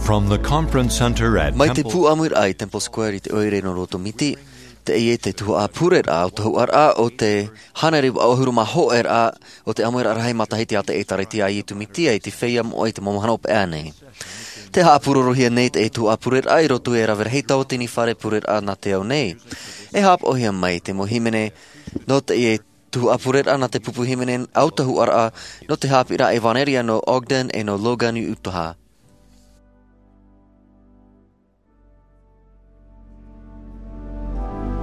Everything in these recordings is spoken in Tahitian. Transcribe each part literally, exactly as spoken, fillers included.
From the Conference Center at Mai te Temple pūʻamuraʻa i Temple Square i te ʻoire nō Roto Miti, teie te tuhaʻa pureraʻa ʻautahuʻaraʻa o te hānere vaʻu ʻahuru mā hōʻē raʻa o te ʻāmuiraʻa rahi matahiti a te ʻĒtārētia a Iesu Mesia i te feiā moʻa i te mau mahana hopeʻa nei. Tē haʻapurorohia nei teie tuhaʻa pureraʻa i roto i te rave rahi tauatini fare pureraʻa nā te ao nei. E haʻapaʻohia mai te mau hīmene nō teie tuhaʻa pureraʻa nā te pupu hīmene ʻautahuʻaraʻa nō te haʻapiʻiraʻa ʻevanelia nō Ogden e nō Logan i Utah.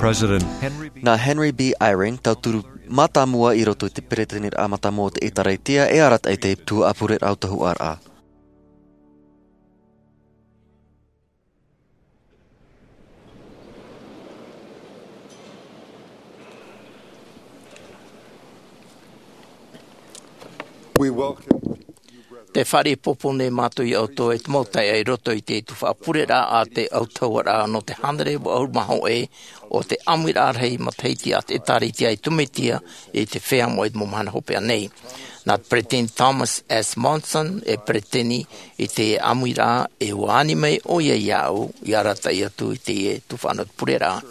President Henry B. Nā Henry B. Eyring, tauturu mātāmua i roto i te peretiteniraʻa mātāmua o te ʻĒtārētia, e arataʻi te tuhaʻa pureraʻa ʻautahuʻaraʻa. We welcome you, brethren. Tē fāriʻi pōpō nei mātou iā ʻoutou e te mau taeaʻe i roto i te tuhaʻa pureraʻa a te ʻautahuʻaraʻa nō te hānere vaʻu ʻahuru mā hōʻē o te ʻāmuiraʻa rahi matahiti a te ʻĒtārētia a Iesu Mesia i te feiā moʻa i te mau mahana hopeʻa nei. Nā te peretiteni Thomas S. Monson e peretiteni i te ʻāmuiraʻa, e ʻua ani mai ʻoia iāʻu i arataʻi atu i teie tuhaʻa pureraʻa.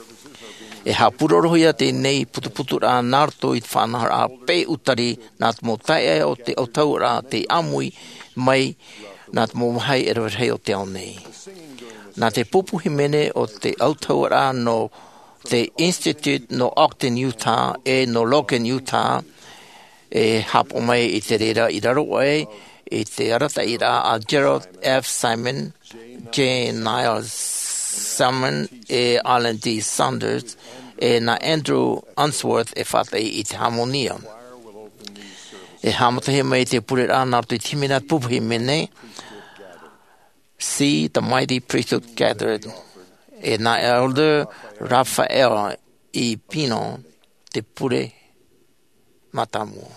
E haʻapurorohia teie putuputuraʻa nā roto i te faʻanahoraʻa peʻutari nā te mau taeaʻe o te ʻautahuʻaraʻa tei ʻāmui mai nā te mau vāhi e rave rahi o te ao nei. Nā te pupu hīmene o te ʻautahuʻaraʻa nō te Institute nō Ogden, Utah, e nō Logan, Utah, e haʻapaʻo mai i te reira i raro aʻe i te arataʻiraʻa a Gerald F. Simon, J. Niall Simon, e Alan D. Saunders, e nā Andrew Unsworth e faʻataʻi i te hāmoni. E haʻamatahia mai te pureraʻa nā roto i te hīmene a te pupu hīmene, See the Mighty Priesthood Gathered, e nā Elder Raphael E. Pino te pure mātāmua.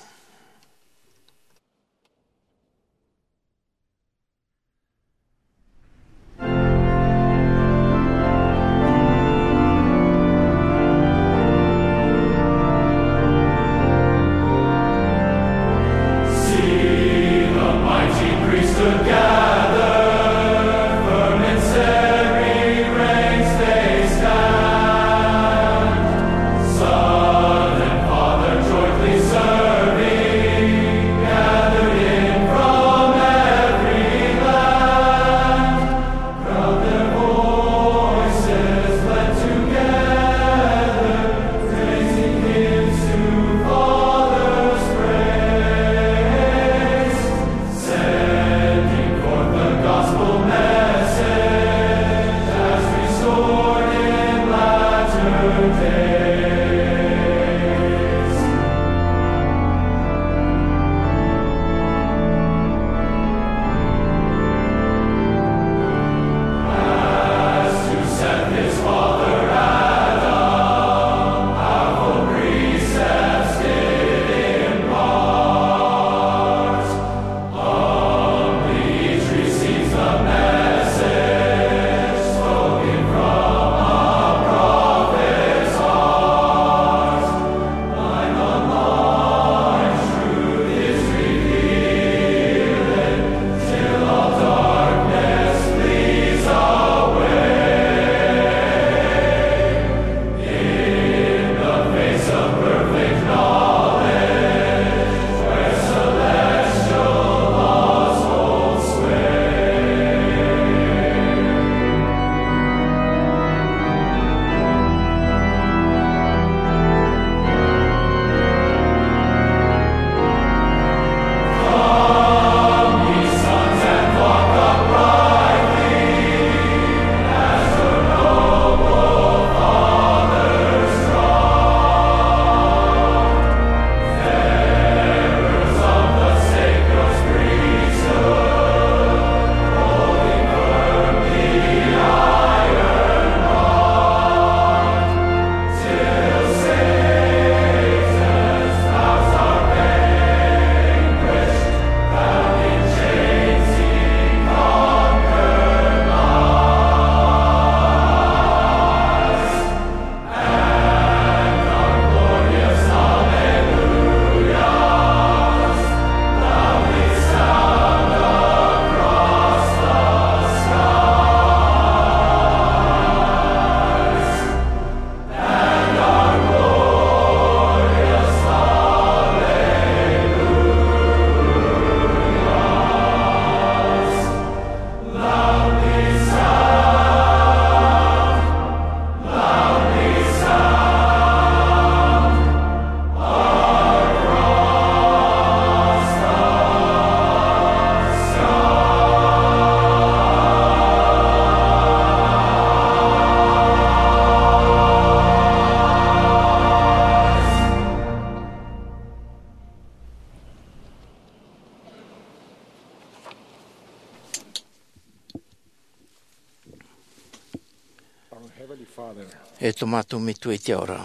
E tō mātou Metua i te ao ra.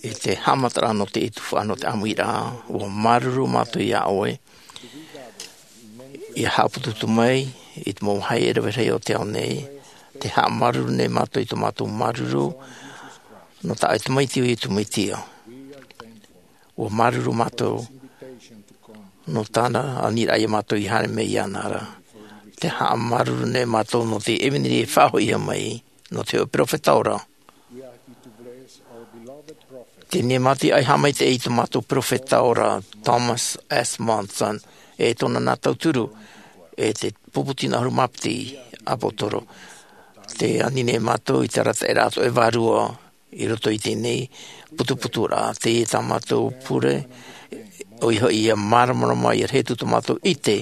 I te haʻamataraʻa nō te tuhaʻa nō te ʻāmuiraʻa, ʻua māuruuru mātou iā ʻoe. ʻIa haʻaputuputu mai i te mau vāhi e rave rahi o te ao nei, tē haʻamāuruuru nei mātou i tō mātou māuruuru nō tā ʻoe Tamaiti, ʻo Iesu Mesia. ʻUa māuruuru mātou nō tāna aniraʻa iā mātou i haere mai iāna ra. Tē haʻamāuruuru nei mātou nō te ʻevanelia i faʻahoʻihia mai nō te hōʻē perofeta ora. Teie nei mātou e haʻamaitaʻi i tō mātou perofeta ora, Thomas S. Monson, e tōna nā tauturu, e te pupu tino ʻahuru mā piti ʻāpōsetolo. Tē ani nei mātou i te arataʻiraʻa atoʻa e vārua i roto i teie nei putuputuraʻa, teie tā mātou pure, ʻoia hoʻi ʻia māramarama, ʻia rahi atu tō mātou ʻite,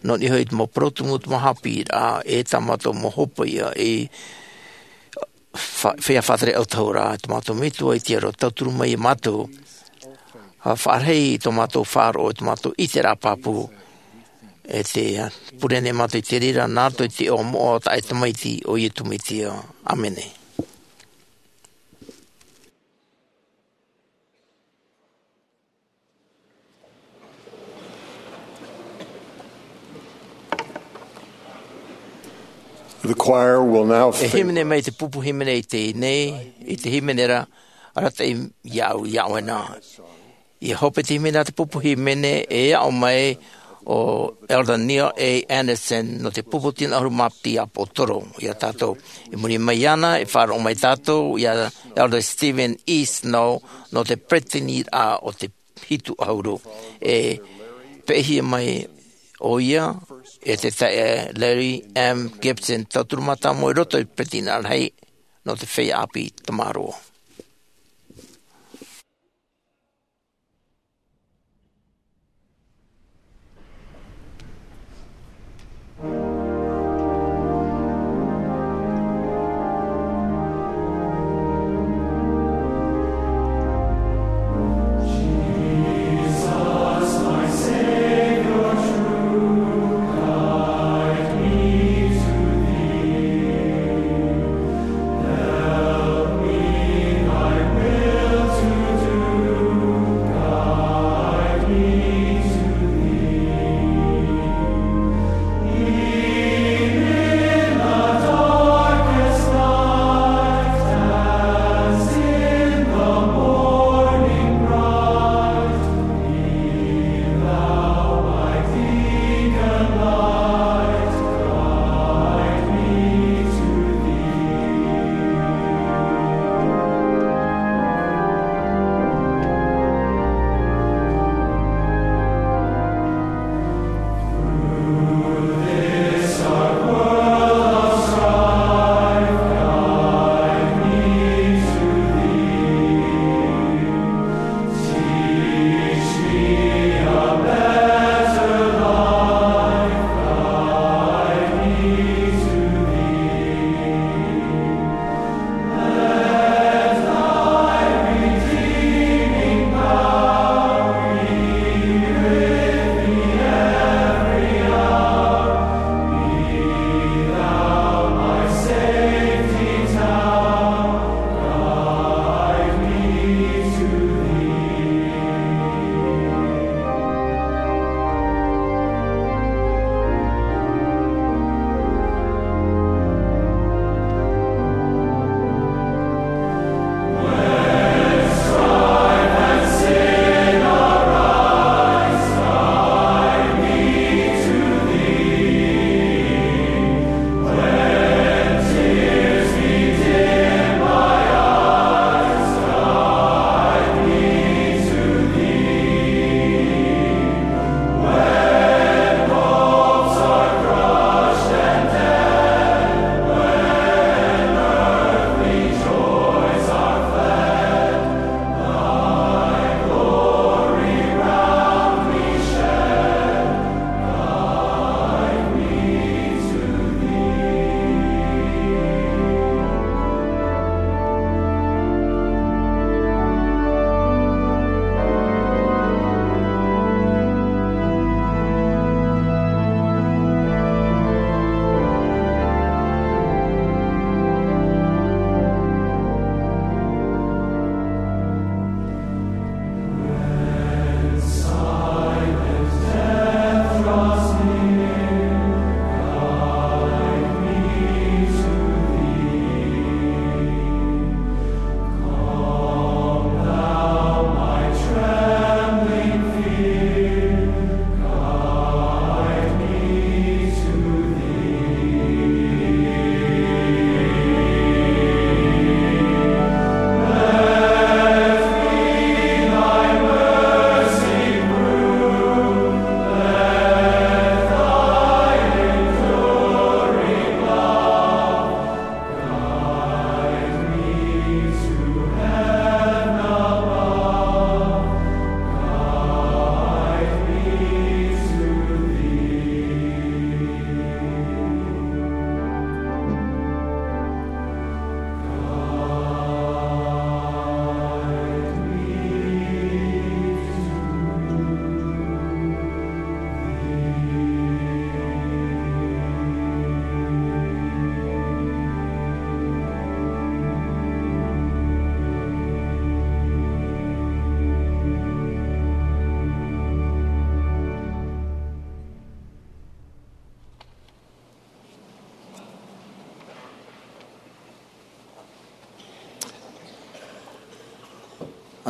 nō niʻa hoʻi i te mau parau tumu, te mau haʻapiʻiraʻa, e tā mātou mau hopeʻa, e fa-, feiā faʻatere ʻautahuʻaraʻa, tō mātou Metua i te ao ra, tauturu mai iā mātou. ʻA faʻarahi tō mātou faʻaroʻo, tō mātou ʻiteraʻa pāpū. E tē pure nei mātou i te reira nā roto i te iʻoa moʻa o tā ʻoe Tamaiti, ʻo Iesu Mesia. ʻĀmene. The choir will now E hīmene mai te pupu hīmene i teie nei, i te hīmene ra, Arataʻi iāʻu, iā ʻoe na. ʻIa hope te hīmene a te pupu hīmene, e aʻo mai ʻo Elder Neil A. Andersen, nō te pupu tino ʻahuru mā piti ʻāpōsetolo iā tātou. I muri mai iāna, e faʻaroʻo mai tātou iā Elder Steven E. Snow, nō te peresideni o te hitu ʻahuru. E peʻehia mai ʻoia e te taeaʻe Larry M. Gibson, tauturu mātāmua i roto i te peresideni rahi nō te feiā ʻāpī Tamaroa.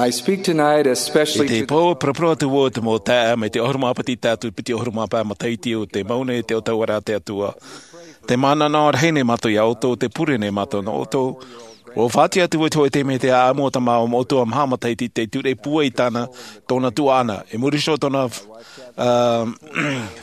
I speak tonight especially I te pō, parapara atu vau te mau taeaʻe mai te ʻahuru mā piti tātou piti ʻahuru mā pae matahiti o te mau nei te ʻautahuʻaraʻa a te Atua. Te mānānaʻo rahi nei mātou iā ʻoutou, te pure nei mātou nō ʻoutou. ʻUa faʻaʻite atu vau i te hōʻē taime i te ʻāʻamu o te mau ʻatua maha matahiti te ture pūai tāna, tōna tuaʻana. I muri iho tōna, ā,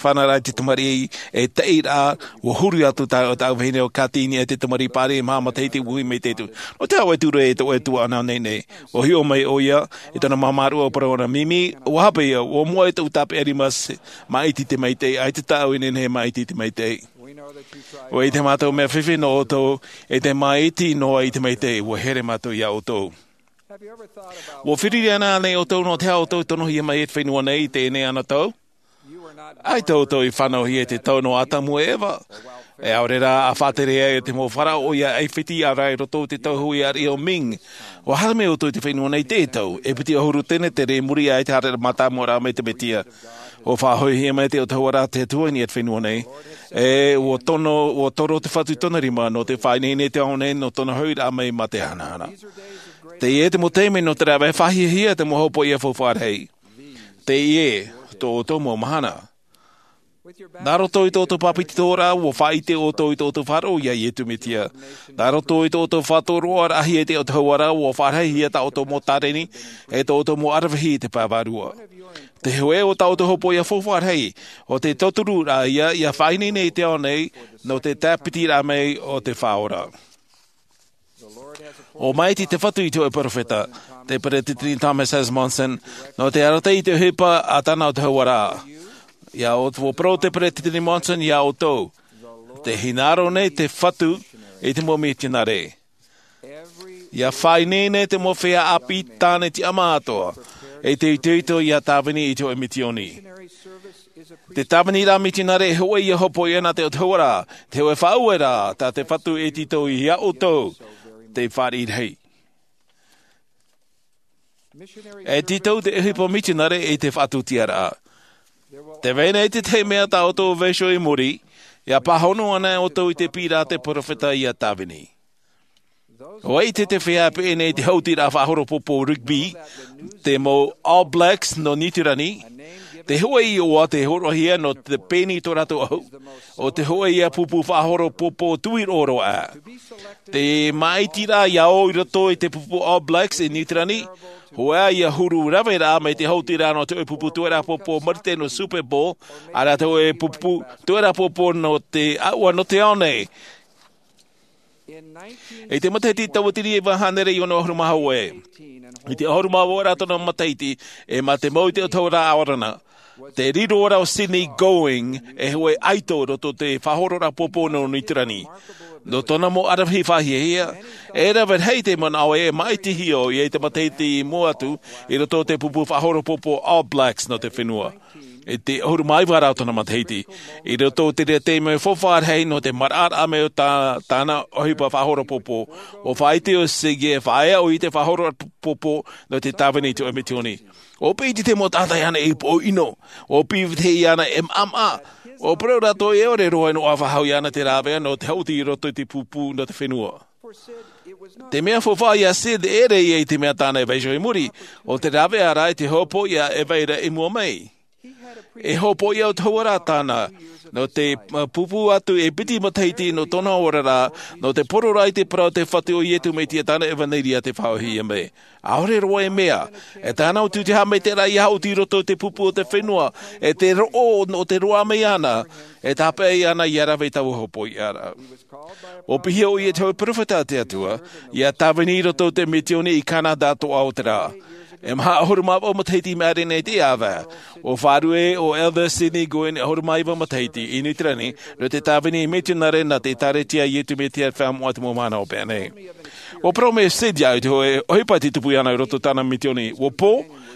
fānauraʻa i te tamariʻi e taʻi rā, ʻua huru atu tā, tā vahine ʻo Katini e te tamariʻi pāri maha matahiti vuhi mai te tu. Nō te aha ʻoe ture e tō ʻoe tuaʻana nei nei? ʻUa hiʻo mai ʻoia i tōna māmāruʻa ʻo parau ana, Mimi, ʻua hape ia, ʻua moʻa e tōʻu tāpeʻa rima se, maʻiti te maitaʻi, ʻaita tāʻu e nehenehe e maʻiti te maitaʻi. ʻUa ʻite mātou mea fifi nō ʻoutou, e te maʻiti noa i te maitaʻi, ʻua here mātou iā ʻoutou. ʻUa fifiri ana ānei ʻoutou nō te aha ʻoutou i tonohia mai i te fenua nei i teie nei anotau? ʻAita ʻoutou i fānauhia i te tau nō Atamu e Eva. E ʻaore rā ʻa faʻatere ai te mau Farao ʻoia ʻAifiti, ʻaore rā i roto i te tau hui ariʻi o Ming. ʻUa haere mai ʻoutou i te fenua nei teie tau, e piti ʻahuru tenetere i muri aʻe i te haereraʻa mātāmua mai te Mesia. ʻUa faʻahoʻihia mai te ʻautahuʻaraʻa a te Atua i niʻa i te fenua nei. E ʻua tono, ʻua toro te Fatu i tōna rima nō te faʻaineine i te ao nei nō tōna hoʻiraʻa mai mā te hanahana. Teie te mau taime nō te rāveʻa fāhiahia te mau hopoiʻa faufaʻa rahi. Teie tō ʻoutou mau mahana. Nā roto i tō ʻoutou pāpetitoraʻa, ʻua faʻaʻite ʻoutou i tō ʻoutou faʻaroʻo iā Iesu Mesia. Nā roto i tō ʻoutou faʻatoroʻaraʻahia i te ʻautahuʻaraʻa, ʻua faʻarahihia tā ʻoutou mau tāreni, e tō ʻoutou mau ʻaravihi i te pae vārua. Te hōʻē o tā ʻoutou hopoiʻa faufaʻa rahi, ʻo te tautururaʻa ïa, ʻia faʻaineine i te ao nei, nō te tāpitiraʻa mai o te Faʻaora. ʻUa maʻiti te Fatu i te hōʻē perofeta, te Peretiteni Thomas S. Monson, nō te arataʻi i te ʻohipa a tāna ʻautahuʻaraʻa. ʻIa ʻoutou, ʻua parau te Peretiteni Monson iā ʻoutou, tē hinaʻaro nei te Fatu i te mau mitionare. ʻIa faʻaineine te mau feiā ʻāpī tāne tiʻamā atoʻa, e te itoito ʻia tāvini i te hōʻē mitioni. Te tāviniraʻa mitionare e hōʻē ïa hopoiʻa nā te ʻautahuʻaraʻa, te hōʻē faʻaueraʻa tā te Fatu e tītau iā ʻoutou, te fāriʻi rahi. E tītau te ʻohipa mitionare i te faʻatūtiaraʻa. Tē vai nei te tahi mea tā ʻoutou e vaiiho i muri, ʻia pāhono ana ʻoutou i te piʻiraʻa a te perofeta ʻia tāvini. ʻUa ʻite te feiā e peʻe nei i te haʻutiraʻa faʻahoro pōpō rugby, te mau All Blacks nō Niu Tirani, te hōʻē iʻoa tei hōroʻahia nō te pēni i tō rātou ʻahu, ʻo te hōʻē ïa pupu faʻahoro pōpō tuiroʻo roa. Te maʻitiraʻa ïa ʻō i roto i te pupu All Blacks i Niu Tirani, hōʻē ïa huru raveraʻa mai te haʻutiraʻa nō te hōʻē pupu tuaʻaraʻa pōpō marite nō Super Bowl, ʻaore rā te hōʻē pupu tuaʻaraʻa pōpō nō te ʻāua nō te ao nei. I te matahiti tauatini e iva hānere e ono ʻahuru mā hōʻē, i te ʻahuru mā vaʻu ra tōna matahiti, e mā te mau i te ʻautahuʻaraʻa ʻaorana, te riro ra ʻo Sydney Going, e hōʻē ʻaito i roto i te faʻahororaʻa pōpō nō Niu Tirani. Nō tōna mau ʻaravihi fāhiahia, e rave rahi te manaʻo e maʻitihia ʻoia i te matahiti i mua atu, i roto i te pupu faʻahoro pōpō All Blacks nō te fenua. I te ʻahuru mā iva ra o tōna matahiti, i roto i te reira taime faufaʻa rahi nō te maraʻaraʻa mai o tā, tāna ʻohipa faʻahoro pōpō, ʻua faʻaʻite ʻo Sydney e faʻaea ʻoia i te faʻahoro pōpō nō te tāvini i te hōʻē mitioni. ʻUa piti te mau taʻata iāna i poʻo ʻino, ʻua piti iāna e maʻamaʻa, ʻua parau rātou e ʻore roa e noaʻa faʻahou iāna te rāveʻa nō te haʻuti i roto i te pupu nō te fenua. Te mea faufaʻa iā Sid e ʻere ïa i te mea tāna e vaiiho i muri, ʻo te rāveʻa rā i te hopoiʻa e vai ra i mua mai. E hopoiʻa ʻautahuʻaraʻa tāna, nō te, uh, pupu atu e piti matahiti nō tōna oraraʻa, nō te pororaʻa i te parau o te Fatu ʻo Iesu Mesia tāna ʻevaneria tei faʻaʻōhie mai. ʻAore roa e mea, e tāna ʻo tū te haʻamaitaʻiraʻa ʻia haʻuti i roto i te pupu o te fenua, e te roʻo nō te roaʻa mai iāna, e tāpeʻa iāna ʻia rave i taua hopoiʻa ra. ʻUa piʻi ʻoia i te hōʻē perofeta a te Atua, ʻia tāvini i roto i te mitioni i Canada atoʻa o te rā. E maha ʻahuru mā vaʻu matahiti i maʻiri nei i teie ʻāvaʻe, ʻua faʻaruʻe ʻo Elder Sydney Going ʻahuru mā iva matahiti i Niu Tirani, nō te tāvini mitionare nā te ʻĒkālesia a Iesu Mesia Fenua Moʻa te mau mahana hopeʻa nei. ʻUa parau mai Sid iāʻu i te hōʻē ʻohipa tei tupu iāna i roto i tāna mitioni. ʻUa pō,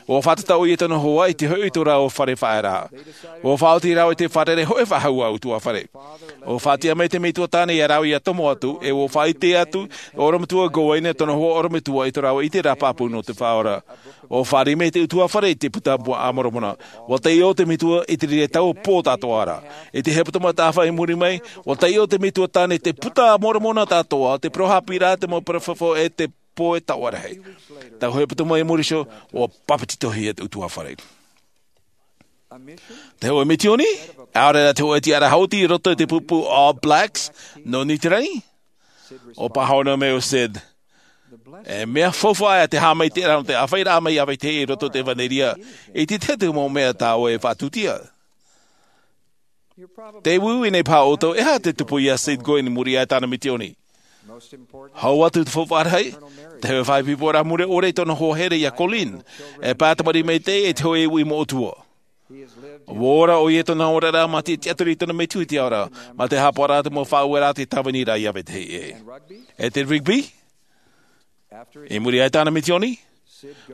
ʻua fātata ʻoia i tōna hoa i te hoʻi i tō rāua fare faʻaearaʻa. ʻUa faʻaoti rāua i te fare hōʻē faʻahou ʻutuāfare. ʻUa faʻatiʻa mai te metua tāne iā rāua ʻia tomo atu, e ʻua faʻaʻite atu ʻo ʻorometua Going e tōna hoa ʻorometua i tō rāua ʻiteraʻa pāpū nō te Faʻaora. ʻUa fāriʻi mai te ʻutuāfare i te Puta a Moromona. ʻUa taiʻo te metua i te reira taua pō tātoʻa ra. I te hepetoma tāfā i muri mai, ʻua taiʻo te metua tāne i te Puta a Moromona tātoʻa, te parau haʻapiʻiraʻa, te mau parau fafau e te pō e taoʻa rahi. Tau hōʻē pū mai i muri iho, ua papetitohia te ʻutuāfare. Te hōʻē misioni, ʻaore rā te hōʻē tiʻaraʻa haʻuti i roto i te pupu All Blacks nō Niu Tirani. ʻO Pāhono mai ʻo Sid, e mea faufaʻa te haʻamaitaʻiraʻa nō te ʻāfaʻiraʻa mai iā vetahi i roto i te ʻevanelia i te tahi atu mau mea tā ʻoe e faʻatūtia. Te uiui nei paha ʻoutou, e aha te tupu iā Sid Going i muri iho i tāna misioni? Hau atu te faufaʻa rahi, te hōʻē faʻaipoiporaʻa mure ʻore i tōna hoa here iā Colleen, e pae tamariʻi maitaʻi e te hōʻē uʻi moʻotua. Ua ora ʻoia i tōna oraraʻa mā te tiʻaturi i tōna metua i te ao ra, mā te haʻapaʻoraʻa te mau faʻaueraʻa te tāviniraʻa iā vetahi ʻē. E te rugby? I muri iho i tāna misioni,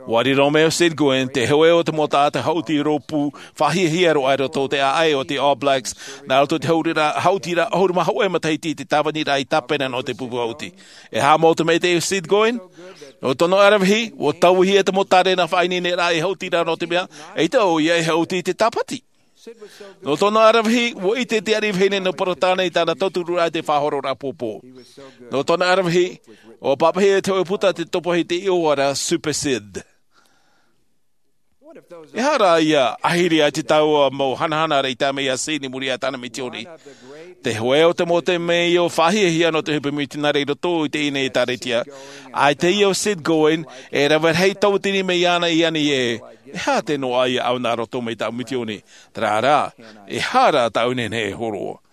ua riro mai ʻo Sid Going, te hōʻē o te mau taʻata haʻuti rōpū faʻahiahia roa i roto i te ʻāʻai o te All Blacks, nā roto i te haʻutiraʻa, haʻutiraʻa ʻahuru mā hōʻē matahiti i te tāviniraʻa i tāpena nō te pupu haʻuti. E haʻamau te maitaʻi o Sid Going? Nō tōna ʻaravihi, ua tauihia te mau tārena faʻaineineraʻa e haʻuti ra nō te mea, eʻita ʻoia e haʻuti i te tāpati. Nō tōna ʻaravihi, ua ʻite te ariʻi vahine nō Peretāne i tāna tautururaʻa i te faʻahororaʻa pōpō. Nō tōna ʻaravihi, ua pāpaʻihia e te hōʻē puta te topa i te iʻoa ra Super Sid. E aha rā ïa, ʻahiri ai te taua mau hanahana ra i tae mai iā Sid i muri iho i tāna misioni? Te hōʻē o te mau temeio faʻahiahia nō te ʻohipa mitionare i roto i teie nei ʻētāretia, ʻaita ïa ʻo Sid Going, e rave rahi tauatini mai iāna i ani ē, e aha te noaʻa iāʻu nā roto mai tāʻu misioni? Terā rā, e aha rā tāʻu nehenehe e hōroʻa?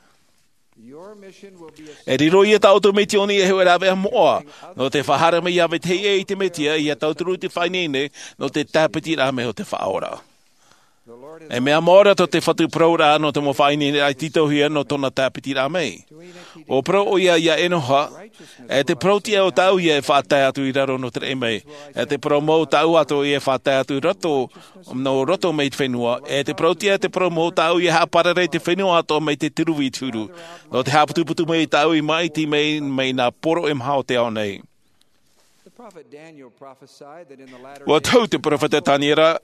E riro ïa tā ʻoutou misioni ei hōʻē rāveʻa moʻa, nō te faʻahaere mai iā vetahi ʻē i te Mesia, ʻia tauturu i te faʻaineine, nō te tāpitiraʻa mai o te Faʻaora. E mea mau ra tō te Fatu parauraʻa nō te mau faʻaineineraʻa i tītauhia nō tōna tāpitiraʻa mai. ʻUa parau ʻoia iā Enoha, e te parau tiʻa o tāʻu ïa e faʻatae atu i raro nō te raʻi mai. E te parau mau tāʻu atoʻa ïa e faʻatae atu i roto, nō roto mai te fenua. E te parau tiʻa, e te parau mau tāʻu ïa e haʻaparare i te fenua atoʻa mai te turuvi i te huru. Nō te haʻaputuputu mai tāʻu i māʻiti mai, mai nā poro e maha o te ao nei. ʻUa tohu te peropheta Taniera,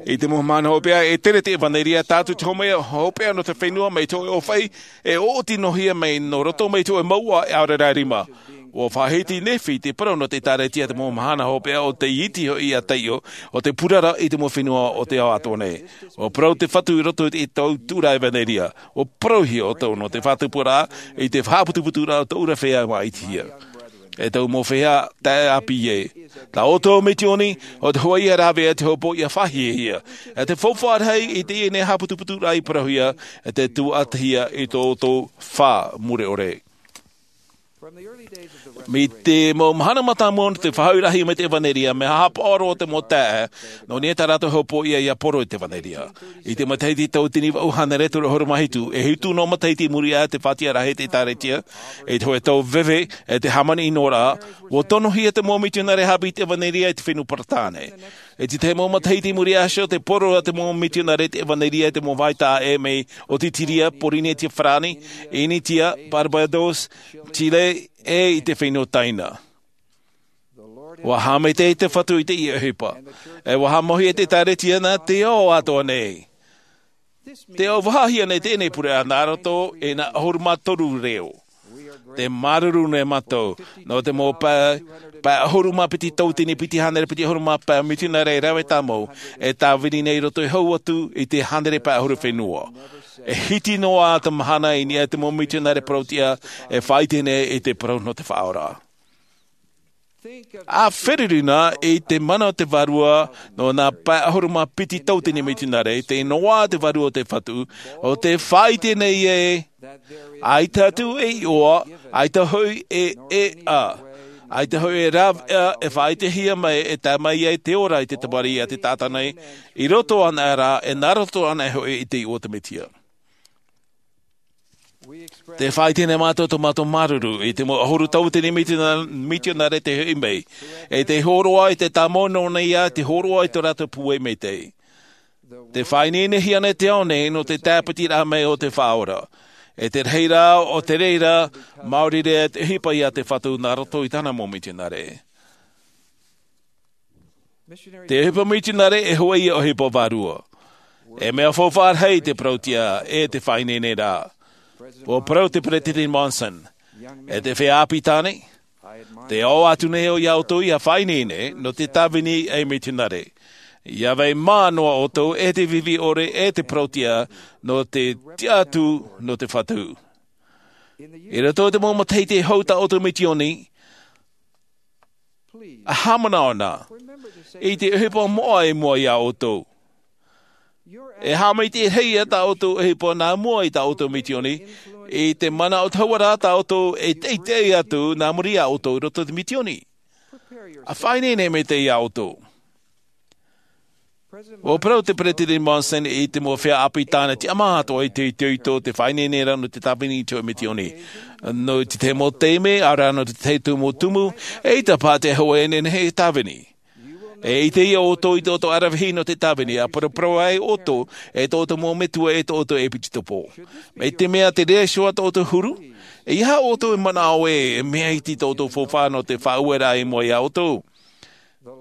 i te mau mahana hopeʻa, e tere te ʻevanelia, tae atu i te hōmai hopeʻa nō te fenua mai te hōʻē ʻōfaʻi, e ʻoʻoti noa hia mai nō roto mai te hōʻē mouʻa e ʻaore rā rima. ʻUa faʻahiti Nephi te parau nō te ʻētāretia i te mau mahana hopeʻa ʻo tei iti hoʻi iā taiʻo, ʻo te purara i te mau fenua o te ao atoʻa nei. ʻUa parau te Fatu i roto i te tautururaʻa ʻevanelia. ʻUa parauhia ʻoutou nō te faʻatupuraʻa i te haʻaputuputuraʻa o tōʻu ra feiā māʻitihia. E tōʻu mau feiā taeaʻe ʻāpī ē. Tā ʻoutou misioni, ʻo te hōʻē ïa rāveʻa te hopoiʻa faʻahiahia. E te faufaʻa rahi i teie nei haʻaputuputuraʻa i parauhia, e te tuatāhia i tō ʻoutou fā mure ʻore. Mai te mau mahana mātāmua nō te faʻahoʻiraʻahia mai te ʻevanelia, mea haʻapaʻo roa te mau taeaʻe, nō niʻa i tā rātou hopoiʻa ʻia poro i te ʻevanelia. I te matahiti tauatini vaʻu hānere toru ʻahuru mā hitu, e hitu noa matahiti i muri iho i te faʻatiʻaraʻa i te ʻētāretia, i te hōʻē tau veve, e te hāmani ʻino ra, ʻua tonohia te mau mitionare haʻapiʻi i te ʻevanelia i te fenua Peretāne. I te tahi mau matahiti i muri iho, te poro a te mau mitionare i te ʻevanelia i te mau vāhi taʻa ʻē mai Otitiria, Porinetia Farāni, Initia, Barbados, Chile, e i te fenua Taina. ʻUa haʻamaitaʻi te Fatu i teie ʻohipa. E ʻua haʻamauhia te ʻētāretia nā te ao atoʻa nei. Tē ʻauvahahia nei teie nei pureʻa nā roto i nā ʻahuru mā toru reo. Tē māuruuru nei mātou, nō te mau pae, pae ʻahuru mā piti tauatini piti hānere piti ʻahuru mā pae mitionare e rave tāmau, e tāvini nei i roto iho atu i te hānere pae ʻahuru fenua. E hiti noa te mahana i niʻa i te mau mitionare parautiʻa e faʻaʻite nei i te parau nō te Faʻaora. ʻA feruri na i te mana o te Vārua, nō nā pae ʻahuru mā piti tauatini mitionare, tē noaʻa te Vārua o te Fatu, ʻo tē faʻaʻite nei ē, ʻaita atu e iʻoa, ʻaita hoʻi e, e ʻā, ʻaita hoʻi e rāveʻa e faʻaʻitehia mai e tae mai ai te ora i te tamariʻi a te taʻata nei, i roto anaʻe ra, e nā roto anaʻe hoʻi i te iʻoa o te Mesia. Tē faʻaʻite nei mātou tō mātou māuruuru i te mau ʻahuru tauatini mitionare, mitionare tei hoʻi mai, e tei hōroʻa i te tāmau nō niʻa i te hōroʻa i tō rātou pūai maitaʻi. Tē faʻaineinehia nei te ao nei nō te tāpitiraʻa mai o te Faʻaora. E te rahi rā o te reira, maori rā te ʻohipa iā te Fatu nā roto i tāna mau mitionare. Te ʻohipa mitionare e hōʻē ʻohipa vārua. E mea faufaʻa rahi te parautiʻa e te faʻaineineraʻa. ʻUa parau te Peresideni Monson, e te feiā ʻāpī tāne, Te ao atu nei au iā ʻoutou ia faʻaineine nō te tāvini ei mitionare. Ia vai mā noa ʻoutou e te vivi ʻore e te parauʻtiʻa nō te tiʻa atu nō te Fatu. I roto i te mau matahiti e hau tā ʻoutou misioni, a haʻamanaʻo na i te ʻohipa moʻa i mua iā ʻoutou. E haʻamaitaʻi rahi ia tā ʻoutou ʻohipa nā mua i tā ʻoutou misioni, i te mana o te hauʻa rā tā ʻoutou e teitei atu nā muri iā ʻoutou i roto i te misioni. A faʻaineine maitaʻi iā ʻoutou. Ua parau te Peresideni Monson i te mau feiā ʻāpī tāna tiʻamā atoʻa i te itoito te faʻaineine ra nō te tāvini i te hōʻē misioni. Nō te tahi mau taime, ʻaore rā nō te tahi tumu tumu, eʻita paha te hōʻē e nehenehe e tāvini. E ʻite ia ʻoutou i tō ʻoutou aravihi nō te tāvini, a paraparau ai ʻoutou e tō ʻoutou mau metua e tō ʻoutou ʻepikōpō. Mai te mea te reira iho ā tō ʻoutou huru, e aha ʻoutou e manaʻo ē, e mea iti tō ʻoutou faufaʻa nō te faʻaueraʻa i mua iā ʻoutou.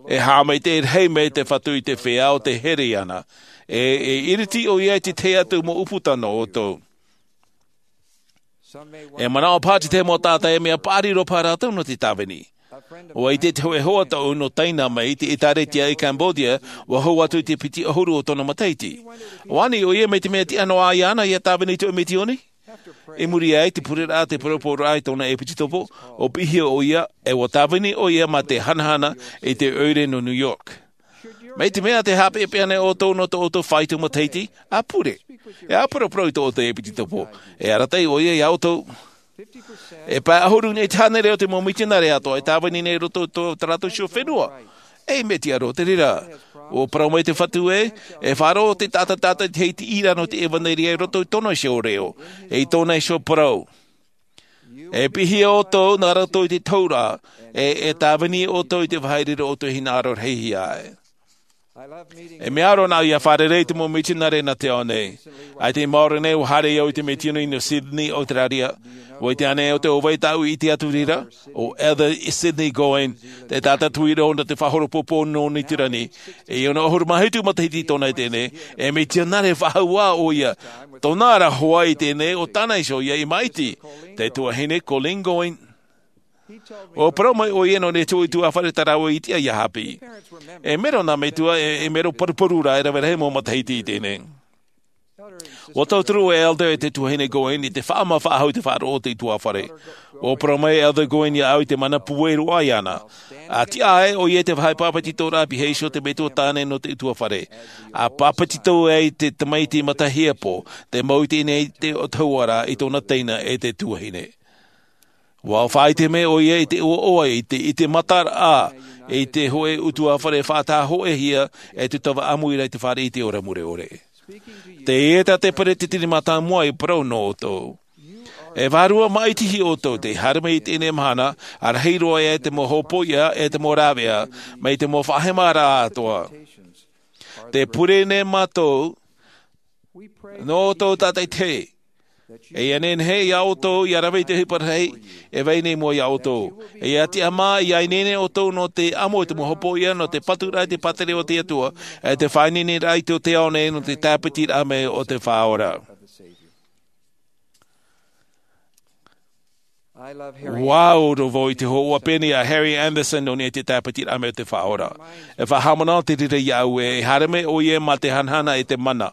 E haʻamaitaʻi rahi mai te Fatu i te feiā o tē here iāna. E, e iriti ʻoia i te tahi atu mau ʻūputa nō ʻoutou. E manaʻo paha te tahi mau taʻata e mea paʻari roa paha rātou nō te tāvini. ʻUa ʻite te hōʻē hoa tōʻu nō Taina mai i te ʻĒtārētia i Cambodia, ʻua hau atu i te piti ʻahuru o tōna matahiti. ʻUa ani ʻoia mai te mea tiʻa noa iāna ia tāvini i te hōʻē misioni. I muri aʻe i te pureraʻa, te poropororaʻa i tōna ʻepikōpō, ʻua piʻihia ʻoia, e ʻua tāvini ʻoia mā te hanahana i te ʻoire nō New York. Mai te mea tē haʻapeʻapeʻa nei ʻoutou nō tō ʻoutou faito matahiti, ʻa pure. E ʻa paraparau i tō ʻoutou ʻepikōpō. E arataʻi ʻoia iā ʻoutou. E pae ʻahuru nei te hānere o te mau mitionare atoʻa e tāvini nei i roto i tō, tā rātou iho fenua. E mea tiʻa roa te reira. ʻUa parau mai te Fatu ē, e faʻaroʻo te taʻata, taʻata i te hiti ira nō te ʻevaneria i roto i tōna iho reo, e i tōna iho parau. E piʻihia ʻoutou nā rātou i te taura, e, e tāvini ʻoutou i te vāhi i reira ʻoutou e hinaʻaro rahihia ai. E mea aro nā ia fārerei i te mau mitionare nā te ao nei. ʻAita i maoro nei, ʻua haere au i te misioni nō Sydney, Australia. ʻUa ʻite ānei ʻoutou ʻo vai tāʻu i ʻite atu i reira? ʻO Elder Sidney Going, te taʻata tuiroʻo nō te faʻahoro pōpō nō Niu Tirani. E ono ʻahuru mā hitu matahiti tōna i teie nei, e mitionare faʻahou ā ʻoia. Tōna ra hoʻi i teie nei, ʻo tāna iho ïa i māʻiti, te tuahine Colleen Going. ʻUa parau mai ʻoia nō niʻa i te ʻutuāfare tā rāua i tiʻa ʻia haʻapiʻi. E mero nā metua, e, e mero paruparu rā, e rave rahi mau matahiti i teie nei. ʻUa tauturu e Elder e te tuahine Going i te faʻaʻama faʻahou i te faʻaroʻo o te ʻutuāfare. ʻUa parau mai Elder Going iāʻu i te mana pūai roa iāna. ʻA tiʻa aʻe ʻoia i te vāhi pāpetitoraʻa, pihaʻi iho te metua tāne nō te ʻutuāfare. ʻA pāpetito ai te tamaiti matahiapo, tē mau i teie nei te ʻotahuʻa ra i tōna teina e te tuahine. ʻUa faʻaʻite mai ʻoia i te ʻoaʻoa, i te, i te mataraʻa, i te hōʻē ʻutuāfare faʻataʻa hōʻēhia, e te tava ʻāmuiraʻa i te fāriʻi i te ora mure ʻore. Teie tā te peretiteni mātāmua i parau nō ʻoutou. E vārua māʻitiʻi ʻoutou tei haere mai i teie mahana, ʻa rahi roa ia te mau hōpoiʻa, e te mau rāveʻa, mai te mau faʻahemaraʻa atoʻa. Tē pure nei mātou, nō ʻoutou tātaʻitahi. E ʻia nehenehe iā ʻoutou, ʻia rave i te ʻohipa rahi, e vai nei mua iā ʻoutou. E ʻia tiʻamā, ʻia ineine ʻoutou nō te ʻamo i te mau hōpoiʻa, nō te paturaʻa i te pātireia o te Atua, e te faʻaineineraʻa i tō te ao nei nō te tāpitiraʻa mai o te Faʻaora. ʻUa ʻite vau i te hōhoʻa pēni a Harry Anderson nō niʻa i te tāpitiraʻa mai o te Faʻaora. E faʻahaʻamanaʻo te reira iāʻu ē, e haere mai ʻoia mā te hanahana e te mana.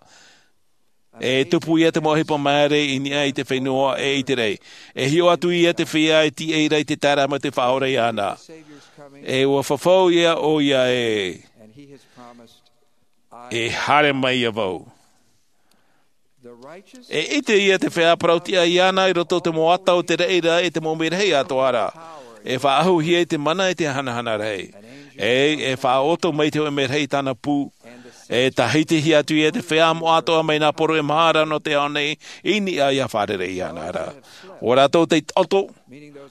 E tupu ia te mau ʻohipa māere i niʻa i te fenua e i te raʻi. E hiʻo atu ia te feiā e tīaʻi ra i te taeraʻa mai o te Faʻaora iāna. E ʻua fafau ia ʻoia ē, e haere mai ia vau. E ʻite ia te feiā parauʻtiʻa iāna i roto i te mau ata o te reira e te mau merahi atoʻa ra. E faʻaʻahuhia i te mana e te hanahana rahi. E, e faʻaʻoto mai te hōʻē merahi i tāna pū. E tāhitihia atu ia te feiā moʻa atoʻa mai nā poro e maha ra nō te ao nei i niʻa ʻia fārerei iāna ra. ʻO rātou tei taʻoto,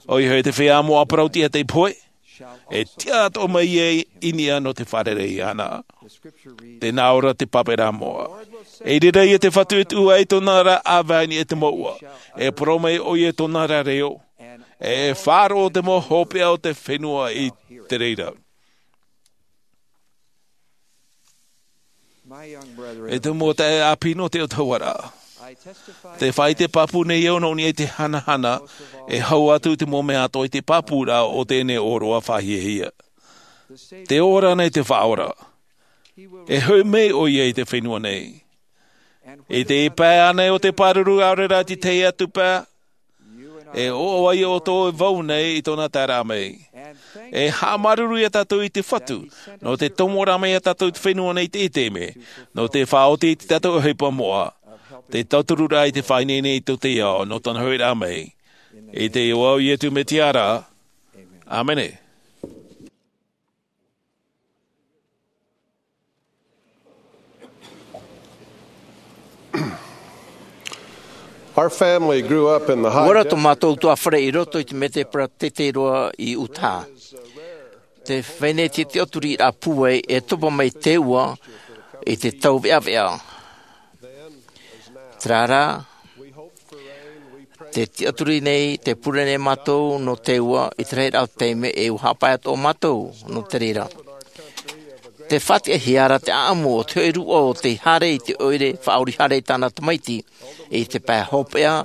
ʻoia hoʻi te feiā moʻa parauʻtiʻa tei pohe. E tiʻa atoʻa mai ia i niʻa nō te fārerei iāna. Tē nā ʻō ra te pāperaʻa moʻa. E reira ia te Fatu e tuʻu ai tōna ra ʻāvaʻe i niʻa i te mouʻa. E parau mai ʻoia tōna ra reo. E faʻaroʻo te mau hopeʻa o te fenua i te reira. E te mau taeaʻe ʻāpī nō te ʻotahuʻaraʻa. Te faʻaʻite pāpū nei au nō niʻa i te hanahana e hau atu i te mau mea atoʻa i te pāpūraʻa o teie nei ʻōroʻa faʻahiahia. Te ora nei te Faʻaora. E hoʻi mai ʻoia i te fenua nei. I te pae ānei o te pāruru, ʻaore rā te tahi atu pae, e ʻoaʻoa ʻoutou e vau nei i tōna taeraʻa mai. E haʻamāuruuru ia tātou i te Fatu nō te tomo ra mai ia tātou i te fenua nei i teie taime, nō te faʻaoti i tā tātou ʻohipa moʻa, te tautururaʻa i te faʻaineine i tō te ao nō tōna huiraʻa mai. I te iʻoa o Iesu Mesia ra. ʻĀmene. Our family grew up in the high Ua ra tō mātou ʻutuāfare i roto i te mete paratete roa i Utah. Te fenua te tiʻaturiraʻa pūai e topa mai te ua i te tau veʻaveʻa. Terā rā, te tiʻaturi nei, te pure nei mātou nō te ua i te rahiraʻa o te taime, e ua haʻapae atoʻa mātou nō te reira. Te faʻatiʻahia ra te ʻaʻamu o te hoʻi rūʻau o te haere i te ʻoire faʻaori haere i tāna tamaiti. I te pae hopeʻa,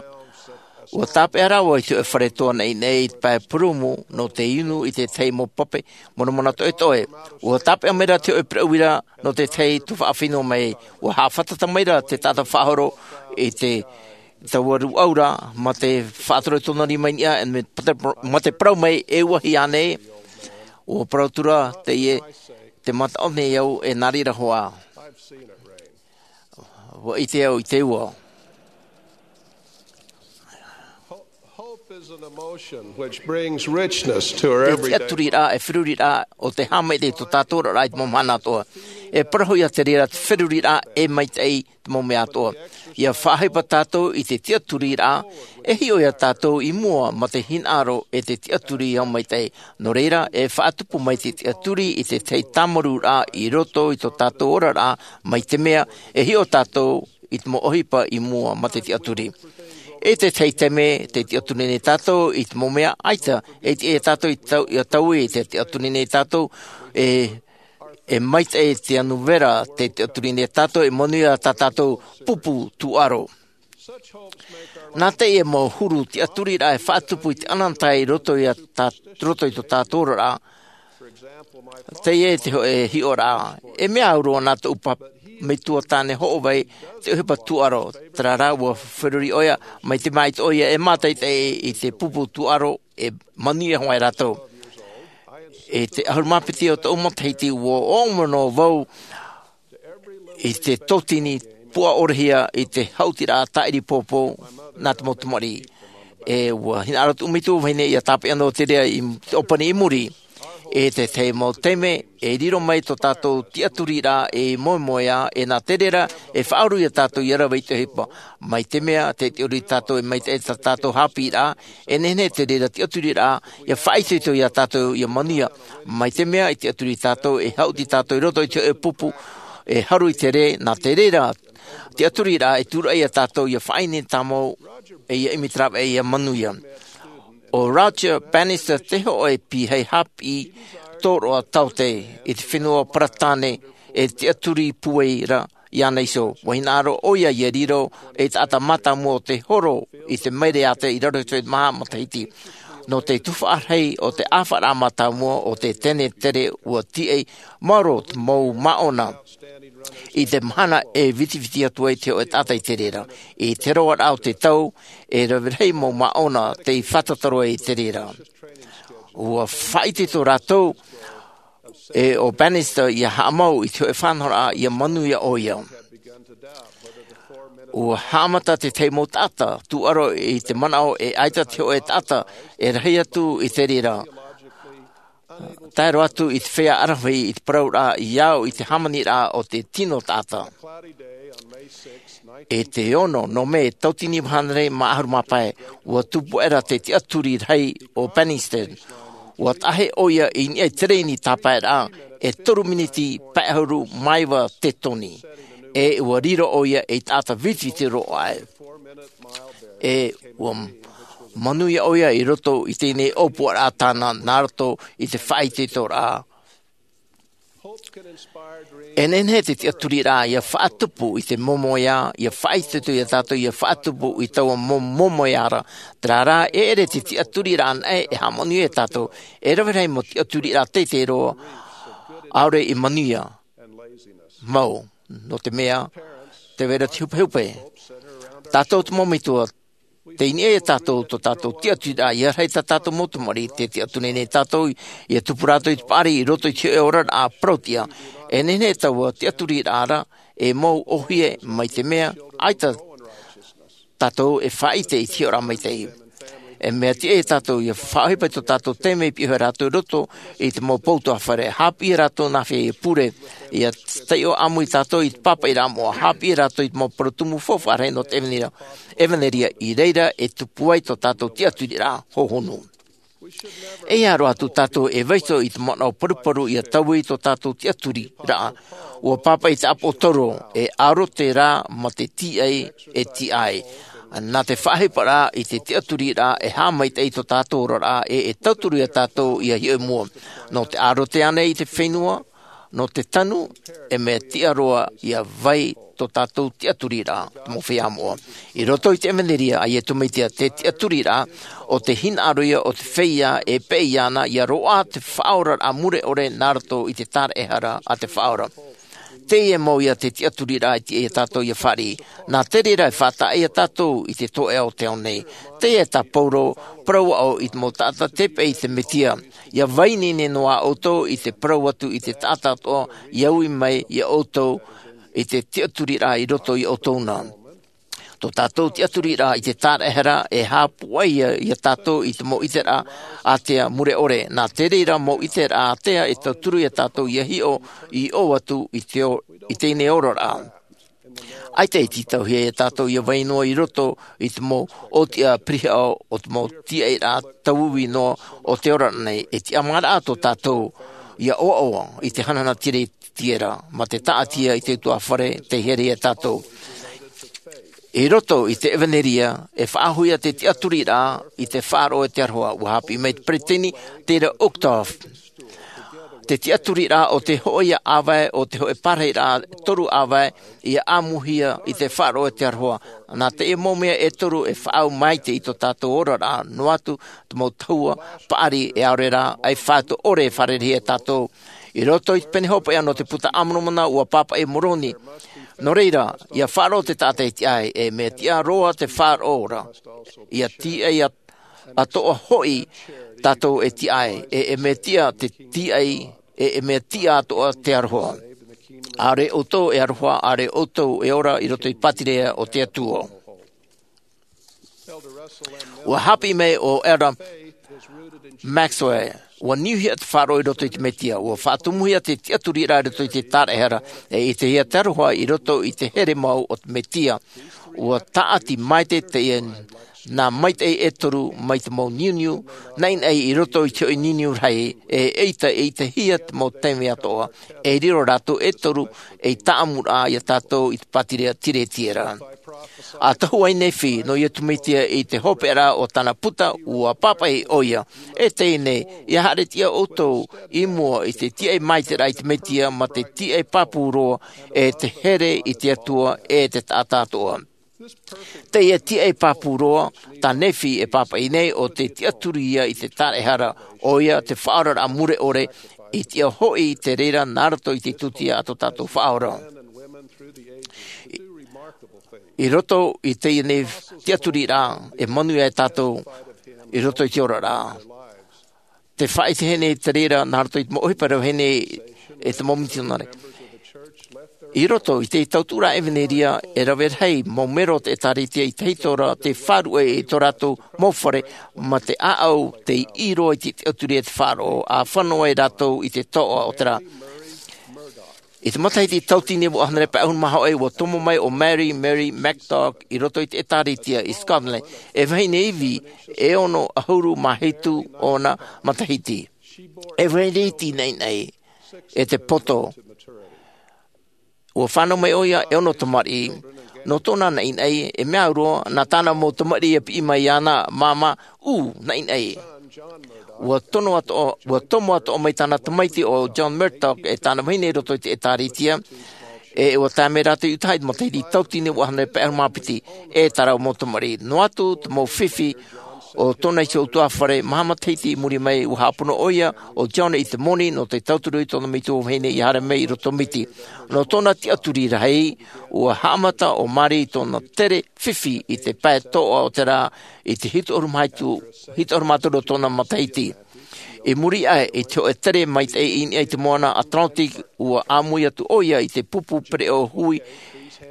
ua tāpeʻa rāua i te hoʻi fare toa naʻinaʻi i te pae purūmu nō te inu i te tahi mau pape monamona toʻetoʻe. Ua tāpeʻa mai ra te hoʻi purūmu ra nō te tahi tuhaʻa fenua mai. Ua haʻafātata mai ra te taʻata faʻahoro i te taua rūʻau ra, mā te faʻatoro i tōna rima i niʻa, e mā te, mā te parau mai, e ua hia nei. Ua parau atu ra teie, te mataʻu nei au, e nā reira hoʻi. Ua ʻite au i te ua. Hope is an emotion which brings richness to our Te everyday tiʻaturiraʻa, e feruriraʻa o te haʻamaitaʻi i tō tātou oraraʻa i te mau mahana atoʻa. E parau ia te reira te feruriraʻa e maitaʻi te mau mea atoʻa. ʻIa faʻaʻohipa tātou i te tiʻaturiraʻa, e hiʻo ia tātou i mua mā te hinaʻaro e te tiʻaturi haʻamaitaʻi. Nō reira, e faʻatupu mai te tiʻaturi i te tahi tāmarūraʻa i roto i tō tātou oraraʻa, mai te mea, e hiʻo tātou i te mau ʻohipa i mua mā te tiʻaturi. I te tahi taime, tē tiʻaturi nei tātou i te mau mea ʻaita, e tiʻa ia tātou i tau, ʻia taui, tē tiʻaturi nei tātou, e, e maitaʻi te anu vera, tē tiʻaturi nei tātou, e manuia tā tātou pupu tūʻaro. Nā teie mau huru tiʻaturiraʻa e faʻatupu i te ʻanaʻanatae i roto ia tā, roto i tō tātou oraraʻa, teie te hōʻē hiʻoraʻa. E mea au roa nā tōʻu pa-, metua tāne hoʻovai te ʻohipa tūʻaro, terā rā ua feruri ʻoia, mai te mea ʻaita ʻoia e mātaʻitaʻi i te pupu tūʻaro e manuia hoʻi rātou. I te ʻahuru mā piti o tōʻu matahiti ua ʻōmano vau i te tōtini puʻa ʻorehia i te haʻutiraʻa tāʻiri pōpō nā te mau tamariʻi. E ua hinaʻaro tōʻu metua vahine ʻia tāpeʻa noa te reira i te ʻōpani i muri. I te tahi mau taime, e riro mai tō tātou tiʻaturiraʻa e moemoeā, e nā te reira, e faʻauru ia tātou ʻia rave i te ʻohipa. Mai te mea, tē tiʻaturi tātou e maitaʻi tā tātou haʻapiʻiraʻa, e nehenehe te reira tiʻaturiraʻa, ʻia faʻaitoito ia tātou ʻia manuia. Mai te mea, e tiʻaturi tātou, e haʻuti tātou i roto i te hōʻē pupu, e haru i te rē, nā te reira, tiʻaturiraʻa e tūraʻi ia tātou ʻia faʻaineine tāmau, e ʻia ʻimi te rāveʻa ʻia manuia. ʻO Roger Bannister te hōʻē pīhaʻi haʻapiʻi tōroʻa taote i te fenua Paratāne, e tiʻaturi pūai ra iāna iho. Ua hinaʻaro ʻoia ʻia riro ei taʻata mātāmua o te horo i te maileata i raro i te maha matahiti. Nō te tuhaʻa rahi o te ʻāfaʻaraʻa mātāmua o te tenetere ua tīaʻi maoro te mau māʻona. I te mahana e vitiviti atu ai te hōʻē taʻata i te reira. I te roaraʻa o te tau, e rave rahi mau māʻona tei fātata roa i te reira. Ua faʻaitoito rātou, e ʻo Bannister ʻia haʻamau i te hōʻē faʻanahoraʻa ʻia manuia ʻoia. Ua haʻamata te tahi mau taʻata tūʻaro i te manaʻo e ʻaita te hōʻē taʻata e rahi atu i te reira. Tae roa atu i te feiā ʻaravihi i te parauraʻa i au i te hāmaniraʻa o te tino taʻata. I te ono nō Mē, tauatini iva hānere mā ʻahuru mā pae, ua tupu aʻera te tiʻaturi rahi ʻo Bannister. Ua taʻahi ʻoia i niʻa i te rēni tāpaeraʻa, e toru miniti pae ʻahuru mā iva te toni. E ua riro ʻoia ei taʻata vitiviti roa aʻe. E ua manuia ʻoia i roto i teie nei ʻōpuaraʻa tāna nā roto i te faʻaitoitoraʻa. E nehenehe te tiʻaturiraʻa ia faʻatupu i te momoʻa, ia faʻaitoito ia tātou ia faʻatupu i taua mo- momoʻa ra. Terā rā, e ʻere te tiʻaturiraʻa anaʻe e haʻamanuia ia tātou. E rave rahi mau tiʻaturiraʻa teitei roa ʻaore i manuia mau, nō te mea, te vera te hupehupe. Tātou te mau metua, tei niʻa ia tātou tō tātou tiʻaturiraʻa, ia rahi tā tātou mau tamariʻi, te tiʻaturi nei tātou ia tupu rātou i te paʻari i roto i te hoʻe oraraʻa parauʻtiʻa. E nehenehe taua tiʻaturiraʻa ra e mau ʻōhie, mai te mea ʻaita tātou e faʻaʻite i te hiʻoraʻa maitaʻi. E mea tiʻa ia tātou ia faʻaʻohipa i tō tātou taime i piʻi hoʻi rātou i roto i te mau pou ʻutuāfare, haʻapiʻi rātou nā hea ia pure, ia taiʻo ʻāmui tātou i te pāpaʻiraʻa moʻa, haʻapiʻi rātou i te mau parau tumu faufaʻa rahi nō te ʻevaneria, ʻevaneria i reira e tupu ai tō tātou tiʻaturiraʻa hohonu. E ʻia roaʻa atu tātou e vaiiho i te manaʻo paruparu ia taui tō tātou tiʻaturiraʻa. ʻUa pāpaʻi te ʻāpoʻotoro, e ʻarote rā ma te tīaʻi e tīaʻi. Nā te faʻaʻohiparaʻa i te tiʻaturiraʻa e haʻamaitaʻi i tō tātou oraraʻa, e, e tauturu ia tātou ia hiʻo i mua. Nō te ʻarote ānei i te fenua, nō te tanu, e mea tiʻa roa ia vai tō tātou tiʻaturiraʻa, te mau feiā moʻa. I roto i te ʻevaneria a Iesu Mesia, te tiʻaturiraʻa, ʻo te hinaʻaro ia o te feiā e peʻe iāna, ia roaʻa te faʻaoraraʻa mure ʻore nā roto i te tāraʻehara a te Faʻaora. Teie mau ia te tiʻaturiraʻa e tiʻa ia tātou ia fāriʻi. Nā te reira e faʻataʻa ia tātou i te toeʻa o te ao nei. Teie tā Paulo, parau aʻo i te mau taʻata tei peʻe i te Mesia. Ia vai ineine noa ʻoutou i te parau atu i te taʻata atoʻa, ia ui mai ia ʻoutou i te tiʻaturiraʻa i roto ia ʻoutou na. Tō tātou tiʻaturiraʻa i te tāraʻehara e haʻapūai ia, ia tātou i te mau ʻiteraʻa ātea mure ʻore. Nā te reira mau ʻiteraʻa ātea e tauturu ia tātou ia hiʻo, i ʻō atu i te o-, i teie nei oraraʻa. ʻAita e tītauhia ia tātou ia vai noa i roto i te mau ʻōtiʻa pirihaʻo o te mau tīaʻiraʻa tauiui noa o te oraraʻa nei, e tiʻamāraʻa tō tātou ia ʻoaʻoa i te hanahana tiretiera, ma te taʻatia i te ʻutuāfare tei here ia tātou. I roto i te ʻevaneria, e faʻahoʻihia te tiʻaturiraʻa i te faʻaroʻo e te aroha, ʻua haʻapiʻi mai te peresideni, Dieter Uchtdorf. Te tiʻaturiraʻa ʻo te hōʻē ʻāvae, ʻo te hōʻē parahiraʻa toru ʻāvae, ia ʻāmuhia i te faʻaroʻo e te aroha. Nā teie mau mea e toru e faʻaau maitaʻi i tō tātou oraraʻa, noa atu te mau tahua paʻari e ʻaore rā, ʻaita e faʻaroʻo ʻore e fārereihia e tātou. I roto i te pene hopeʻa nō te Puta a Moromona, ʻua pāpaʻi Moroni. Nō reira, ia faʻaroʻo te taʻata e tiʻa ai, e mea tiʻa roa te faʻaroʻo ra. Ia tiʻa ia atoʻa hoʻi tātou e tiʻa ai, e, e mea tiʻa te tiʻa ai, e, e mea tiʻa atoʻa te aroha. ʻAore ʻoutou e aroha, ʻaore ʻoutou e ora i roto i te pātireia o te Atua. ʻUa haʻapiʻi mai ʻo Elder Maxwell, ʻua niuhia te faʻaroʻo i roto i te Mesia, ʻua faʻatumuhia te tiʻaturiraʻa i roto i te tāraʻehara, e ʻitehia te aroha i roto i te here mau o te Mesia. ʻUa tāʻati maitaʻi teie nā maitaʻi e toru mai te mau niuniu naʻinaʻi i roto i te hoʻi niuniu rahi, e ʻaita e ʻitehia te mau taime atoʻa, e riro rātou e toru ei tāʻamuraʻa ia tātou i te pātireia tiretiera. ʻA tohu ai Nephi nō Iesu Mesia i te hopeʻaraʻa o tāna puta, ʻua pāpaʻi ʻoia, e teie nei, ia haere tiʻa ʻoutou i mua i te tiʻa maitaʻi i te Mesia, ma te tiʻa pāpū roa, e te here i te Atua, e te taʻata atoʻa. Teie tiʻa pāpū roa tā Nephi e pāpaʻi nei, ʻo te tiʻaturi ia i te tāraʻehara, ʻoia te faʻaoraraʻa mure ʻore, i tiʻa hoʻi te reira nā roto i te tūtia a tō tātou Faʻaora. I, i roto i teie nei tiʻaturiraʻa, e manuia e tātou i roto i te oraraʻa. Te faʻaʻite nei te reira nā roto i te mau ʻohipa rave nei e te mau mitionare. I roto i te tauturu ʻevanelia, e rave rahi mau mero o te ʻĒtārētia i tahito ra te faʻaruʻe i tō rātou mau fare, ma te ʻāʻau tei ʻī roa i te tiʻaturi e te faʻaroʻo, ʻa fano ai rātou i te toʻa o te rā. I te matahiti tauatini e vaʻu hānere pae ʻahuru mā hōʻē, ʻua tomo mai ʻo Mary, Mary Murdoch, i roto i te ʻĒtārētia i Scotland, e vahine ivi e ono ʻahuru mā hitu ōna matahiti. E vahine iti naʻinaʻi, e te poto. ʻUa fānau mai ʻoia e ono tamariʻi. Nō tōna naʻinaʻi, e mea au roa, nā tāna mau tamariʻi e piʻi mai iāna, māmā, ū, naʻinaʻi. Ua tomo atoʻa mai tāna tamaiti ʻo John Murdoch e tāna vahine i roto i te ʻēkālesia, e ua tae mai rātou i ʻutaha i te matahiti tauatini vaʻu hānere pae ʻahuru mā piti. E tāna mau tamariʻi, noa atu te mau fifi o tōna iho ʻutuāfare, maha matahiti i muri mai ua haʻapono ʻoia ʻo John i te moni nō te tauturu i tōna metua vahine ia haere mai i roto miti. Nō tōna tiʻaturi rahi, ua haʻamata ʻo Mary i tōna tere fifi i te pae toʻa o te rā, i te hitu ʻahuru mā hitu, hitu ʻahuru mā toru o tōna matahiti. I muri aʻe i te hoʻe tere maitaʻi i niʻa i te moana Atlantic, ua ʻāmui atu ʻoia i te pupu pereʻoʻo hui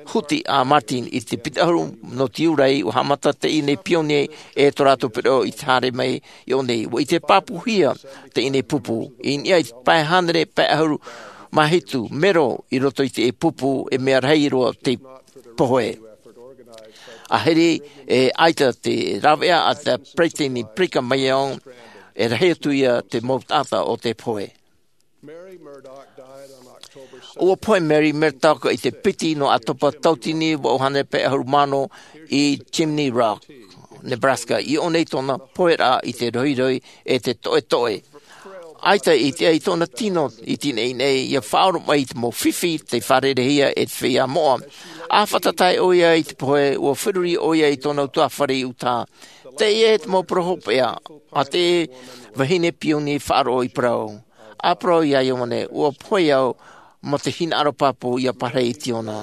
huti a Martin. I te piti ʻahuru nō te iurai, ua haʻamata teie nei pionie e tō rātou pereʻoʻo i te haere mai i ʻō nei. Ua ʻite pāpūhia teie nei pupu i niʻa i te pae hānere pae ʻahuru mā hitu mero i roto i te pupu, e mea rahi roa te pohe. A hiri, e ʻaita te rāveʻa a te peresideni Brigham Young, e rahi atu ia te mau taʻata o te pohe. Ua pohe Mary Murdoch i te piti nō ʻĀtopa tauatini vaʻu hānere pae ʻahuru mā ono i Chimney Rock, Nebraska. I ʻō nei tōna poheraʻa i te rohirohi e te toʻetoʻe. ʻAita i te ʻai tōna tino i te nei nei, ia faʻaoromaʻi i te mau fifi tei fārerehia e te feiā moʻa. A fātata ʻoia i te pohe, ua feruri ʻoia i tōna ʻutuāfare i ʻutaha. Teie te mau parau hopeʻa a te vahine pionie faʻaroʻo i parau. A parau iā Ioane, ua pohe au mā te hinaʻaro pāpū ia pārahi i te ʻona.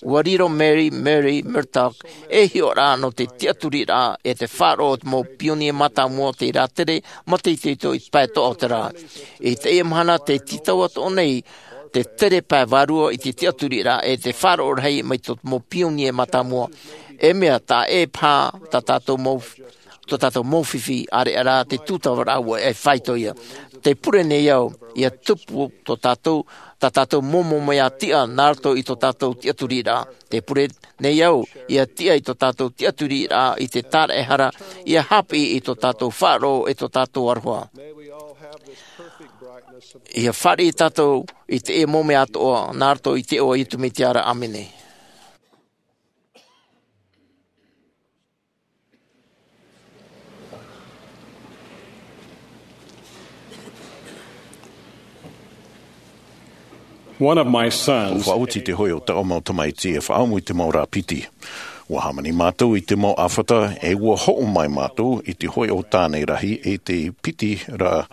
Ua riro Mary, Mary Murdoch ei hiʻoraʻa nō te tiʻaturiraʻa e te faʻaroʻo o te mau pionie mātāmua tei rātere mātāmua i te pae toʻa o te rā. I teie mahana tē tītau atoʻa nei te tere pae vārua i te tiʻaturiraʻa e te faʻaroʻo rahi mai tō te mau pionie mātāmua. E mea taʻa ʻē paha tā tātou mau tō tātou mau fifi, ʻāreʻa rā te tūtava rāua e faito ia. Tē pure nei au ia tupu tō tātou, tā tātou mau mea tiʻa nā roto i tō tātou tiʻaturiraʻa. Tē pure nei au ia tiʻa i tō tātou tiʻaturiraʻa i te tāraʻehara, ia haʻapiʻi i tō tātou faʻaroʻo e tō tātou aroha. Ia fāriʻi tātou i te mau mea atoʻa nā roto i te iʻoa o Iesu Mesia ra. ʻĀmene. One of my sons. Ua faʻaoti te hōʻē o taʻu mau tamaiti e faʻaʻamu i te mau rā piti. Ua hāmani mātou i te mau ʻāfata, e ua hoʻo mai mātou i te hōʻē o tāne rahi e te piti rā,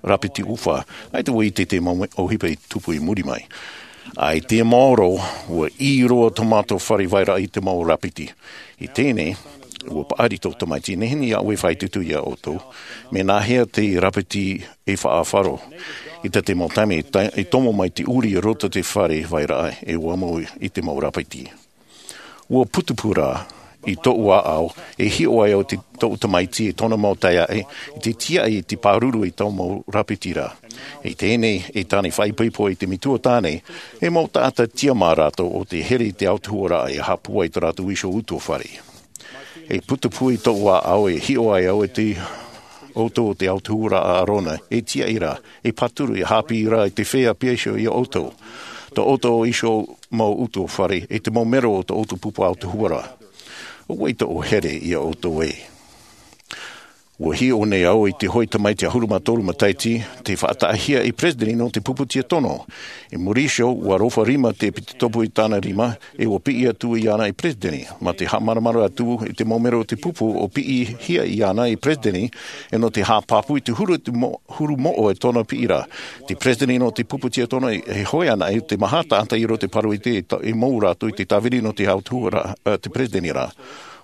rā piti ʻufa. ʻAita vau i ʻite i te mau ʻohipa i tupu i muri mai. ʻAita e maoro, ua ʻī roa tō mātou fare vairaʻa i te mau rā piti. I teie nei, ua paʻari tō tamaiti, nehenehe iā ʻoe e faʻaitoito iā ʻoutou, mea nāhea te rā piti e faʻaʻāfaro. I tā te mau taime, e ta-, e tomo mai te ʻuri i roto i te fare vairaʻa, e ua mau i te mau rā piti. Ua putupū rā, i tōʻu ʻāʻau, e hiʻo ai au i tōʻu tamaiti e tōna mau taeaʻe, i te tiaʻi i te pāruru i tō mau rā piti ra. I teie nei, e tāne faʻaipoipo i te metua tāne, e mau taʻata tiʻa mā rātou ʻo tē here i te autahuʻaraʻa e haʻapūai i tō rātou iho ʻutuāfare. E putupū i tōʻu ʻāʻau e hiʻo ai au i te ʻoutou o te autahuʻaraʻa a ʻĀrona, e tiaʻi ra, e pāturu, e haʻapiʻi ra i te feiā piha iho iā ʻoutou. Tō ʻoutou iho mau ʻutuāfare, e te mau mero o tō ʻoutou pupu autahuʻaraʻa. ʻO vai tōʻu here iā ʻoutou ē? Ua hiʻo nei au i te hōʻē tamaiti ʻahuru mā toru matahiti, tei faʻataʻahia ei peresideni nō te pupu tiatono. I muri iho, ua rofa rima te ʻepitopo i tāna rima, e ua piʻi atu iāna ei peresideni. Mā te haʻamāramarama atu i te mau mero o te pupu ʻo piʻihia iāna ei peresideni, e nō te haʻapāpū i te huru, te mo-, huru moʻa e tōna piʻi ra. Te peresideni nō te pupu tiatono e, e hōʻē anaʻe te maha taʻata i roto i te pāroita e ta-, e mau rātou i te tāviri nō te autahuʻaraʻa, ā, te peresideni ra.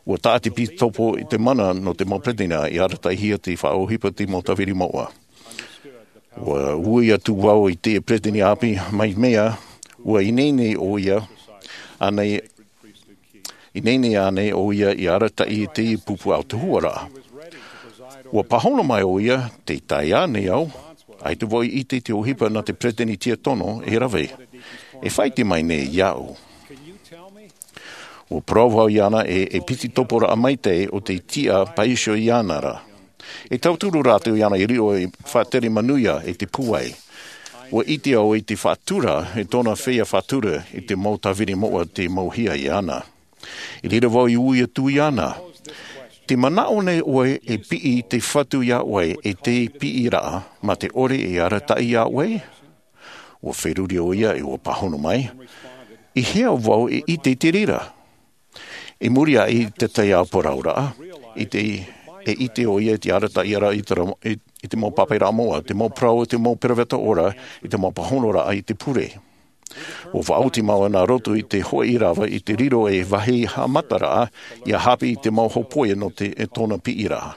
Ua taʻa te ʻepitopo i te mana nō te mau peresideni i arataʻihia te faʻaʻohipa te mau tāviri moʻa. Ua ui atu vau i te peresideni ʻāpī mai mea, ua ineine ʻoia, ānei, ineine ānei ʻoia i arataʻi i te pupu autahuʻaraʻa. Ua pāhono mai ʻoia, tē taea nei au, ʻaita vau i ʻite i te ʻohipa nā te peresideni tiatono e rave. E faʻaʻite mai nei iāʻu. Ua parau vau iāna e, e ʻepitoporaʻa maitaʻi ʻo tei tiʻa paʻi iho iāna ra. E tauturu rātou iāna i riro ei faʻatere manuia e te pūai. Ua ʻite au i te faʻatura, e tōna feiā faʻatura i te mau tāviri moʻa tei mauhia iāna. I reira vau i ui atu iāna. Te manaʻo nei ʻoe e piʻi te Fatu iā ʻoe e te piʻiraʻa mā te ʻore e arataʻi iā ʻoe? Ua feruri ʻo ia e ua pāhono mai, i hea vau e ʻite i te reira? I muri aʻe i te tahi ʻāpōraʻa, i te, e ʻite ʻo ia i te arataʻiraʻa i te ra-, i, i te mau pāpaʻiraʻa moʻa, te mau parau o te mau peroveta ora, i te mau pāhonoraʻa i te pure. Ua faʻaoti mau nā roto i te hoʻi rava i te riro e vāhi haʻamataraʻa ia haʻapiʻi i te mau hōpoiʻa nō te, e tōna piʻiraʻa.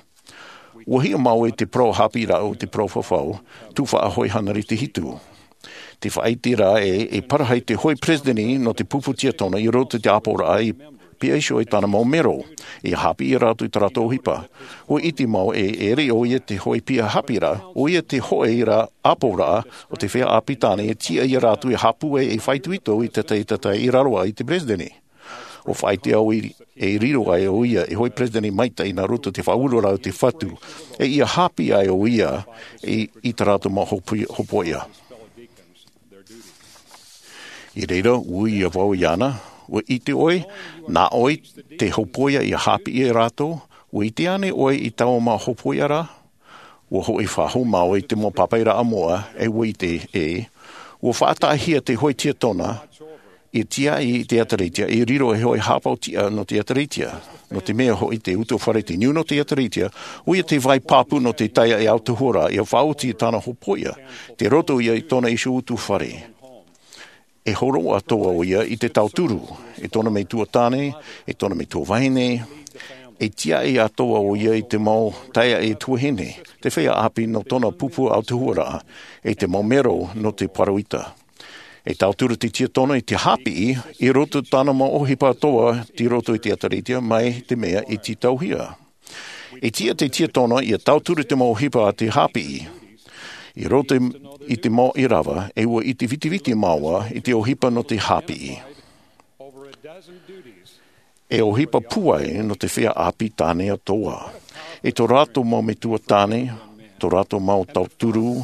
Ua hiʻo mau i te parau haʻapiʻiraʻa o te parau fafau, tuhaʻa hōʻē hānere te hitu. Te faʻaʻite ra e, e parahi te hōʻē peresideni nō te pupu tiatona i roto i te ʻāpōraʻa i piha iho i tāna mau mero, ia haʻapiʻi rātou i tā rātou ʻohipa. Ua ʻite mau e, e ʻere ʻo ia te hōʻē piha haʻapiʻiraʻa, ʻo ia te hōʻē ra ʻāpōraʻa o te feiā ʻāpī tāne e tiʻa ia rātou e haʻapūai e faʻaitoito i te tahi, te tahi i raro aʻe i te peresideni. Ua faʻaʻite au i, e riro ai ʻo ia e hōʻē peresideni maitaʻi nā roto i te faʻaueraʻa o te Fatu, e ia haʻapiʻi ai ʻo ia i, i tā rātou mau hōpoi-, hōpoiʻa. I reira, ua ui vau iāna, ua ʻite ʻoe, nā ʻoe te hōpoiʻa ia haʻapiʻi ia rātou, ua ʻite ānei ʻoe i taua mau hōpoiʻa ra? Ua hoʻi faʻahou mau i te mau pāpaʻiraʻa moʻa, e ua ʻite ē, ua faʻataʻahia te hōʻē tiatona, i tiaʻi i te ʻēkālesia, i riro e hōʻē haʻapaʻo tiʻa nō te ʻēkālesia. Nō te mea hoʻi te ʻutuāfare te niu nō te ʻēkālesia, ʻo ia te vai pāpū nō te taiaʻe autahuʻaraʻa, ia faʻaoti i tāna hōpoiʻa, tei roto ia i tōna iho ʻutuāfare. E hōroʻa atoʻa ʻo ia i te tauturu, i tōna metua tāne, i tōna metua vahine, e tiaʻi atoʻa ʻo ia i te mau taiaʻe tuahine, te feiā ʻāpī nō tōna pupu autahuʻaraʻa, i te mau mero nō te pāroita. E tauturu te tiatona i te haʻapiʻi, i roto i tāna mau ʻohipa atoʻa, tei roto i te ʻēkālesia, mai te mea i tītauhia. E tiʻa te tiatona ia tauturu te mau ʻohipa a te haʻapiʻi. I roto i te mau ʻīrava, e ua ʻite vitiviti māua i te ʻohipa nō te haʻapiʻi. E ʻohipa pūai nō te feiā ʻāpī tāne atoʻa. I tō rātou mau metua tāne, tō rātou mau tauturu,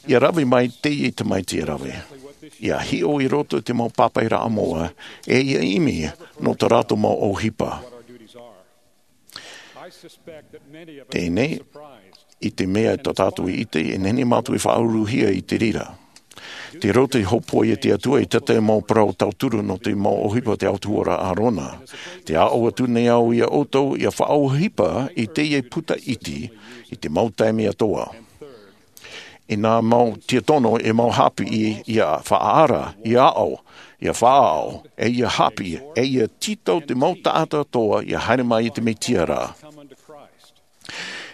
ia rave mai teie tamaiti e rave. Ia hiʻo i roto i te mau pāpaʻiraʻa moʻa, e ia ʻimi nō tā rātou mau ʻohipa. Teie, i te mea tā tātou i ʻite, e nehenehe mātou e faʻauruhia i te reira. Tei roto i te hōpoiʻa a te Atua i te tahi mau parau tauturu nō te mau ʻohipa o te autahuʻaraʻa a ʻĀrona. Tē aʻo atu nei au ia ʻoutou ia faʻaʻohipa i teie puta iti, i te mau taime atoʻa. I nā mau tiatona e mau haʻapiʻi ia faʻaara, ia aʻo, ia faʻaaʻo, e ia haʻapiʻi, e ia tītau te mau taʻata atoʻa ia haere mai i te Mesia ra.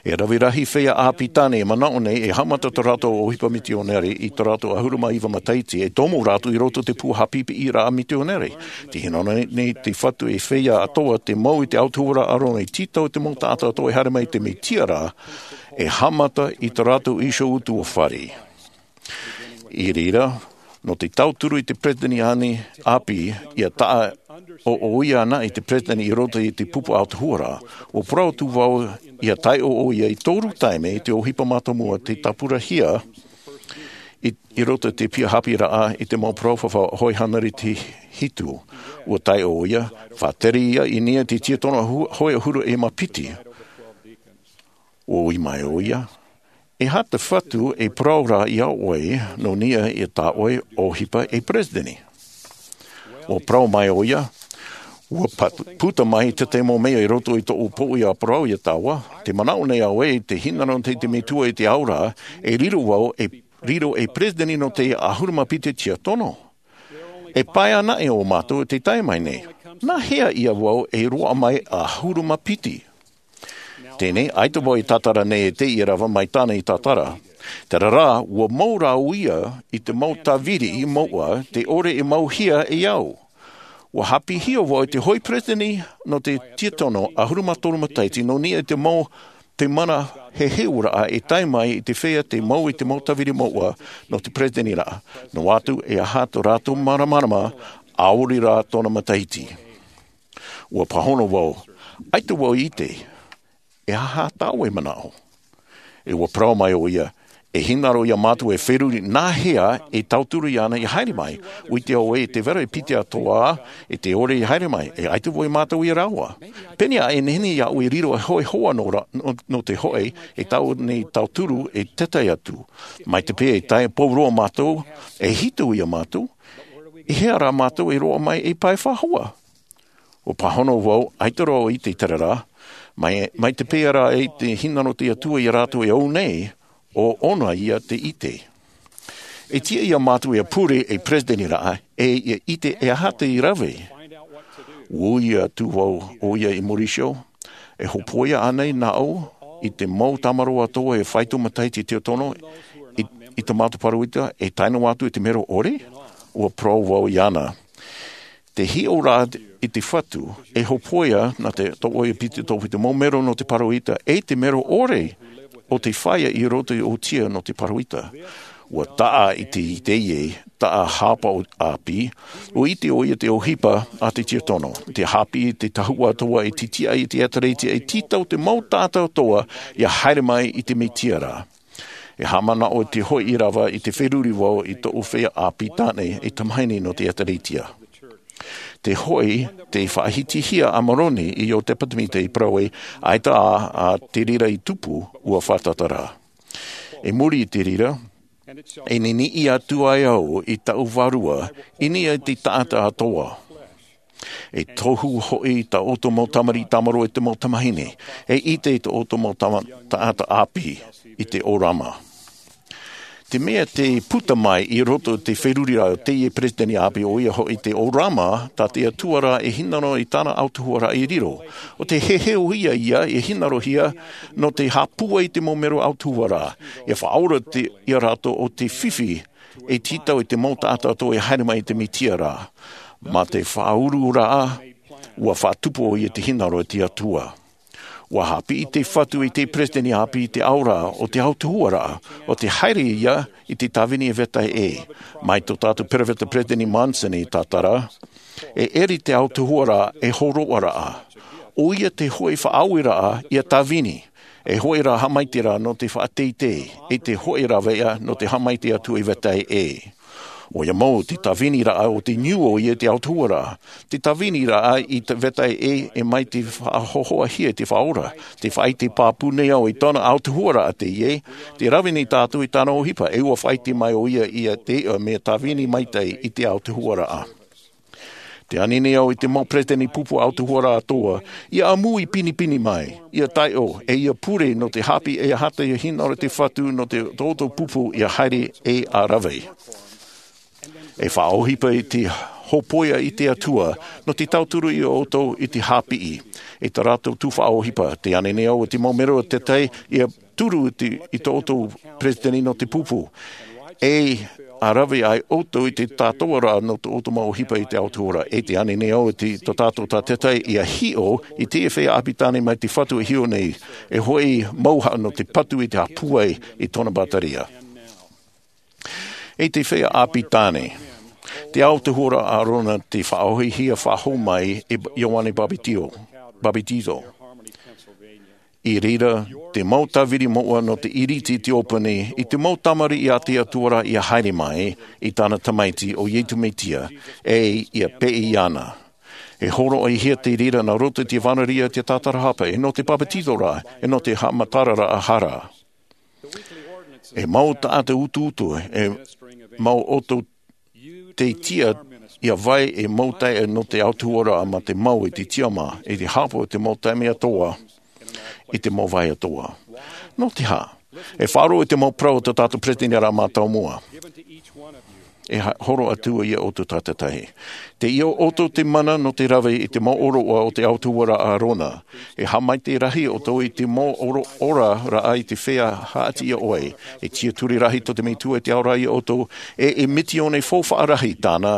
E rave rahi feiā ʻāpī tāne e manaʻo nei e haʻamata tō rātou ʻohipa mitionare i tō rātou ʻahuru mā iva matahiti, e tomo rātou i roto i te pū haʻapiʻiraʻa mitionare. Tē hinaʻaro nei te Fatu e feiā atoʻa tei mau i te autahuʻaraʻa a ʻĀrona e tītau te mau taʻata atoʻa e haere mai i te Mesia ra, e haʻamata i tō rātou iho ʻutuāfare. I reira, nō te tauturu i te peresideni ānei ʻāpī, ia taʻa ʻoʻoia anaʻe te peresideni i roto i te pupu autahuʻaraʻa, ua parau atu vau ia taiʻo ʻoia i toru taime i te ʻohipa mātāmua tei tāpurahia i, i roto i te piha haʻapiʻiraʻa i te mau parau fafau hōʻē hānere te hitu. Ua taiʻo ʻoia, faʻatere ia i niʻa i te tiatona hu-, hōʻē ʻahuru e mā piti. Ua ui mai ʻoia, e aha te Fatu e parau ra iā ʻoe, nō niʻa i tā ʻoe ʻohipa ei peresideni? Ua parau mai ʻoia, ua pat-, puta mai te tahi mau mea i roto i tōʻu poʻi a parau iā tāua, tē manaʻo nei au ē, tē hinaʻaro nei te Metua i te ao ra, e riro vau, e riro ei peresideni nō te ʻahuru mā piti tiatona. E pae anaʻe ō mātou tē tae mai nei. Nā hea ïa vau e roaʻa mai ʻahuru mā piti? Teie, ʻaita vau e tātara nei e teie rava mai tāna i tātara. Terā rā, ua mau rāua ïa i te mau tāviri mouʻa, tē ʻore e mauhia e au. Ua haʻapiʻihia vau e te hōʻē peresideni nō te tiatona ʻahuru mā toru matahiti, nō niʻa i te mau, te mana heheuraʻa e tae mai i te feiā tei mau i te mau tāviri mouʻa nō te peresideni ra. Noa atu, e aha tō rātou māramarama, ʻaore rā tōna matahiti. Ua pāhono vau, ʻaita vau i ʻite, e aha tāʻoe manaʻo? E ua parau mai ʻoia, E hinaʻaro iā mātou e feruri nā hea e tauturu iāna ia haere mai. ʻUa ʻite au ē te vera e piti atoʻa e te ʻore ia haere mai. E ʻaita vau iā mātou ia rāua. Pēnei ā e nehenehe iāʻu e riro e hoʻi hoa nō ra-, nō, nō te hoʻi e tau nei tauturu e tētahi atu. Mai te peu e tae pō roa mātou, e hitu iā mātou, i hea rā mātou e roaʻa mai ei pae faʻahou? ʻUa pāhono vau, ʻaita roa i te terā rā, mai, mai te peu rā e te hinaʻaro te Atua iā rātou e ō nei, ʻo ʻōna ia te ʻite. E tiʻa iā mātou ia pure ei peresideni raʻa, e ia ʻite e aha te rave. ʻUa ui atu vau ʻoia i Mauricio, e hōpoiʻa ānei nāʻu i te mau tāmarō atoʻa e faito matahiti i te ʻoto, i, i tā mātou pāroita, e tae noa atu i te mero ʻore? ʻUa parau vau iāna. Te hiʻo rā i te Fatu, e hōpoiʻa nā te tōʻoi e piti tōpiti mau mero nō te pāroita, e te mero ʻore o te feiā i roto i ʻōtia nō te pāroita. ʻUa taʻa i te, i teie, taʻa hapa o ʻāpī, ʻua ʻite ʻoia te ʻohipa a te tiakono, te haʻapiʻi te tahuʻa atoʻa e tītiʻa i te ʻēkālesia e tītau te mau taʻata atoʻa ia haere mai i te Mesia ra. E haʻamanaʻo te hoʻi rava i te feruri vau i tōʻu feiā ʻāpī tāne e tamahine nō te ʻēkālesia. Te hoʻi, tei faʻahitihia a Moroni i ō te ʻāpī Tamite i parau ē, ʻaita ā, ā te reira i tupu, ʻua fātata rā. I muri i te reira, e niniʻi atu ai au i tāʻu Vārua, i niʻa i te taʻata atoʻa. E tohu hoʻi tā ʻoutou mau tamariʻi tāmarō e te mau tamahine, e ʻite i tō ʻoutou mau tama-, taʻata ʻāpī i te ʻōrama. Te mea tei puta mai i roto i te feruri ra o teie peresideni ʻāpī, ʻoia hoʻi te ʻōrama, tā te Atua ra e hinaʻaro i tāna autahuʻaraʻa i riro. ʻO te heheu ia ia e hinaʻarohia nō te haʻapūai i te mau mero autahuʻaraʻa. E faʻaora te, iā rātou ʻo te fifi e tītau i te mau taʻata atoʻa e haere mai i te Mesia ra. Mā te faʻaururaʻa, ʻua faʻatupu ʻoia i te hinaʻaro i te Atua. ʻUa haʻapiʻi te Fatu i te peresideni ʻāpī i te ao ra o te autahuʻaraʻa, ʻo te haere ia i te tāvini e vetahi ʻē. Mai tō tātou peropheta Peresideni Monson i tātara, e ʻere te autahuʻaraʻa e hōroʻaraʻa. ʻOia te hoʻi faʻaaueraʻa ia tāvini, e hoʻi rā haʻamaitaʻiraʻa nō te faʻateitei, e te hoʻi raveʻa nō te haʻamaitaʻi atu i vetahi ʻē. ʻOia mau te tāviniraʻa o te niu ʻoia te autahuʻaraʻa. Te tāviniraʻa i te vetahi ʻē e mai te faʻahōhoʻahia i te Faʻaora. Te faʻaʻite pāpū nei au i tōna autahuʻaraʻa teie, te rave nei tātou i tāna ʻohipa, e ʻua faʻaʻite mai ʻoia ia te iʻa mea tāvini maitaʻi i te autahuʻaraʻa. Tē ani nei au i te mau peresideni pupu autahuʻaraʻa atoʻa, ia ʻāmui pinepine mai, ia taiʻo, e ia pure nō te haʻapiʻi e aha te hinaʻaro te Fatu nō te, tō ʻoutou pupu ia haere e ʻa rave. E faʻaʻohipa i te hōpoiʻa i te Atua, nō te tauturu iā ʻoutou i te haʻapiʻi, i tā rātou tuhaʻa ʻohipa, tē ani nei au i te mau mero tētahi, ia turu i te, i tō ʻoutou peresideni nō te pupu. E ʻa rave ai ʻoutou i te tātou ra nō tō ʻoutou mau ʻohipa i te autahuʻaraʻa. E tē ani nei au i te, tō tātou tātaʻitahi ia hiʻo i te feiā ʻāpī tāne mai te Fatu e hiʻo nei, e hoʻi mauhaʻa nō te patu i te haʻapūai i tōna bātaria. E te feiā ʻāpī tāne, te autahuʻaraʻa a ʻĀrona tei faʻaʻohipahia faʻahou mai e Ioane Papetio, Papetizo. I reira, te mau tāvini moʻa nō te ʻiriti i te ʻōpani, i te mau tamariʻi a te Atua ra ia haere mai, i tāna Tamaiti ʻo Iesu Mesia, e ia peʻe iāna. E hōroʻahia te reira nā roto i te vānaʻa i te tātarahapa, e nō te papetizoraʻa, e nō te haʻamataraʻa hara. E mau taʻata utuutu, e mau ʻoutou tei tiʻa ia vai e mau taeaʻe nō te autahuʻaraʻa mā te mau i te tiʻamā, i te haʻapaʻo i te mau taime atoʻa, i te mau vāhi atoʻa. Nō te aha? E faʻaroʻo i te mau parau o tō tātou peresideni ra mātāmua. E ha-, hōroʻa atu iā ʻoutou tātaʻitahi. Tei ʻō ʻoutou te mana nō te rave i te mau ʻōroʻa o te autahuʻaraʻa a ʻĀrona. E haʻamaitaʻi rahi ʻoutou i te mau ʻōro-, ʻōroʻaraʻa i te feiā haʻati iā ʻoe. E tiʻaturi rahi tō te Metua i te ao ra iā ʻoutou, e, e misiōni faufaʻa rahi tāna,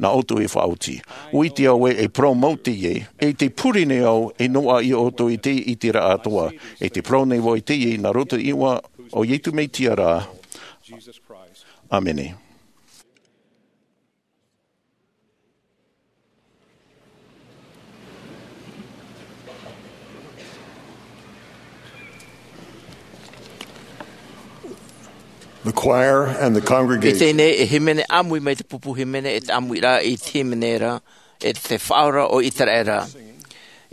nā ʻoutou e faʻaoti. ʻUa ʻite au ē, e parau mau teie, e tē pure nei au, e noaʻa iā ʻoutou i te, i te ʻiteraʻa atoʻa, e tē parau nei vau i teie, nā roto i te iʻoa o Iesu Mesia ra. ʻĀmene. The choir and the congregation. I teie nei e hīmene ʻāmui mai te pupu hīmene e te ʻāmuiraʻa i te hīmene ra, e te Faʻaora o Iteraera.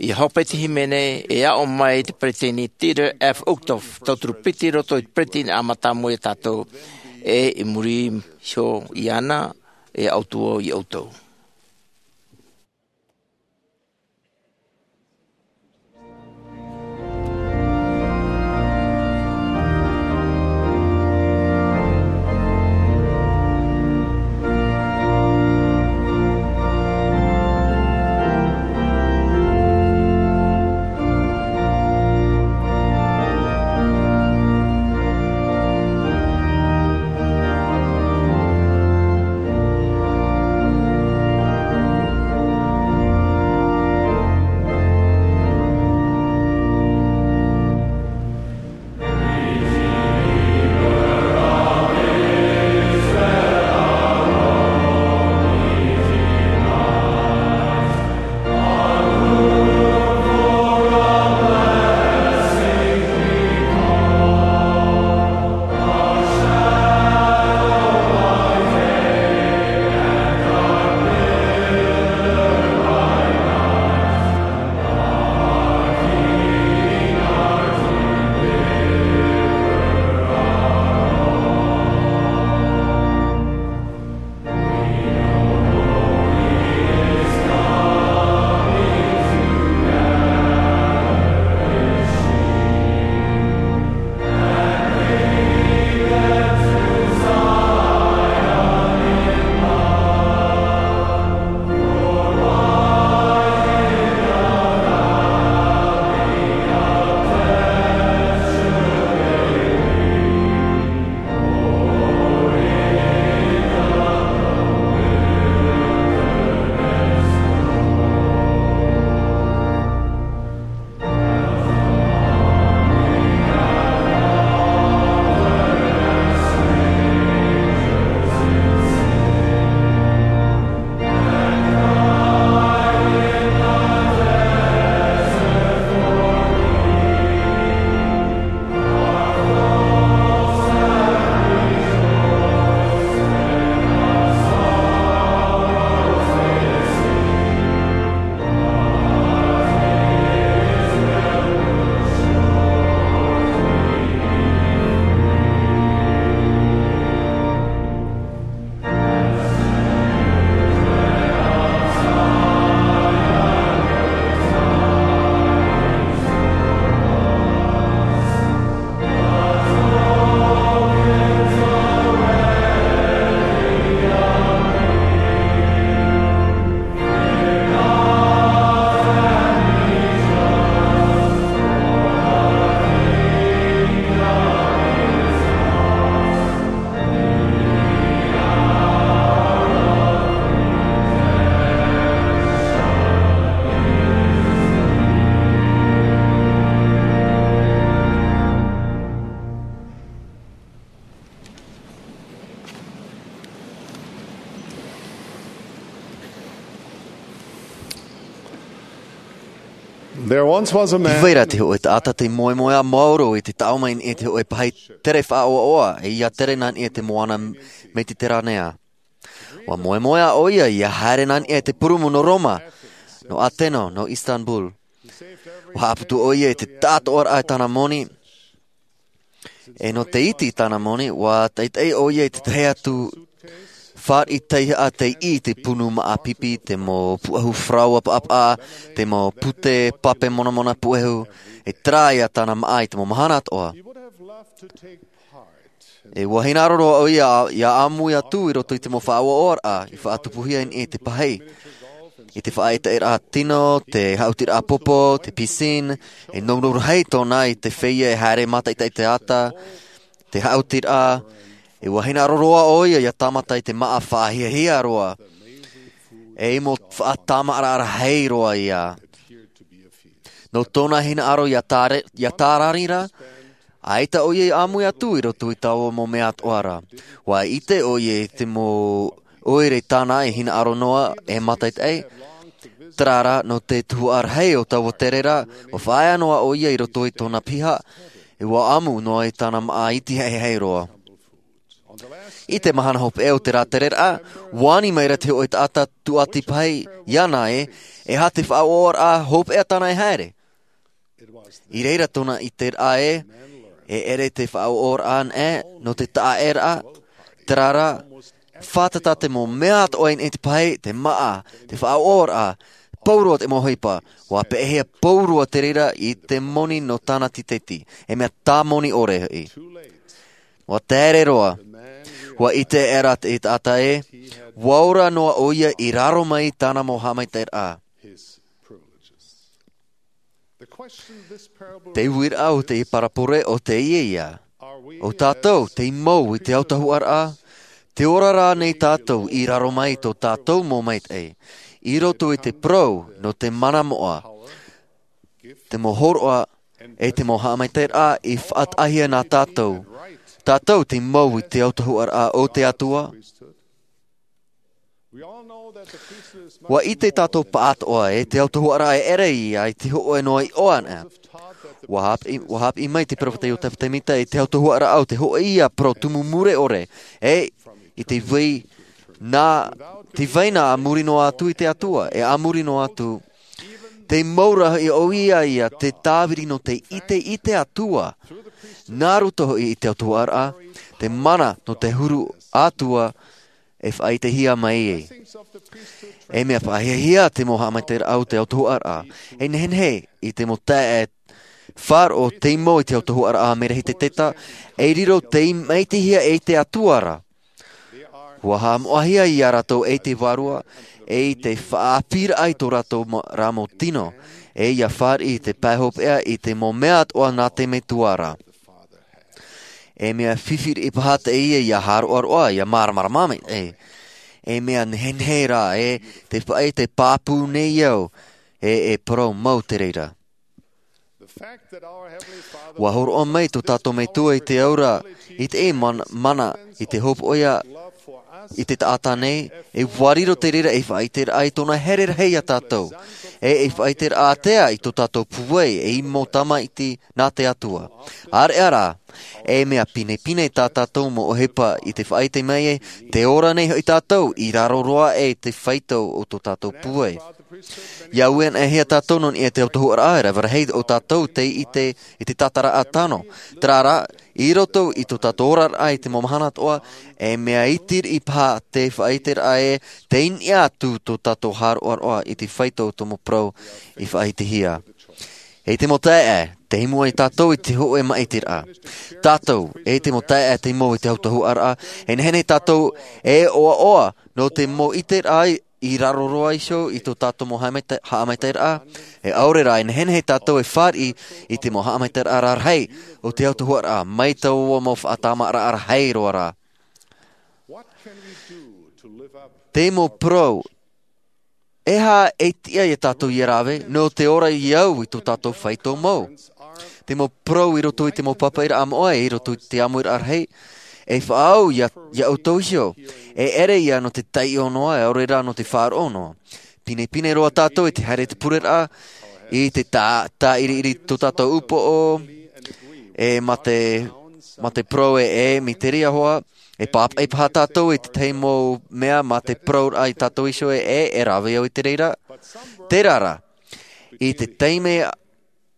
I hope te hīmene e aʻo mai te peresideni Dieter F. Uchtdorf, tauturu piti i roto i te peresideni a mātāmua ia tātou, e i muri iho iāna, e ʻautua ia ʻoutou. There once was a man. I vai ra te hōʻē taʻata tei moemoeā maoro i te taʻo mai i niʻa i te hōʻē pahi tere faʻaʻoaʻoa, e ʻia tere nā niʻa i te moana Mediteranea. ʻUa moemoeā ʻoia ʻia haere nā niʻa i te purumu nō Roma, nō Atena, nō Istanbul. ʻUa haʻaputu ʻoia i te taʻatoʻaraʻa i tāna moni, e nō te iti i tāna moni, ʻua taʻitaʻi ʻoia i te tahi atu fāriʻi taihaʻa tei ʻī i te punu māʻa pipi, te mau puʻehu faraoa paʻapaʻa, te mau pute pape monamona puʻehu, e terā ia tāna māʻa i te mau mahana atoʻa. E ʻua hinaʻaro roa ʻoia ʻia ʻāmui atu i roto i te mau faʻaʻoaʻoaraʻa i faʻatupuhia i niʻa i te pahi, i te faʻaʻetaʻeraʻa tino, te haʻutiraʻa popo, te piscine, e nounou rahi tōna i te feiā e haere mātaʻitaʻi i te ata, te haʻutiraʻa. E ʻua hinaʻaro roa ʻoia ʻia tāmata i te māʻa faʻahiahia roa, e mau faʻatāmāʻaraʻa rahi roa ia. Nō tōna hinaʻaro ʻia tāre-, ʻia tārari ra, ʻaita ʻoia i ʻāmui atu i roto i taua mau mea atoʻa ra. ʻUa ʻite ʻoia i te mau ʻoire tāna e hinaʻaro noa, e mātaʻitaʻi. Terā rā, nō te tuhaʻa rahi o taua tere ra, ʻua faʻaea noa ʻoia i roto i tōna piha, e ʻua ʻamu noa i tāna māʻa iti haihai roa. I te mahana hopeʻa o te rātereraʻa, ua ani maira te hōʻē taʻata tūʻati pahi iāna ē, e aha te faʻaʻoʻoraʻa hopeʻa tāna e haere. I reira tōna ʻiteraʻa ē, e ʻere te faʻaʻoʻoraʻa anaʻe nō te taʻaʻēraʻa, terā rā, fātata te mau mea atoʻa i niʻa i te pahi, te māʻa, te faʻaʻoʻoraʻa, pauroa te mau ʻohipa, ua peʻehia pauroa te reira i te moni nō tāna tīteti, e mea tāmoni ʻore hoʻi. Ua tere roa, ua ʻite aʻera te taʻata ē, ua ora noa ʻoia i raro mai i tāna mau haʻamaitaʻiraʻa. Te uiraʻa o te parabole ʻo teie ïa. ʻO tātou tei mau i te autahuʻaraʻa, te ora rānei tātou i raro mai i tō tātou mau maitaʻi, i roto i te parau nō te mana moʻa, te mau hōroʻa, e te mau haʻamaitaʻiraʻa i faʻataʻahia nā tātou. Tātou tei mau i te autahuʻaraʻa o te Atua. Ua ʻite tātou pāʻatoʻa ē te autahuʻaraʻa e ʻere ïa i te hōʻē noa iʻoa anaʻe. Ua hāpiʻi, ua hāpiʻi mai te peropheta Iosefa Sāmita i te autahuʻaraʻa o te hōʻē ïa parau tumu mure ʻore, e i te vai nā, te vai nā a muri noa atu i te Atua, e a muri noa atu. Tei mau ra hoʻi ʻoia ïa te tāviri nō te ʻite i te Atua. Nā roto hoʻi i te autahuʻaraʻa, te mana nō te huru ʻatua e faʻaʻitehia mai ai. E mea faʻahiahia te mau haʻamaitaʻiraʻa o te autahuʻaraʻa. E nehenehe i te mau taeaʻe faʻaroʻo tei mau i te autahuʻaraʻa a Merehiteta, e riro tei maitaʻihia e te Atua ra. Ua haʻamoʻahia ia rātou e te Vārua, e i te faʻaʻāpīraʻa i tō rātou ma-, rā mau tino, e ia fāriʻi i te pae hopeʻa i te mau mea atoʻa nā te Metua ra. E mea fifi riʻi paha teie ia hāroʻaroʻa, ia māramarama mai, e. E mea nehenehe rā, e, te faʻaʻite pāpū nei au, e, e parau mau te reira. Ua hōroʻa mai tō tātou Metua i te aura, i te e man-, mana, i te hopoiʻa, i te taʻata nei, e ua riro te reira ei faʻaʻiteraʻa i tōna here rahi ia tātou. E ei faʻaʻiteraʻa ātea i tō tātou pūai, ei mau tamaiti nā te Atua. ʻAreʻa rā, e mea pinepine tā tātou mau ʻohipa i te faʻaʻite mai e, te ora nei hoʻi tātou, i raro roa e te faito o tō tātou pūai. ʻIa ui anaʻe hia tātou nō niʻa i te autahuʻaraʻa, e rave rahi o tātou tei ʻite i te tātaraʻa tano. Terā rā, i roto i tō tātou oraraʻa i te mau mahana atoʻa, e mea iti riʻi paha te faʻaʻiteraʻa e, tei niʻa atu tō tātou hāroʻaroʻa i te faito o tō mau parau i faʻaʻitehia. E te mau taeaʻe, tei mua ia tātou i te hōʻē maʻitiraʻa. Tātou, e te mau taeaʻe tei mau i te autahuʻaraʻa, e nehenehe tātou e ʻoaʻoa nō te mau ʻiteraʻa i raro roa iho i tō tātou mau haʻamaita-, haʻamaitaʻiraʻa, e ʻaore rā, e nehenehe tātou e fāriʻi i te mau haʻamaitaʻiraʻa rarahi o te autahuʻaraʻa, mai taua mau faʻatamaraʻa rahi roa rā. Te mau parau, e aha e tiʻa ia tātou ʻia rave, nō te ora i au i tō tātou faito mau. Te mau parau i roto i te mau papaʻiraʻa moʻa, e i roto i te ʻāmuiraʻa rahi, e faʻaau ia, ia ʻoutou iho, e ʻere ïa nō te taiʻo noa, e ʻaore rā nō te faʻaroʻo noa. Pinepine roa tātou i te haere i te pureraʻa, i te tā-, tāʻiriʻiri tō tātou upoʻo, e mā te, mā te parau e, e miteria hoʻi, e pāpaʻi paha tātou i te tahi mau mea mā te parauraʻa ia tātou iho e, e, e rave au i te reira. Terā rā, i te taime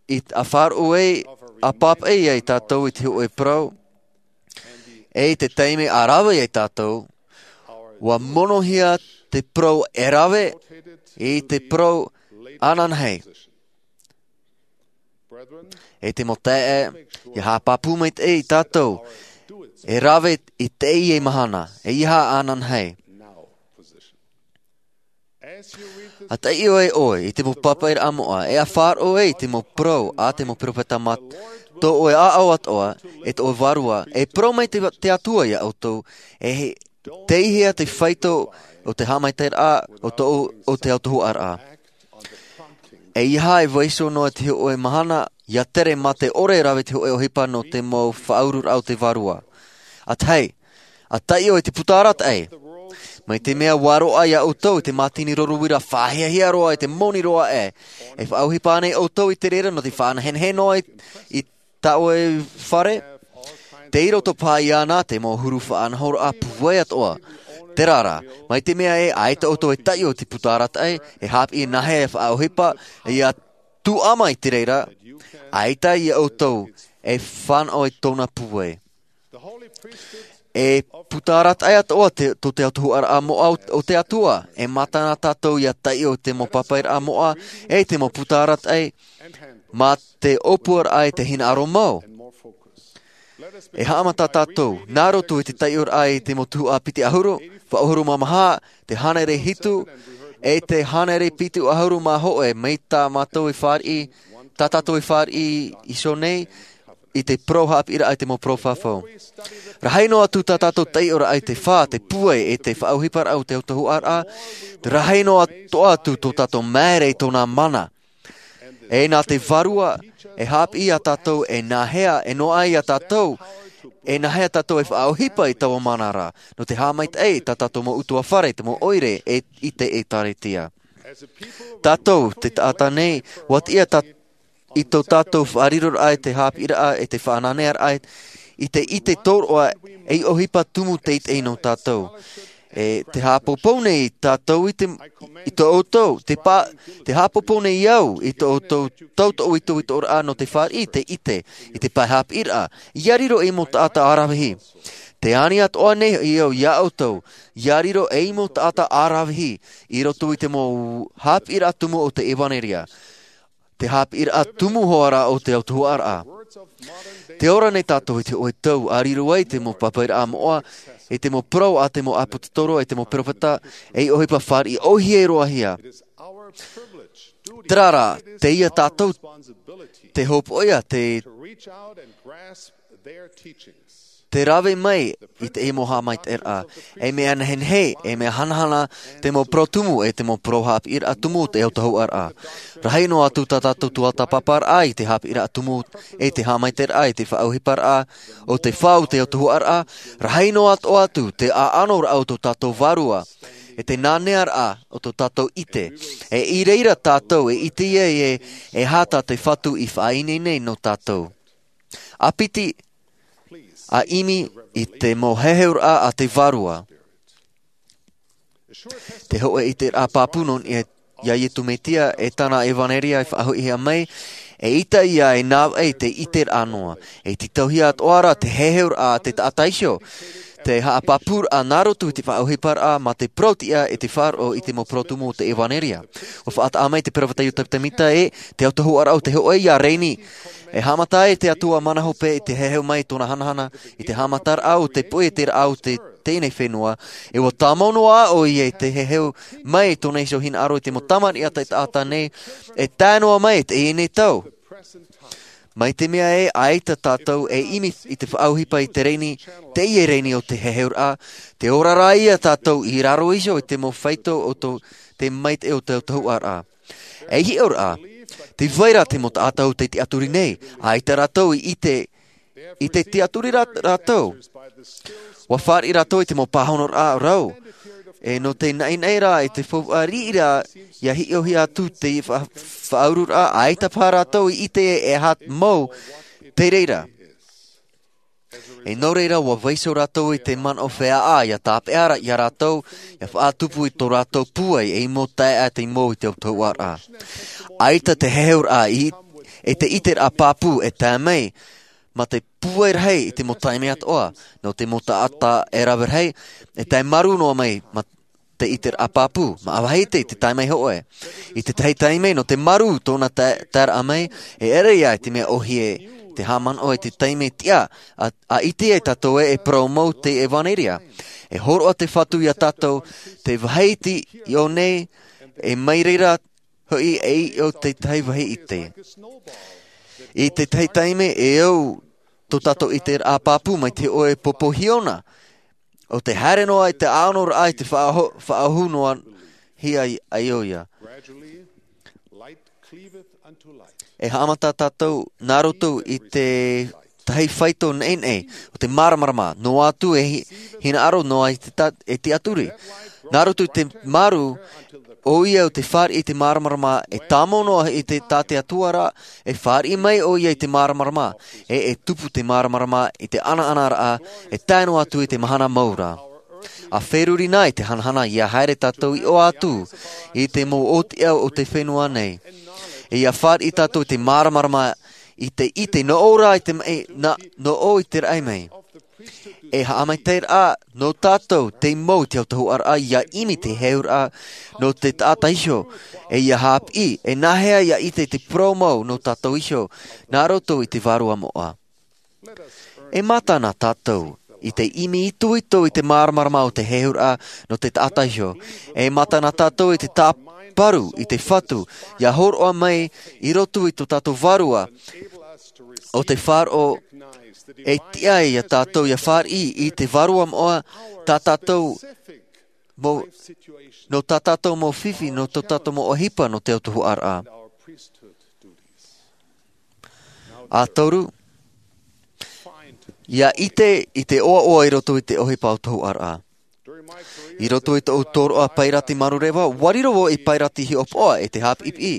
i t-, a faʻaroʻo ai, a pāpaʻi ai tātou i te hōʻē parau, e i te taime a rave ai tātou, ua monohia te parau e rave i te parau ananahi. E te mau taeaʻe, ʻia haʻapāpū maitaʻi tātou, e rave i teie mahana, e ʻeiaha ananahi. A taiʻo ai ʻoe i te mau papaʻiraʻa moʻa, e a faʻaroʻo ai i te mau parau a te mau peropheta mā tō ʻoe ʻāʻau atoʻa, e tō ʻoe Vārua, e parau mai te, te Atua ia ʻoutou, e he, teihea te faito o te haʻamaitaʻiraʻa o tō, o te autahuʻaraʻa. ʻEiaha e vaiiho noa te hōʻē mahana, ʻia tere mā te ʻore e rave te hōʻē ʻohipa nō te mau faʻaururaʻa o te Vārua. A tahi, a taiʻo i te puta arataʻi. Mai te mea ua roaʻa ia ʻoutou i te mātini roro uira faʻahiahia roa i te moni roa aʻe. E faʻaʻohipa ānei ʻoutou i te reira nō te faʻanehenehe noa i, i tā ʻoe fare? Tei roto paha iāna te mau huru faʻanahoraʻa pūai atoʻa. Terā rā, mai te mea ē ʻaita ʻoutou e taiʻo i te puta arataʻi, e haʻapiʻi nāhea e faʻaʻohipa ia tuʻa mai te reira, ʻaita ia ʻoutou e fānaʻo i tōna pūai. E puta arataʻi atoʻa te, tō te autahuʻaraʻa moʻa o, o te Atua. E mātana tātou ia taiʻo i te mau pāpaʻiraʻa moʻa, e te mau puta arataʻi, mā te ʻōpuaraʻa e te hinaʻaro mau. E haʻamata tātou, nā roto i te taiʻoraʻa i te mau tuhaʻa piti ʻahuru, fā ʻahuru mā maha, te hānere hitu, e te hānere piti ʻahuru mā hōʻē, mai tā mātou e fāriʻi, tā tātou e fāriʻi iho nei, i te parau haʻapiʻiraʻa i te mau parau fafau. Rahi noa atu tā tātou taiʻoraʻa i te fā, te pūai, e te faʻaʻohiparaʻa o te autahuʻaraʻa, rahi noa atoʻa atu tō tātou māere i tōna mana. E nā te Vārua, e haʻapiʻi ia tātou, e nāhea, e noaʻa ia tātou, e nāhea tātou e faʻaʻohipa i taua mana ra, nō te haʻamaitaʻi i tā tātou mau ʻutuāfare, te mau ʻoire, e i te ʻĒtārētia. Tātou, te taʻata nei, ʻua tiʻa tā, i tō tātou faʻariroraʻa i te haʻapiʻiraʻa, e te faʻananearaʻa, i te ʻite tōroʻa, ei ʻohipa tumu teitei nō tātou. E te haʻapōpou nei tātou i te, i tō ʻoutou, te pā, te haʻapōpou nei au i tō ʻoutou, tō ʻoutou itoitoraʻa nō te fāriʻi i te ʻite, i te pae haʻapiʻiraʻa, ia riro ei mau taʻata ʻaravihi. Te ani atoʻa nei hoʻi au ia ʻoutou, ia riro ei mau taʻata ʻaravihi, i roto i te mau haʻapiʻiraʻa tumu o te ʻevaneria. Te haʻapiʻiraʻa tumu hoʻi ra o te autahuʻaraʻa. Tē ora nei tātou i te hōʻē tau, ʻa riro ai te mau pāpaʻiraʻa moʻa, e te mau parau a te mau ʻāpōsetolo, e te mau peropheta, ei ʻohipa fāriʻi ʻōhie roa hia. Terā rā, teie tātou te hopoiʻa, te te rave mai i te mau haʻamaitaʻiraʻa, ei mea nehenehe, ei mea hanahana, te mau parau tumu, e te mau parau haʻapiʻiraʻa tumu o te autahuʻaraʻa. Rahi noa atu tā tātou tuatāpaparaʻa i te haʻapiʻiraʻa tumu, e te haʻamaitaʻiraʻa, e te faʻaʻohiparaʻa, o te fā o te autahuʻaraʻa, rahi noa atoʻa atu te ʻaʻanoraʻa o tō tātou Vārua, e te nānearaʻa o tō tātou ʻite, e i reira tātou, e ʻite ai e, e aha tā te Fatu i faʻaineine nō tātou. ʻA piti, ʻa ʻimi i te mau heheuraʻa a te Vārua. Te hōʻē ʻiteraʻa pāpū nō niʻa iā Iesu Mesia e tāna ʻevaneria e faʻahoʻihia mai, e ʻita ia e nāvaʻi te ʻiteraʻa noa. E tītauhia atoʻa ra te heheuraʻa a te taʻata iho, te haʻapāpūraʻa nā roto i te faʻaʻohiparaʻa mā te parau-tiʻa e te faʻaroʻo i te mau parau tumu o te ʻevaneria. ʻUa faʻataʻa mai te peropheta Iosepha Sāmita ē, te autahuʻaraʻa o te hōʻē ia reni. E haʻamata ai te Atua mana hope i te heheu mai i tōna hanahana, i te haʻamataraʻa o te puʻe e te rāʻau o te, teie nei fenua, e ʻua tāmau noa ʻoia i te heheu mai i tōna iho hinaʻaro i te mau tamariʻi a te taʻata nei, e tae noa mai i teie nei tau. Mai te mea ē, ʻaita tātou e ʻimi i te faʻaʻohipa i te reni, teie reni o te heheuraʻa, tē ora ra ia tātou i raro iho i te mau faito o tō, te maitaʻi o te autahuʻaraʻa. E hiʻo ra, tē vai ra te mau taʻata o te tiʻaturi nei, ʻaita rātou i ʻite, i te tiʻaturi rā-, rātou. ʻUa fāriʻi rātou i te mau pāhonoraʻa rau. E nō te naʻinaʻi ra, i te faufaʻa riʻi ra, ʻia hiʻohia atu te fa-, faʻauruʻuraʻa, ʻaita paha rātou i ʻite e aha mau te reira. E nō reira, ʻua vaiiho rātou i te manaʻo feiā, ʻia tāpeʻa ra, ia rātou, ʻia faʻatupu i tō rātou pūai, ei mau taeaʻe mau i te autahuʻaraʻa. ʻAita te heheuraʻa i, e te ʻiteraʻa pāpū e tae mai, mā te pūai rahi i te mau taime atoʻa, nō te mau taʻata e rave rahi, e tae marū noa mai, mā te ʻiteraʻa pāpū, mā ʻāvaʻe te, te taime hōʻē. I te tahi taime, nō te marū tōna tae-, taeraʻa mai, e ʻere ia i te mea ʻōhie, te haʻamanaʻo i te taime tiʻa, ʻa, ʻa ʻite ai tātou ē e parau mau te ʻevaneria. E hōroʻa te Fatu ia tātou, te vāhi iti i ʻō nei, e mai reira hoʻi e i ʻō te tahi vāhi iti. I te tahi taime e au tō tātou ʻiteraʻa pāpū mai te hōʻē pōpō hiona. ʻO te haere noa i te ʻaʻanoraʻa i te faʻaʻohu-, faʻaʻohu noa hia ai, ai ʻoia. E haʻamata tātou nā roto i te tahi faito neʻineʻi, ʻo te māramarama, noa atu e hi-, hinaʻaro noa i te ta-, e tiʻaturi. Nā roto i te marū, ʻoia o te fāriʻi i te māramarama, e tāmau noa i te tā te Atua ra, e fāriʻi mai ʻoia i te māramarama, e e tupu te māramarama i te ʻanaʻanaraʻa, e tae noa atu i te mahana mau ra. A feruri nā i te hanahana ia haere tātou i ʻō atu i te mau ʻōtiʻa o te fenua nei. E ia fāriʻi tātou i te māramarama i te ʻite nō ʻō ra i te mai, nā, nō ʻō i te raʻi mai. E haʻamaitaʻiraʻa nō tātou te mau i te autahuʻaraʻa ia ʻimi te heheuraʻa nō te taʻata iho, e ia haʻapiʻi, e nāhea ia ʻite te parau mau nō tātou iho, nā roto i te vārua moʻa. E mātana tātou i te ʻimi itoito i te māramarama o te heheuraʻa nō te taʻata iho. E mātana tātou i te tāparu i te Fatu, ia hōroʻa mai i roto i tō tātou vārua, o te faʻaroʻo e tiʻa ai ia tātou ia fāriʻi i te vārua moʻa tā tātou mau, nō tā tātou mau fifi, nō tō tātou mau ʻohipa, nō te autahuʻaraʻa. A toru, ia ʻite i te ʻoaʻoa i roto i te ʻohipa autahuʻaraʻa. I roto i tōʻu tōroʻa pairati manureva, ʻua riro vau ei pairati hiʻopoʻa e te haʻapiʻipiʻi.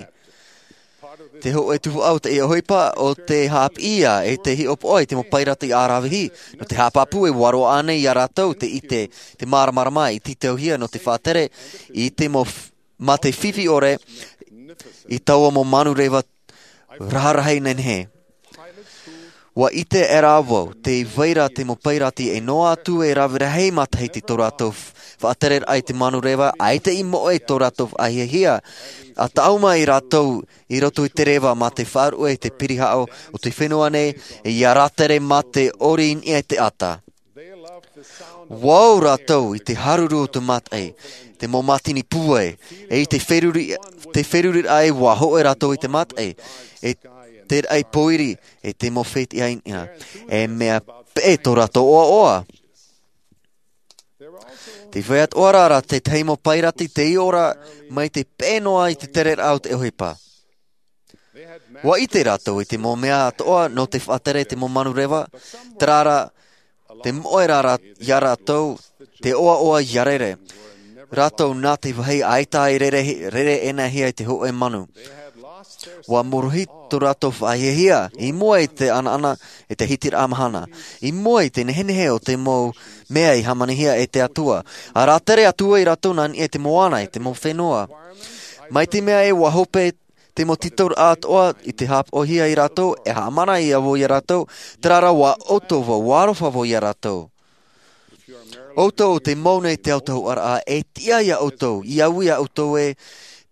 Te hōʻē tuhaʻa o te ʻohipa o te haʻapiʻi ïa e te hiʻopoʻa i te mau pairati ʻāravihi, nō te haʻapāpū e ʻua roaʻa nei ia rātou te ʻite, te māramarama i tītauhia nō te faʻatere i te mau f-, mā te fifi ʻore i taua mau manureva raharahi nehenehe. ʻUa ʻite aʻera vau, tē vai ra te mau pairati e noa atu e rave rahi matahiti tō rātou f-, faʻatereraʻa i te manureva, ʻaita i moʻe tō rātou faʻahiahia, ʻa tāʻu mai rātou i roto i te reva mā te faʻaruʻe i te pirihaʻo o te fenua nei, e ia rātere mā te ʻori i niʻa i te ata. ʻUa ō rātou i te haruru o te mataʻi, te mau mātini pūai, e i te feruri, te feruriraʻa e ʻua hōʻē rātou i te mataʻi, e te raʻi pōiri, e te mau fetiʻa i niʻa. E mea peʻe tō rātou ʻoaʻoa. Tē vai atoʻa ra tētahi mau pairati tei ora mai te peʻe noa i te tereraʻa o te ʻohipa. ʻUa ʻite rātou i te mau mea atoʻa nō te faʻatere i te mau manureva, terā rā, tē moʻe ra rā, ia rātou te ʻoaʻoa ia rere. Rātou nā te vāhi ʻaita i rere, rere ʻenehia i te hōʻē manu. ʻUa morohi tō rātou faʻahiahia, i mua i te ʻanaʻana e te hitiraʻa mahana. I mua i te nehenehe o te mau mea i hāmanihia e te Atua. ʻA rātere atu ai rātou nā niʻa i te moana, i te mau fenua. Mai te mea ē ʻua hope te mau tītauraʻa atoʻa i te haʻapaʻohia ia rātou, e haʻamanaʻo vau ia rātou, terā rā ʻua ʻoutou vau, ʻua aroha vau ia rātou. ʻOutou tē mau nei te autahuʻaraʻa, e tiʻa ia ʻoutou, ia ui ia ʻoutou ē,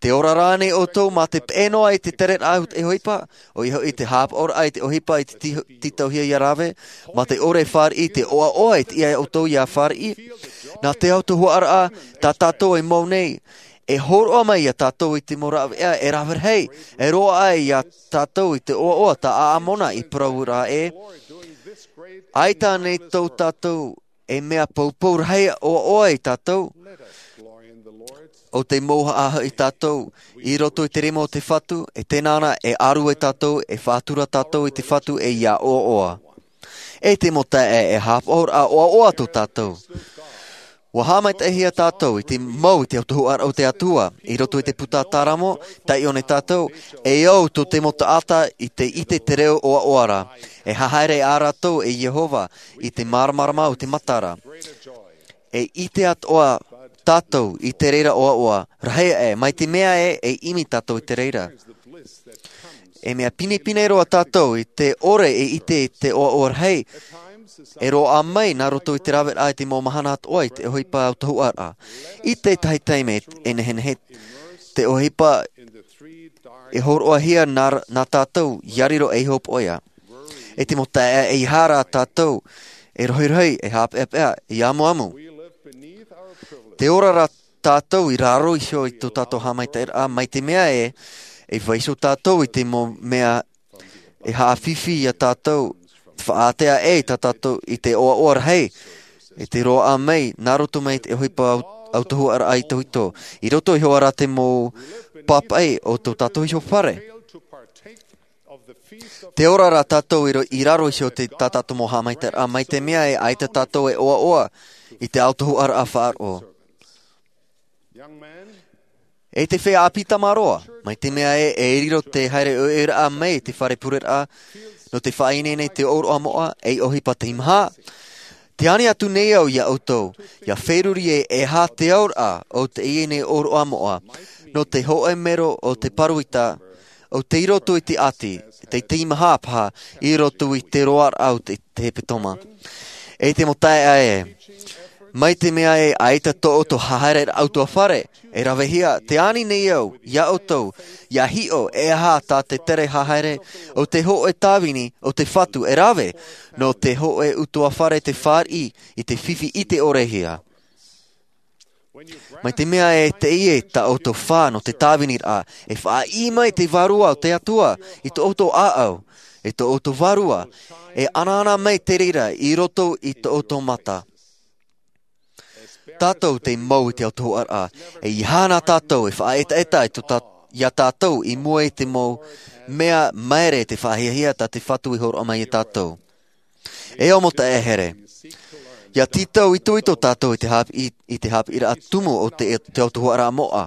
tē ora ra ānei ʻoutou mā te peʻe noa i te tereraʻa o te ʻohipa, ʻoia hoʻi te haʻapaʻoraʻa i te ʻohipa i te tī-, tītauhia ia rave, mā te ʻore e fāriʻi i te ʻoaʻoa e tiʻa ia ʻoutou ia fāriʻi. Nā te autahuʻaraʻa, tā tātou e mau nei, e hōroʻa mai ia tātou i te mau rāveʻa e rave rahi, e roaʻa ai ia tātou i te ʻoaʻoa tā ʻĀmona i parau ra ē. ʻAita ānei tō tātou e mea poupou rahi ʻoaʻoa ia tātou. ʻO te mouhaʻa hoʻi tātou i roto i te rima o te Fatu, e tēnā na e ʻaru ai tātou, e faʻatura tātou i te Fatu e ia ʻoaʻoa. E te mau taeaʻe, e haʻapaʻoraʻa ʻoaʻoa tō tātou. ʻUa haʻamaitaʻihia tātou i te mau i te autahuʻaraʻa o te Atua, i roto i te puta Tāramo, taiʻo nei tātou, e au tō te mau taʻata i te ʻite te reo ʻoaʻoa ra, e haere ā rātou e Iehova i te māramarama o te matara. E ʻite atoʻa tātou i te reira ʻoaʻoa, rahi aʻe, mai te mea ē, e ʻimi tātou i te reira. E mea pinepine roa tātou i te ʻore e ʻite i te ʻoaʻoa rahi, e roaʻa mai nā roto i te raveraʻa i te mau mahana atoʻa i te ʻohipa autahuʻaraʻa. I te tahi taime e nehenehe te ʻohipa e hōroʻahia nā, nā tātou, ia riro ei hopoiʻa. E te mau taeaʻe, ʻeiaha rā tātou e rohirohi, e haʻapeʻapeʻa, e amuamu. Tē ora ra tātou i raro iho i tō tātou haʻamaitaʻiraʻa, mai te mea ē, e vaiiho tātou i te mau mea e haʻafifi ia tātou, faʻaātea ai tā tātou i te ʻoaʻoa rahi, e te roaʻa mai, nā roto mai te ʻohipa au-, autahuʻaraʻa itoito. I roto iho ā rā te mau pāpaʻi o tō tātou iho fare. Tē ora ra tātou i ro-, i raro iho i tā tātou mau haʻamaitaʻiraʻa, mai te mea ē, ʻaita tātou e ʻoaʻoa i te autahuʻaraʻa faʻaroʻo. E te feiā ʻāpī tamaroa, mai te mea ē, e riro te haere ʻoiʻoiraʻa mai te fare pureraʻa, nō te faʻaineine i te ʻōroʻa moʻa, ei ʻohipa teimaha. Te ani atu nei au iā ʻoutou, ʻia feruri e, e aha te auraʻa o teie nei ʻōroʻa moʻa, nō te hōʻē mero o te pāroita, ʻo tei roto i te ʻati, tei teimaha paha, i roto i te roaraʻa o te, te hepetoma. E te mau taeaʻe, mai te mea ē, ʻaita tō ʻoutou haereraʻa ʻutuāfare, e ravehia, te ani nei au, iā ʻoutou, ʻia hiʻo, e aha tā te tere haere, ʻo te hōʻē tāvini, ʻo te Fatu, e rave, nō te hōʻē ʻutuāfare te fāriʻi, i te fifi ʻite ʻore hia. Mai te mea ē, teie tā ʻoutou fā nō te tāviniraʻa, e faʻaʻī mai te Vārua o te Atua, i tō ʻoutou ʻāʻau, i tō ʻoutou Vārua, e anaana mai te reira i roto i tō ʻoutou mata. Tātou tei mau i te autahuʻaraʻa, e ʻia aha na tātou e faʻaetaeta i tō tā-, iā tātou i mua i te mau mea maere te faʻahiahia tā te Fatu i hōroʻa mai iā tātou. E au mau taeaʻe here. ʻIa tītau itoito tātou i te hāp-, i, i te haʻapiʻiraʻa tumu o te, te autahuʻaraʻa moʻa.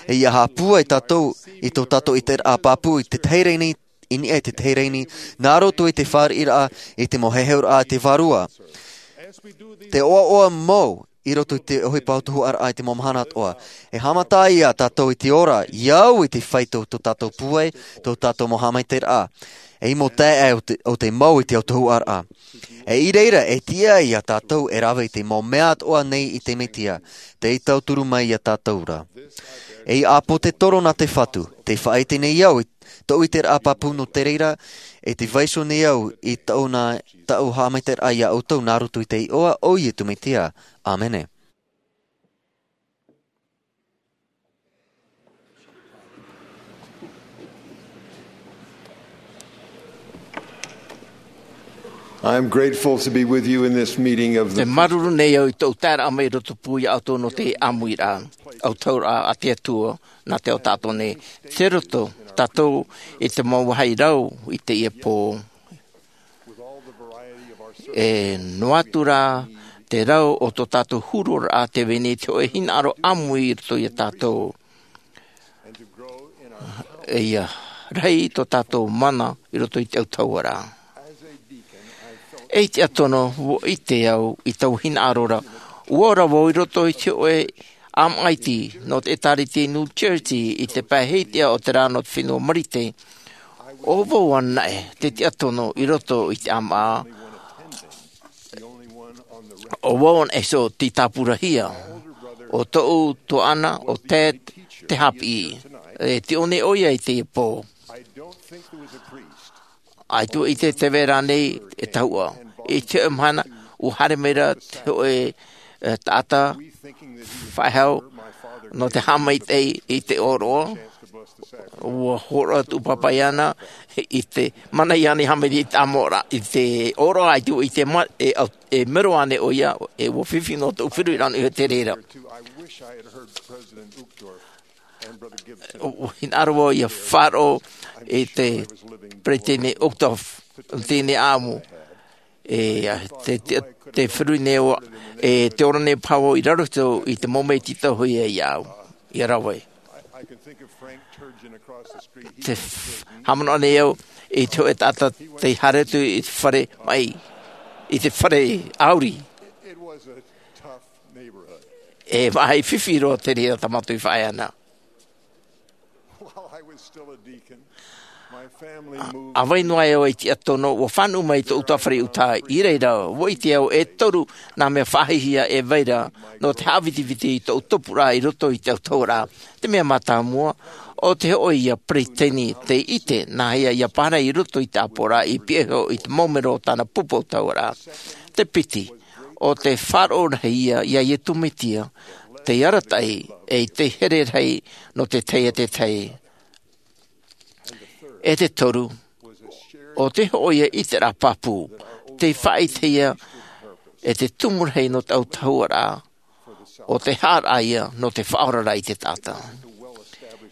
E ʻia haʻapūai tātou i tō tātou ʻiteraʻa pāpū i te tahi ra i niʻa i te tahi ra, nā roto i te fāriʻiraʻa i te mau heheuraʻa a te Vārua. Te ʻoaʻoa mau i roto i te ʻohipa autahuʻaraʻa i te mau mahana atoʻa. E haʻamata iā tātou i te ora, ʻia au i te fai tō, tō tātou pūai, tō tātou mau haʻamaitaʻiraʻa. E mau taeaʻe ʻo te, ʻo te mau i te autahuʻaraʻa. E i reira, e tiʻa iā tātou e rave i te mau mea atoʻa nei i te Mesia, tei tauturu mai iā tātou ra. E ʻia ʻāpōsetolo na te Fatu, tē faʻaʻite nei au i tōʻu ʻiteraʻa pāpū nō te reira, e tē vaiiho nei au i tōʻu nā, tōʻu haʻamaitaʻiraʻa iā ʻoutou nā roto i te iʻoa o Iesu Mesia. ʻĀmene. I'm grateful to be with you in this meeting of the Te māuruuru nei au i tōʻu taeraʻa mai i roto pū iā ʻoutou nō te ʻāmuiraʻa, autahuʻaraʻa a te Atua, nā te ao tātou nei. Tei roto tātou i te mau vāhi rau i teie pō. E noa atu rā te rau o tō tātou hururaʻa, tē vai nei te hōʻē hinaʻaro ʻāmui i roto iā tātou. E ʻia rahi tō tātou mana i roto i te autahuʻaraʻa. E tiʻa tonu, ʻua ʻite au i taua hinaʻaro ra. ʻUa ora vau i roto i te hōʻē ʻāmaʻa iti nō te ʻĒtārētia i New Jersey i te pae hitiʻa o te rā nō te fenua Marite. ʻO vau anaʻe te tiʻa tonu i roto i te ʻāmaʻa. ʻO vau anaʻe iho tei tāpurahia. ʻO tōʻu tuaʻana, ʻo Ted, te haʻapiʻi. E tiʻo nei ʻoia i teie pō. ʻAita ʻua ʻite tē vai ra nei e tahuʻa. I te hōʻē mahana, ʻua haere mai ra te hōʻē, e, taʻata faʻehau nō te haʻamaitaʻi i te ʻōroʻa. ʻUa hōroʻa tū pāpaʻi iāna i te mana iāna i haʻamaitaʻi i te ʻāmoʻaraʻa, i te ʻōroʻa, ʻaita ʻua ʻite ma-, e, au-, e mero ānei ʻoia, e ʻua fifi noa tōʻu feruriraʻa i te reira. ʻUa hinaʻaro vau ʻia faʻaroʻo i te peresideni Uchtdorf, teie nei ʻāʻamu. E, a, te, te, te feruri nei au, e, tē ora nei paha vau i raro iho i te mau mea i tītauhia iāʻu, ʻia rave. Te f-, haʻamanaʻo nei au i te hōʻē taʻata tei haere atu i te fare maʻi, i te fare ʻāuri. E maʻi fifi roa te reira tā mātou i faʻaea na. ʻA vai noa e au e tiʻa tonu, ʻua fānaʻo mai tōʻu ʻutuāfare i ʻĪtā, i reira, ʻua ʻite au e toru nā mea faʻahiahia e vai ra, nō te haʻavitiviti i tōʻu tupuraʻa i roto i te autahuʻaraʻa. Te mea mātāmua, ʻo te hōʻē ïa peresideni tei ʻite, nāhea ïa pāhono i roto i te ʻāpoʻoraʻa i pihaʻi iho i te mau mero o tāna pupu autahuʻaraʻa. Te piti, ʻo te faʻaroʻo rahi ïa iā Iesu Mesia, tei arataʻi, ʻe tei here rahi nō te tahi ʻe te tahi. ʻE te toru, ʻo te hōʻē ïa ʻiteraʻa pāpū, tei faʻaʻitehia, ʻe te tumu rahi nō te autahuʻaraʻa, ʻo te haʻaraʻa ïa nō te faʻaoraraʻa i te taʻata.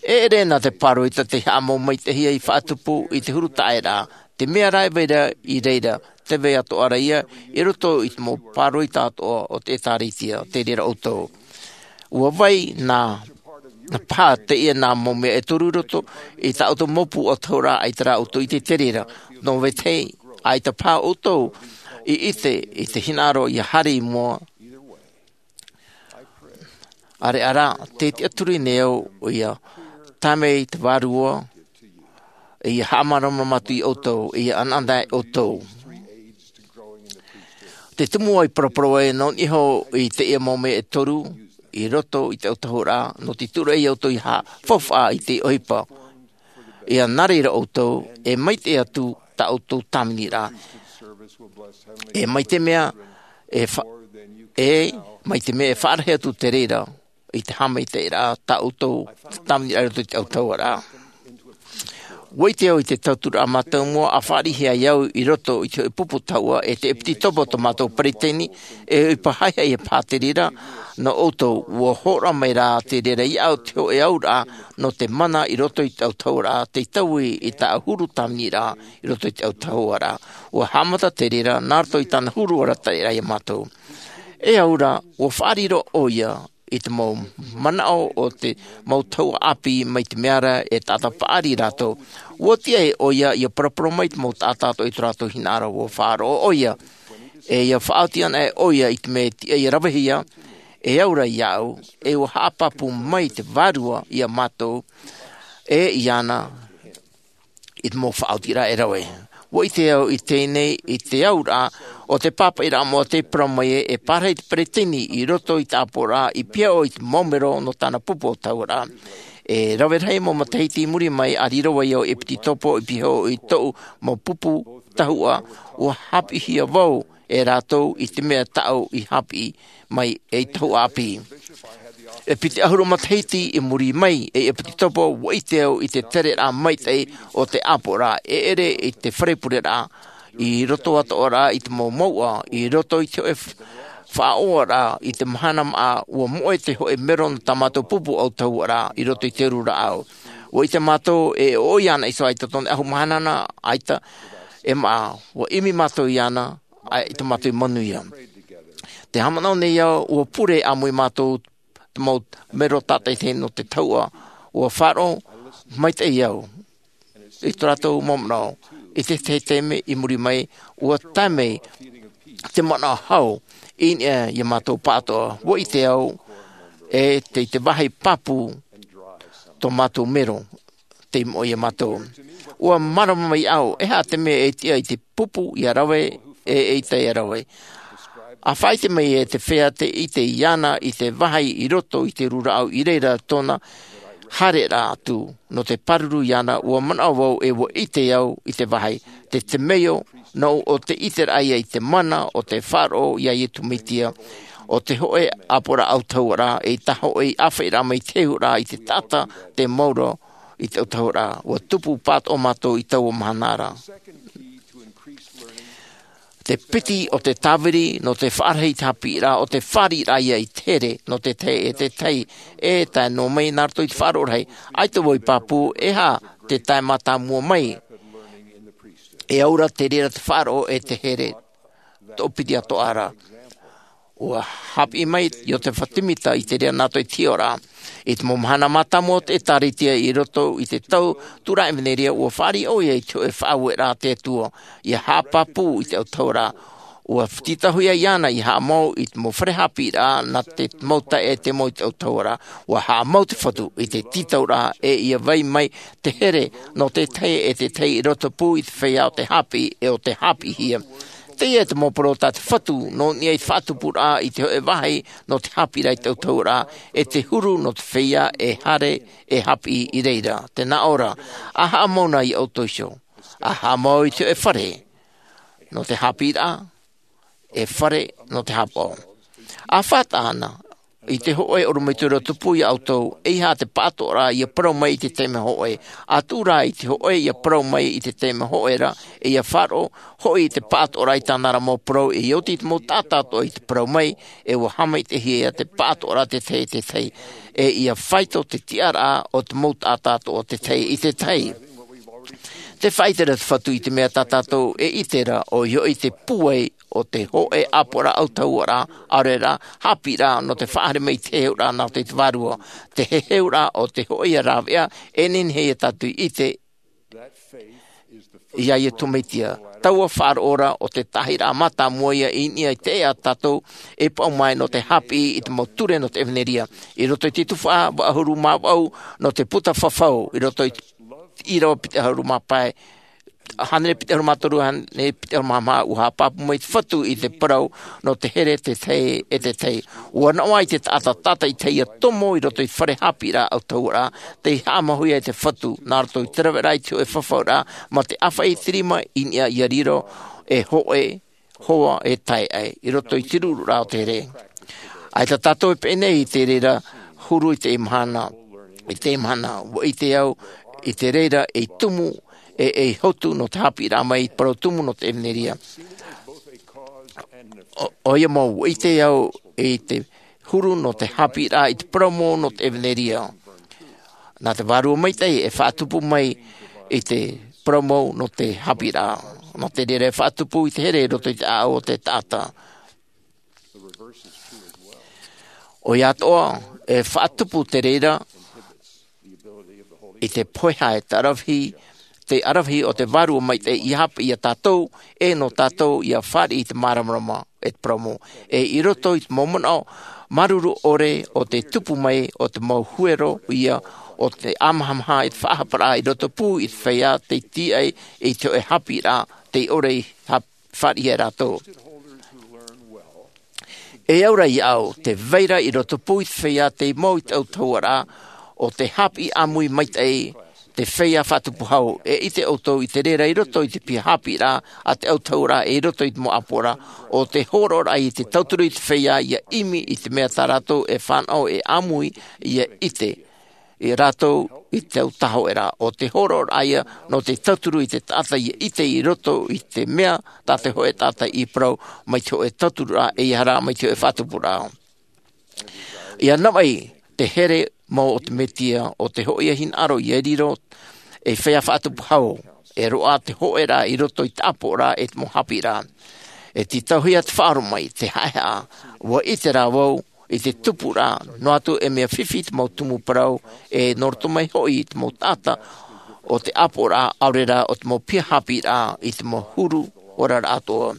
E ʻere na te pāroita tei haʻamau maitaʻihia i faʻatupu i te huru taʻeraʻa, te mea rā e vai ra i reira, tē vai atoʻa ra ïa, i roto i te mau pāroita atoʻa o te ʻĒtārētia, tei reira ʻoutou. ʻUa vai nā Paha teie nā mau mea e toru i roto i tā ʻoutou mau pū ʻautahuʻaraʻa, ʻaita rā ʻoutou i ʻite i te reira. Nō vetahi, ʻaita paha ʻoutou i ʻite i te hinaʻaro ia haere i mua. ʻAreʻa rā, tē tiʻaturi nei au ia tae mai te Vārua, ia haʻamāramarama atu ia ʻoutou, ia ʻanaʻana ia ʻoutou. Te tumu ai paraparau ai nō niʻa iho i teie mau mea e toru i roto i te ʻautahuʻaraʻa, nō te tūraʻi ia ʻoutou ia faufaʻa i te ʻohipa. Ia nā reira ʻoutou e maitaʻi atu tā ʻoutou tāviniraʻa. E mai te mea e fa-, e mai te mea e faʻarahi atu te reira i te haʻamaitaʻiraʻa tā ʻoutou tāviniraʻa i roto i te ʻautahuʻaraʻa. ʻUa ʻite au i te tauturu mātāmua a fāriʻi ai au i roto i te hōʻē pupu tahuʻa e te ʻEpititopo, tō mātou peresideni, e ʻohipa haʻehaʻa ia paha te reira nō ʻoutou. ʻUa hōroʻa mai rā te reira ia au te hōʻē auraʻa nō te mana i roto i te ʻautahuʻaraʻa, tei taui i tā huru tāviniraʻa i roto i te ʻautahuʻaraʻa. ʻUa haʻamata te reira nā roto i tāna huru arataʻiraʻa ia mātou. E au rā, ʻua faʻariro ʻoia i te mau manaʻo o te mau tahuʻa ʻāpī mai te mea ra e taʻata paʻari rātou. ʻUa tiʻa ʻoia ia paraparau mai te mau taʻata atoʻa i tō rātou hinaʻaro. ʻUa faʻaroʻo ʻoia, e ia faʻaoti ana ʻoia i te mea e tiʻa ia ravehia, e au rā ia au, e ʻua haʻapāpū mai te Vārua ia mātou, e iāna i te mau faʻaotiraʻa e rave. ʻUa ʻite au i teie nei, i te auraʻa o te pāpaʻiraʻa moʻa tei parau mai e, e pārahi te peresideni i roto i te ʻāpoʻoraʻa i pihaʻi i te mau mero nō tāna pupu ʻautahuʻaraʻa. E rave rahi mau matahiti i muri mai, a riro ai au ʻEpititopo i pihaʻi i tōʻu mau pupu tahuʻa, ʻua haʻapiʻihia vau e rātou i te mea tāʻu i haʻapiʻi mai ei tahuʻa ʻāpī. E piti ʻahuru matahiti i muri mai, ei ʻEpititopo, ʻua ʻite au i te tereraʻa maitaʻi o te ʻāpoʻoraʻa, e ʻere i te fare pureraʻa, i roto atoʻa rā i te mau mouʻa, i roto i te hōʻē f-, faʻaʻoraʻa, i te mahana māʻa, ʻua moʻe te hōʻē mero nō tā mātou pupu ʻautahuʻaraʻa i roto i te uru rāʻau. ʻUa ʻite mātou e ʻoʻoi ana iho ʻaita tōna ʻahu mahana na, ʻaita e māʻa, ʻua ʻimi mātou iāna, ʻaita mātou i manuia. Te haʻamanaʻo nei au, ʻua pure ʻāmui mātou te mau mero tātaʻitahi nō te tahuʻa, ʻua faʻaroʻo maitaʻi au i tō rātou mau manaʻo. I te tahi taime i muri mai, ʻua tae mai te manaʻo hau i niʻa ia mātou pāʻatoʻa. ʻUa ʻite au, e tei te vāhi pāpū tō mātou mero, tei moʻe ia mātou. ʻUa mārama mai au, e aha te mea e tiʻa i te pupu ia rave, e, e ʻaita ia rave. A faʻaʻite mai e te feiā tei ʻite iāna i te vāhi i roto i te uru rāʻau i reira tōna haereraʻa atu, nō te pāruru iāna, ʻua manaʻo vau e ʻua ʻite au i te vāhi, te temeio, nō ʻo te ʻiteraʻa ia i te mana o te faʻaroʻo ia Iesu Mesia, ʻo te hōʻē ʻāpoʻoraʻa ʻautahuʻaraʻa, e tā hōʻē ʻāfaʻiraʻa mai te hehuraʻa i te taʻata tei maoro i te ʻautahuʻaraʻa. ʻUa tupu pāʻatoʻa mātou i taua mahana ra. Te piti o te tāviri nō te faʻarahi i te haʻapiʻiraʻa, ʻo te fāriʻiraʻa ia i te here nō te tahi e te tahi, e tae noa mai nā roto i te faʻaroʻo rahi. ʻAita vau i pāpū, e aha te tae mātāmua mai. E au ra te reira te faʻaroʻo e te here toʻopiti atoʻa ra. ʻUa haʻapiʻi mai Iosepha Semita i te reira nā roto i te hiʻoraʻa. I te mau mahana mātāmua o te ʻĒtārētia i roto i te tau Tūraʻa Evanelia, ʻua fāriʻi ʻoia i te hōʻē faʻaueraʻa a te Atua, ia haʻapāpū i te ʻautahuʻaraʻa. ʻUa tītauhia iāna ia haʻamau i te mau fare haʻapiʻiraʻa nā te mau taeaʻe tei mau i te ʻautahuʻaraʻa. ʻUa haʻamau te Fatu i te tītauraʻa, e ia vai mai te here nō te tahi e te tahi i rotopū i te feiā o te haʻapiʻi, e ʻo te haʻapiʻihia. Teie te mau parau tā te Fatu nō niʻa i te faʻatupuraʻa i te hōʻē vāhi nō te haʻapiʻiraʻa i te ʻautahuʻaraʻa, e te huru nō te feiā e haere, e haʻapiʻi i reira. Tē nā ʻō ra, a haʻamau na ia ʻoutou iho. A haʻamau i te hōʻē fare nō te haʻapiʻiraʻa, e fare nō te haʻapaʻo. A faʻataʻa na i te hōʻē ʻorometua rotopū ia ʻoutou, ʻeiaha te pāʻatoʻaraʻa ia parau mai i te taime hōʻē. A tuʻu rā i te hōʻē ia parau mai i te taime hōʻē ra, e ia faʻaroʻo hoʻi i te pāʻatoʻaraʻa i tāna ra mau parau, e oti i te mau taʻata atoʻa i te parau mai, e ʻua haʻamaitaʻihia te pāʻatoʻaraʻa te tahi e te tahi, e ia faito te tiʻaraʻa o te mau taʻata atoʻa te tahi e te tahi. Tē faʻaʻite ra te Fatu i te mea tā tātou e ʻite ra, ʻoia hoʻi te pūai o te hoʻe ʻāpoʻoraʻa autahuʻaraʻa, ʻaore rā, haʻapiʻiraʻa nō te faʻahaere mai i te heheuraʻa nā roto i te vārua. Te heheuraʻa o te hoʻe ia rāveʻa, e nehenehe ia tātou i ʻite ia Iesu Mesia. Taua faʻaroʻo ra o te taʻahiraʻa mātāmua ia i niʻa i te ʻēʻa a tātou e paʻuma ai nō te haʻapiʻi i te mau ture nō te ʻevanelia. I roto i te tuhaʻa vaʻu ʻahuru mā vaʻu nō te puta fafau, i roto i te ʻīrava piti ʻahuru mā pae, hānere piti ʻahuru mā toru, hānere piti ʻahuru mā maha, ʻua haʻapāpū mai te Fatu i te parau nō te here tētahi e tētahi. ʻUa noaʻa te taʻata tātaʻitahi ia tomo i roto i te fare haʻapiʻiraʻa autahuʻaraʻa, tei haʻamāuiui i te Fatu, nā roto i te raveraʻa i te hoʻe fafauraʻa, mā te ʻāfaʻi i te rima i niʻa ia riro, e hoʻe, hoa e taeaʻe, i roto i te ruruʻraʻa o te here. ʻAita tātou e pēnei i te reira huru i teie mahana, i teie mahana, ʻua ʻite au i te reira ei tumu, e, ei hotu nō te haʻapiʻiraʻa mai i te parau tumu nō te ʻevanelia. ʻO, ʻoia mau, ʻua ʻite au i te huru nō te haʻapiʻiraʻa i te parau mau nō te ʻevanelia. Nā te Vārua Maitaʻi e faʻatupu mai i te parau mau nō te haʻapiʻiraʻa. Nō te reira e faʻatupu i te here i roto i te ʻāʻau o te taʻata. ʻOia atoʻa, e faʻatupu te reira i te pohe e te aravihi, te aravihi o te Vārua Maitaʻi ia haʻapiʻi ia tātou, e nō tātou ia fāriʻi i te māramarama e te parau mau. E i roto i te mau manaʻo māuruuru ʻore o te tupu mai o te mau huero ia o te ʻāmahamaha i te faʻahaparaʻa i roto pū i te feiā tei tīaʻi i te hoʻe haʻapiʻiraʻa tei ʻore i hap-, fāriʻi ia rātou. E au ra iāʻu, tē vai ra i roto pū i te feiā tei mau i te autahuʻaraʻa o te haʻapiʻi ʻāmui maitaʻi, te feiā faʻatupu hau, e ʻite ʻoutou i te reira i roto i te piha haʻapiʻiraʻa a te autahuʻaraʻa e i roto i te mau ʻāpoʻoraʻa, ʻo te hōroʻaraʻa i te tauturu i te feiā ia ʻimi i te mea tā rātou e fānaʻo e ʻāmui ia ʻite, e rātou i te autahuʻaraʻa, ʻo te hōroʻaraʻa ia nō te tauturu i te taʻata ia ʻite i roto i te mea tā te hoʻe taʻata i parau mai te hoʻe tauturuʻraʻa, ʻeiaha rā mai te hoʻe faʻatupuraʻa. Ia navaʻi te here mau o te Mesia, ʻo te hoʻi ia hinaʻaro ia riro ei feiā faʻatupu hau, e roaʻa te hoʻeraʻa i roto i te ʻāpoʻoraʻa e te mau haʻapiʻiraʻa. E tītauhia te faʻaroʻo mai, te haʻehaʻa, ʻua ʻite rā vau, i te tupuraʻa, noa atu e mea fifi te mau tumu parau, e nō roto mai hoʻi i te mau taʻata o te ʻāpoʻoraʻa, ʻaore rā ʻo te mau piha haʻapiʻiraʻa i te mau huru oraraʻa atoʻa.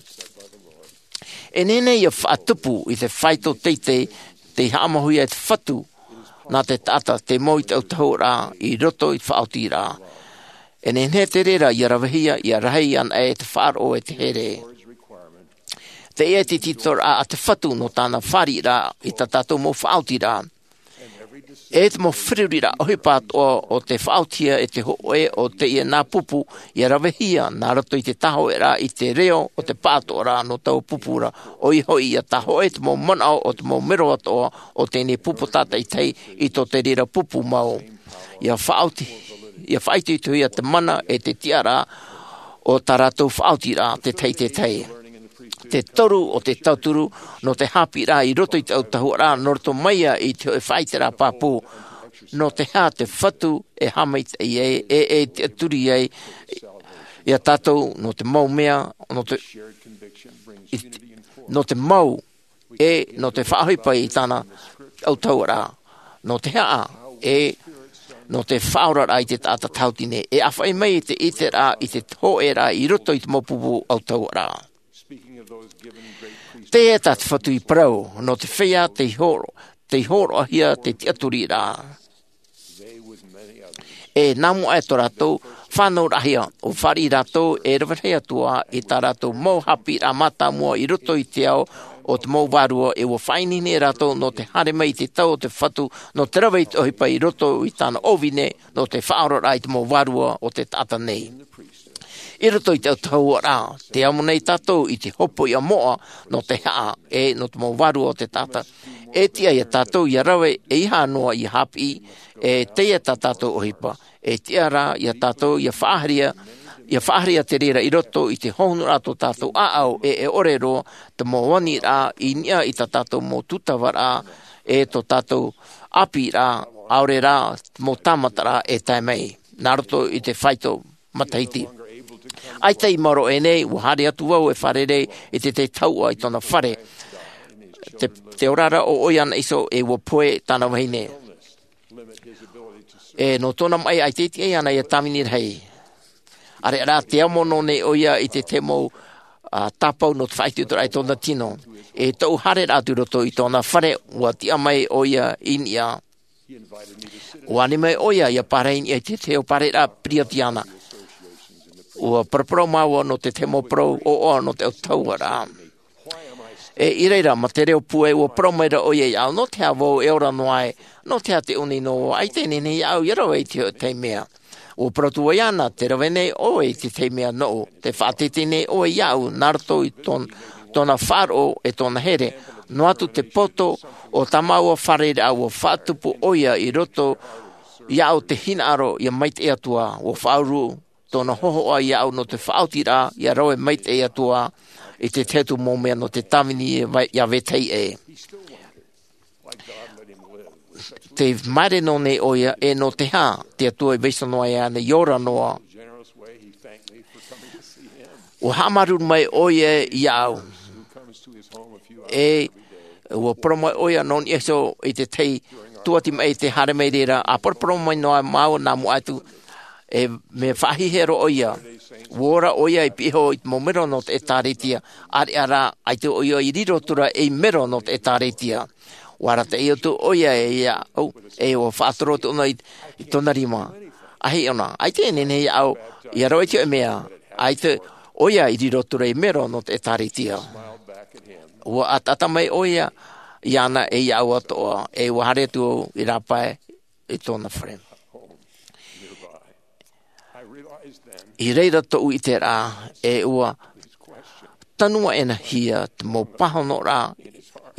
E nehenehe ia faʻatupu i te faito teitei, tei haʻamāuiui e te Fatu, nā te taʻata tei mau i te autahuʻaraʻa i roto i te faʻaotiraʻa. E nehenehe te reira ia ravehia, ia rahi anaʻe te faʻaroʻo e te here. Teie te tītauhia a te Fatu nō tāna fāriʻiraʻa i tā tātou mau faʻaotiraʻa. E te mau feruriraʻa ʻohipa atoʻa o tē faʻaotihia e te hōʻē o teie nā pupu, ia ravehia nā roto i te tāhōʻēraʻa i te reo o te pāʻatoʻaraʻa nō taua pupu ra, ʻoia hoʻi ia tāhōʻē te mau manaʻo o te mau mero atoʻa o teie pupu tātaʻitahi i tō te reira pupu mau. Ia faʻaoti-, ia faʻaitoitohia te mana e te tiʻaraʻa o tā rātou faʻaotiraʻa tētahi i tētahi. Te toru o te tauturu nō te haʻapiʻiraʻa i roto i te autahuʻaraʻa, nō roto mai ia i te hoʻe faʻaiteraʻa pāpū. Nō te aha te Fatu e haʻamaitaʻi ai, e, e tiʻaturi ai ia tātou nō te mau mea, nō te, i, nō te mau, e nō te faʻaʻohipa i tāna autahuʻaraʻa. Nō te aha, e nō te faʻaoraraʻa i te taʻata tautini. E ʻāfaʻi mai i te ʻiteraʻa, i te hōʻēraʻa i roto i te mau pupu autahuʻaraʻa. Teie tā te Fatu i parau, nō te feiā tei hōro-, tei hōroʻahia te tiʻaturiraʻa. E nā mua aʻe tō rātou fānauraʻahia, ʻua fāriʻi rātou e rave rahi atu ā i tā rātou mau haʻapiʻiraʻa mātāmua i roto i te ao o te mau vārua, e ʻua faʻaineine rātou nō te haere mai i te tau o te Fatu, nō te rave i te ʻohipa i roto i tāna ʻōvine, nō te faʻaoraraʻa i te mau vārua o te taʻata nei. I roto i te autahuʻaraʻa, tē amo nei tātou i te hopoiʻa moʻa nō te aha, e nō te mau vārua o te taʻata. E tiʻa ia tātou ia rave, ʻeiaha noa ia haʻapiʻi, e teie tā tātou ʻohipa. E tiʻa rā ia tātou ia faʻahaere, ia faʻahaere te reira i roto i te hohonuraʻa tō tātou ʻāʻau, e, e ʻore roa te mau aniraʻa i niʻa i tā tātou mau tūtavaraʻa, e tō tātou ʻāpīraʻa, ʻaore rā te mau tāmataraʻa e tae mai. Nā roto i te faito matahiti. ʻAita i maoro aʻenei, ua haere atu vau e fārerei i te tahi tahuʻa i tōna fare. Te, te oraraʻa o ʻoia ana iho e ua pohe tāna vahine. E nō tōna maʻi ʻaita e tiʻa iāna ia tāvini rahi. ʻAreʻa rā te amo noa nei ʻoia i te tahi mau, ā, tāpau nō te faʻaitoitoraʻa i tōna tino. E tōʻu haereraʻa atu i roto i tōna fare, ua tiʻa mai ʻoia i niʻa. Ua ani mai ʻoia ia pārahi i niʻa i te tahi parau piriata iāna. Ua paraparau māua nō te tahi mau parau ʻoaʻoa nō te autahuʻaraʻa. E i reira, mā te reo pūai, ua parau mai ra ʻoia iāʻu, nō te aha vau e ora noa ai, nō te aha te ʻoni noa, ʻaita e nehenehe iāʻu ia rave i te tahi mea. Ua parau atu vau iāna, tē rave nei ʻoe i te tahi mea nōʻu, tē faʻateitei nei ʻoe iāʻu, nā roto i tōn-, tōna faʻaroʻo e tōna here. Noa atu te poto o tā māua fārereiraʻa, ua faʻatupu ʻoia i roto iāʻu te hinaʻaro ia maitaʻi atu ā, ua faʻauru tōna hōhoʻa iāʻu nō te faʻaotiraʻa ia rave maitaʻi atu ā i te tahi atu mau mea nō te tāvini ia vai-, ia vetahi ʻē. Tē māere noa nei ʻoia, e nō te aha te Atua i vaiiho noa iāna i ora noa. Ua haʻamāuruuru mai ʻoia iāʻu. E ua parau mai ʻoia nō niʻa iho i te tahi tuati maʻi tē haere mai reira, ʻa paraparau mai noa māua nā mua atu, e mea faʻahiahia roa ʻoia. Ua ora ʻoia i pihaʻi iho i te mau mero nō te ʻĒtārētia, ʻareʻa rā, ʻaita ʻoia i riro atu ra ei mero nō te ʻĒtārētia. Ua arataʻi atu ʻoia iāʻu, e ua faʻatoro atu ʻōna i, i tōna rima. ʻĀ, ʻaita e nehenehe iāʻu ia rave i te hōʻē mea, ʻaita ʻoia i riro atu ra ei mero nō te ʻĒtārētia. Ua ʻataʻata mai ʻoia iāna e iāʻu atoʻa, e ua haere atu au i rāpae i tōna fare. I reira tōʻu ʻiteraʻa, e ua tanu aʻenahia te mau pāhonoraʻa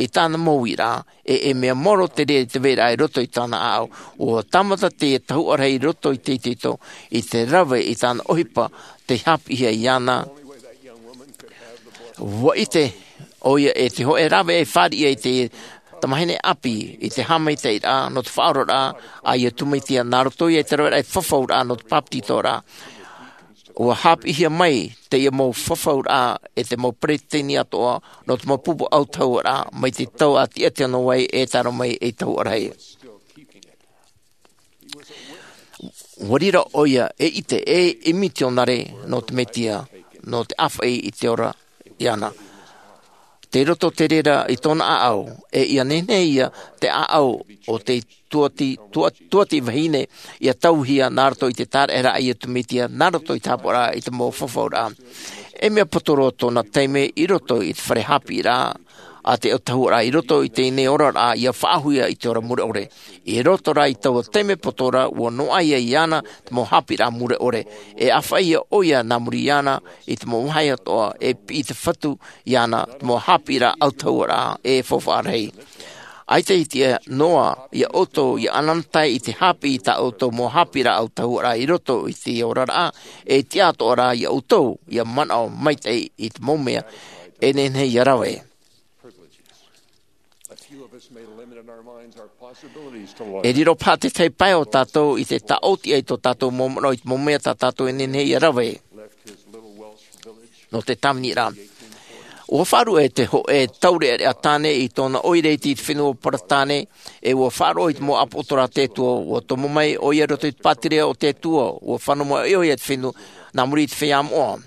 i tāna mau uiraʻa, e, e mea maoro te reira i te vairaʻa i roto i tāna ʻāʻau. Ua tāmata te tahuʻa rahi i roto i te itoito, i te rave i tāna ʻohipa tei haʻapiʻihia iāna. Ua ʻite ʻoia e te hōʻē rave e fāriʻi ai te tamahine ʻāpī i te haʻamaitaʻiraʻa nō te faʻaoraraʻa a Iesu Mesia, nā roto ia i te raveraʻa e fafauraʻa nō te bāpetizoraʻa. Ua haʻapiʻihia mai teie mau fafauraʻa e te mau peresideni atoʻa nō te mau pupu autahuʻaraʻa mai te tau a tiʻa noa ai e tae roa mai ei tahuʻa rahi. Ua riro ʻoia e ʻite e, e mitionare nō te Mesia, nō te ʻāfaʻi i te ora iāna. Tei roto te reira i tōna ʻāʻau, e ʻia nehenehe ia te ʻāʻau o te tuati, tua-, tuati vahine ia tauhia nā roto i te taraʻeharaʻa a Iesu Mesia, nā roto i te haʻapaʻoraʻa i te mau fafauraʻa. E mea poto roa tōna taime i roto i te fare haʻapiʻiraʻa a te autahuʻaraʻa, i roto i teie nei oraraʻa ia faʻahuia i te ora mure ʻore. I roto rā i taua taime poto ra, ua noaʻa ia iāna te mau haʻapiʻiraʻa mure ʻore. E ʻāfaʻi ʻoia nā muri iāna i te mau vāhi atoʻa, e piʻi te Fatu iāna te mau haʻapiʻiraʻa autahuʻaraʻa e faufaʻa rahi. ʻAita e tiʻa noa ia ʻoutou ia ʻanaʻanatae i te haʻapiʻi i tā ʻoutou mau haʻapiʻiraʻa autahuʻaraʻa i roto i te oraraʻa, e tiʻa atoʻa rā ia ʻoutou ia manaʻo maitaʻi i te mau mea e nehenehe ia rave. E riro paha te tahi pae o tātou i te taʻotiʻa i tō tātou mau manaʻo i te mau mea tā tātou e nehenehe ia rave nō te tāviniraʻa. Ua faʻaruʻe te hōʻē taureʻareʻa tāne i tōna ʻoire iti i te fenua Paratāne, e ua faʻaroʻo i te mau ʻāpōsetolo a te Atua, ua tomo mai ʻoia i roto i te pātireia o te Atua, ua fānaʻo mai ʻoia i te fenua, nā muri i te feiā moʻa.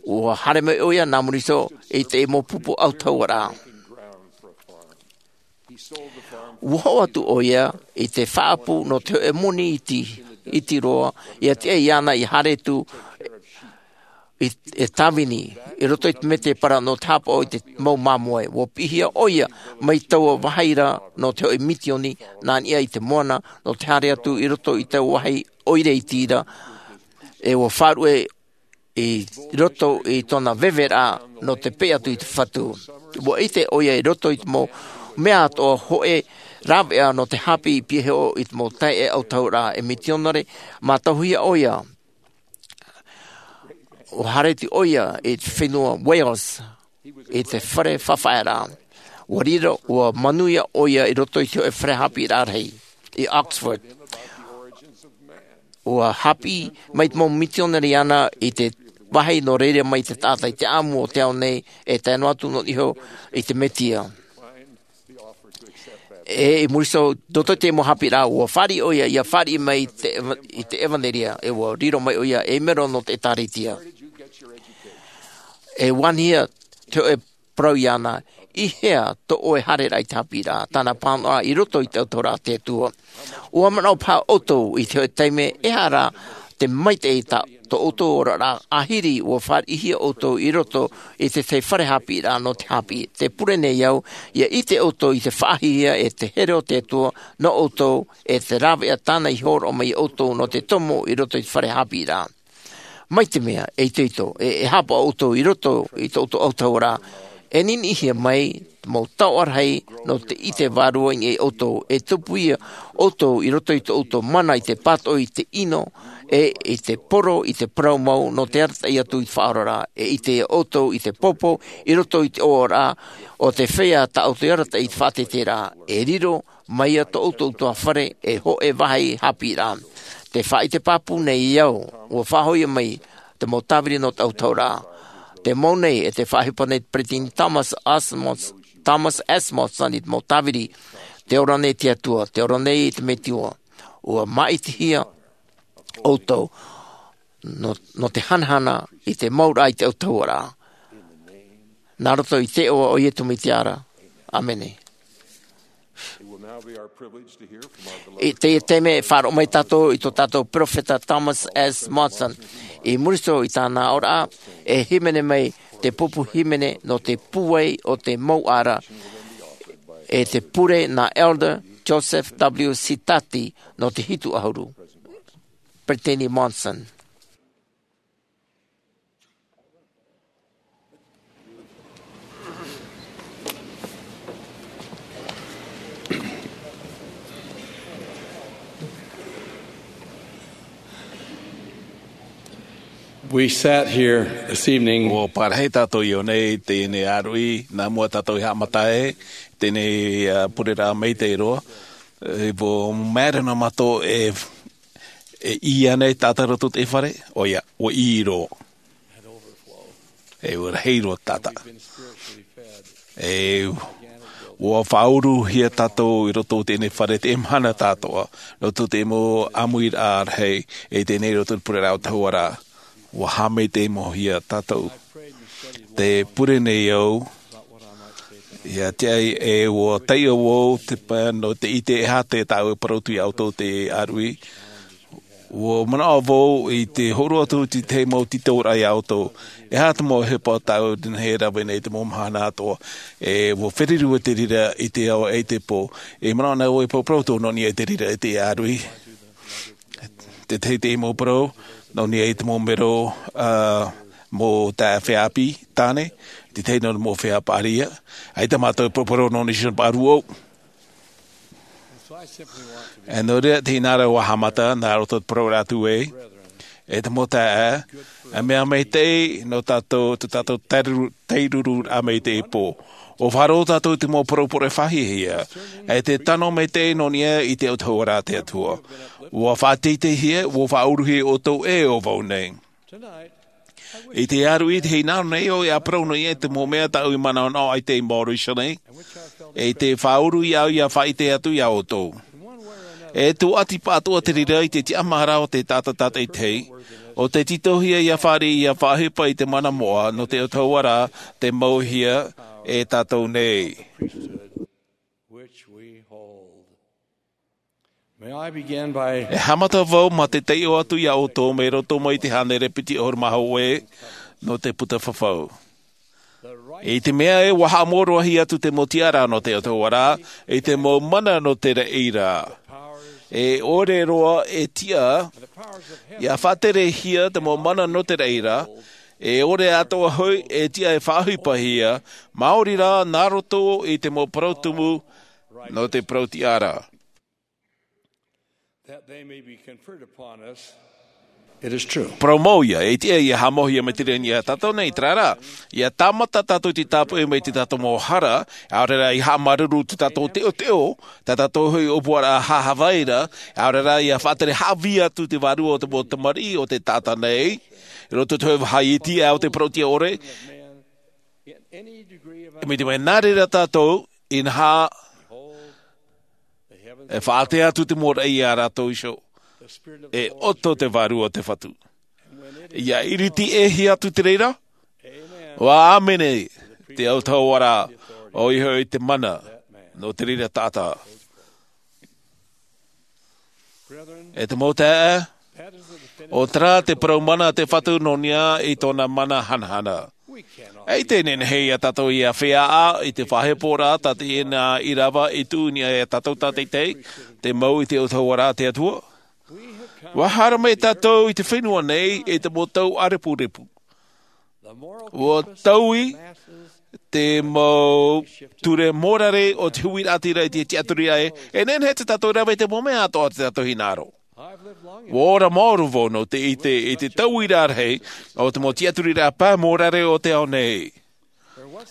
Ua haere mai ʻoia nā muri iho i te mau pupu autahuʻaraʻa. Ua hoʻo atu ʻoia i te faʻaʻapu nō te hōʻē moni iti, iti roa, ia tiʻa iāna ia haere atu i, e tāvini, i roto i te mētēpara nō te haʻapaʻo i te mau māmoe. Ua piʻihia ʻoia mai taua vāhi ra nō te hōʻē misioni nā niʻa i te moana, nō te haere atu i roto i taua vāhi ʻoire iti ra, e ua faʻaruʻe i roto i tōna veveraʻa nō te peʻe atu i te Fatu. Ua ʻite ʻoia i roto i te mau mea atoʻa hōʻē rāveʻa nō te haʻapiʻi i pihaʻi iho i te mau taeaʻe autahuʻaraʻa e mitionare mātauhia ʻoia. Ua haere atu ʻoia i te fenua Wales, i te fare faʻaʻamu. Ua riro, ua manuia ʻoia i roto i te hōʻē fare haʻapiʻiraʻa rahi i Oxford. ua hāpiʻi mai te mau mitionare iāna i te vāhi nō reira mai te taʻata i te ʻāmui o te ao nei, e tae noa atu noa iho i te Mesia. E i muri iho, i roto i te mau hāpiʻiraʻa, ua fāriʻi ʻoia, ʻia fāriʻi mai i te eva-, i te ʻevanelia, e ua riro mai ʻoia ei mero nō te ʻĒtārētia. E ʻua anihia te hōʻē parau iāna, i hea tō ʻoe haereraʻa i te hāpiʻiraʻa, tāna pāhonoraʻa i roto i te autahuʻaraʻa a te Atua. ʻUa manaʻo paha ʻoutou i te hōʻē taime, e aha rā te maitaʻi tā tō ʻoutou oraraʻa, ʻāhiri ʻua fāriʻihia ʻoutou i roto i te tahi fare hāpiʻiraʻa nō te hāpiʻi. Tē pure nei au, ʻia ʻite ʻoutou i te faʻaʻāhirihia e te here o te Atua nō ʻoutou, e te rāveʻa tāna i hōroʻa mai ia ʻoutou nō te tomo i roto i te fare hāpiʻiraʻa. Mai te mea, e itoito, e, e haʻapaʻo ʻoutou i roto i tō ʻoutou autahuʻaraʻa, e niniʻihia mai te mau taoʻa rahi nō te ʻite vārua i niʻa ia ʻoutou, e tupu ia ʻoutou i roto i tō ʻoutou mana i te pātoʻi i te ʻino, e i te poro, i te parau mau, nō te arataʻi atu i te faʻaoraraʻa, e ʻite ia ʻoutou i te pōpou i roto i te ʻōroʻa o te feiā tā ʻoutou i arataʻi i te faʻateiteiraʻa, e riro mai ia tō ʻoutou tuhaʻa fare, e hōʻē vāhi hāpiʻiraʻa. Tē faʻaʻite pāpū nei au, ʻua faʻahoʻi mai te mau tāviri nō te autahuʻaraʻa. Te mau nei, e tē faʻaʻohipa nei te peresideni Thomas Asmos-, Thomas S. Monson i te mau tāviri, tē ora nei te Atua, tē ora nei te Metua. ʻUa māʻitihia ʻoutou nō, nō te hanahana i te mau rā i te autahuʻaraʻa. Nā roto i te iʻoa o Iesu Mesia ra. ʻĀmene. It will now be our privilege to hear from our beloved I teie taime e faʻaroʻo mai tātou i tō tātou peropheta Thomas S. Monson. I muri iho i tāna aʻoraʻa, e hīmene mai te pupu hīmene nō te pūai o te mau ʻāra, e tē pure nā Elder Joseph W. Sitati nō te hitu ʻahuru. Peresideni Monson. We sat here this evening. ʻUa parahi tātou i ʻō nei i teie nei ʻāruʻi, nā mua tātou i haʻamata ai teie nei, ā, pureraʻa maitaʻi roa. E, ʻua mārō noa mātou e, e ʻī ānei tātou i roto i te fare, ʻoia, ʻua ʻī roa. E ʻua rahi roa tātou. E ʻua faʻauruhia tātou i roto i teie nei fare, te mahana tātou, i roto i te mau ʻāmuiraʻa rahi, e teie nei i roto i te pureraʻa autahuʻaraʻa. ʻUa haʻamaitaʻi-hia tātou. Tē pure nei au, ʻia tiʻa ai e ʻua taiʻo vau te pae nō te ʻite e aha te tāʻu e parau atu ia ʻoutou i teie ʻāruʻi. ʻUa manaʻo vau i te hōroʻa atu i te tahi mau tītauraʻa ia ʻoutou. E aha te mau ʻohipa tāʻu i teie nei e rave nei i te mau mahana atoʻa. E ʻua feruri vau i te reira i te ao e i te pō. E manaʻo nei vau e parau atu nō niʻa i te reira i teie ʻāruʻi. Te tahi i teie mau parau, nō niʻa i te mau mero, ā, mau taeaʻe feiā tāne, te tahi nō te mau feiā paʻari. ʻAita mātou e paraparau nō niʻa i te paʻari ʻō. E nō reira, tē hinaʻaro au ʻia haʻamata, nā roto i te parau atu ē, e te mau taeaʻe, e mea maitaʻi nō tātou, tō tātou tairuru-, tairururaʻa mai i teie pō. ʻUa faʻaroʻo tātou i te mau parau poroʻi faʻahiahia, e te tano maitaʻi nō niʻa i te autahuʻaraʻa a te Atua. ʻUa faʻateiteihia, ʻua faʻauruhia ʻoutou e ʻo vau nei. I te ʻāruʻi, tē hinaʻaro nei au ʻia parau nō niʻa i te mau mea tāʻu i manaʻonaʻo ai i teie mahana nei, e tē faʻauru iāʻu ʻia faʻaʻite atu ia ʻoutou. E tūʻati pāʻatoʻa te reira i te tiʻamāraʻa o te taʻata tātaʻitahi, ʻo tē tītauhia ʻia fāriʻi ʻia faʻaʻohipa i te mana moʻa nō te autahuʻaraʻa tei mauhia e tātou nei. Which we hold. May I begin by E haʻamata vau mā te taiʻo atu ia ʻoutou mai roto mai i te hānere piti ʻahuru mā hōʻē nō te puta fafau. I te mea ē, ʻua haʻamōroʻahia atu te mau tiʻaraʻa nō te autahuʻaraʻa, i te mau mana nō te reira. E ʻore roa e tiʻa, ʻia faʻaterehia te mau mana nō te reira, e ʻore atoʻa hoʻi e tiʻa e faʻaʻohipahia, maori rā nā roto i te mau parau tumu nō te parau tiʻa ra. That they may be conferred upon us Parau mau ia, e tiʻa ia haʻamauhia mai te reira ia tātou nei, terā rā, ia tāmata tātou i te tāpoʻi mai te tātou mau hara, ʻaore rā ia haʻamāuruuru te tātou teʻoteʻo, tā tātou hoʻi ʻōpuaraʻa haʻavāraʻa, ʻaore rā ia faʻatere haʻavī atu te vārua o te mau tamariʻi o te taʻata nei, i roto i te hōʻē vaha iti ʻa o te parauʻtiʻa ʻore, e mai te mea nā reira tātou, inaha, e faʻaʻite atu te mau raʻi ia rātou iho, e ʻoto te vārua o te Fatu. Ia iriti ʻē hia atu te reira, ʻua ʻāmene te autahuʻaraʻa, ʻoia hoʻi te mana, nō te reira taʻata. E te mau taeaʻe, ʻo terā te parau mana a te Fatu nō niʻa i tōna mana hanahana. E ʻite nehenehe ia tātou ia feiā ʻā i te faʻaheporaʻa tā te ʻina ʻīrava i tuʻu i niʻa ia tātou tātaitahi, te mau i te autahuʻaraʻa a te Atua. ʻUa haere mai tātou i te fenua nei i te mau tau ʻārepurepu. ʻUa taui te mau ture mōrare o te huiraʻatira i te tiʻaturiraʻa, e nehenehe te tātou rave i te mau mea atoʻa o te tātou hinaʻaro. ʻUa ora maoro vau nō te ʻite i te tauiraʻa rahi o te mau tiʻaturiraʻa pae mōrare o te ao nei.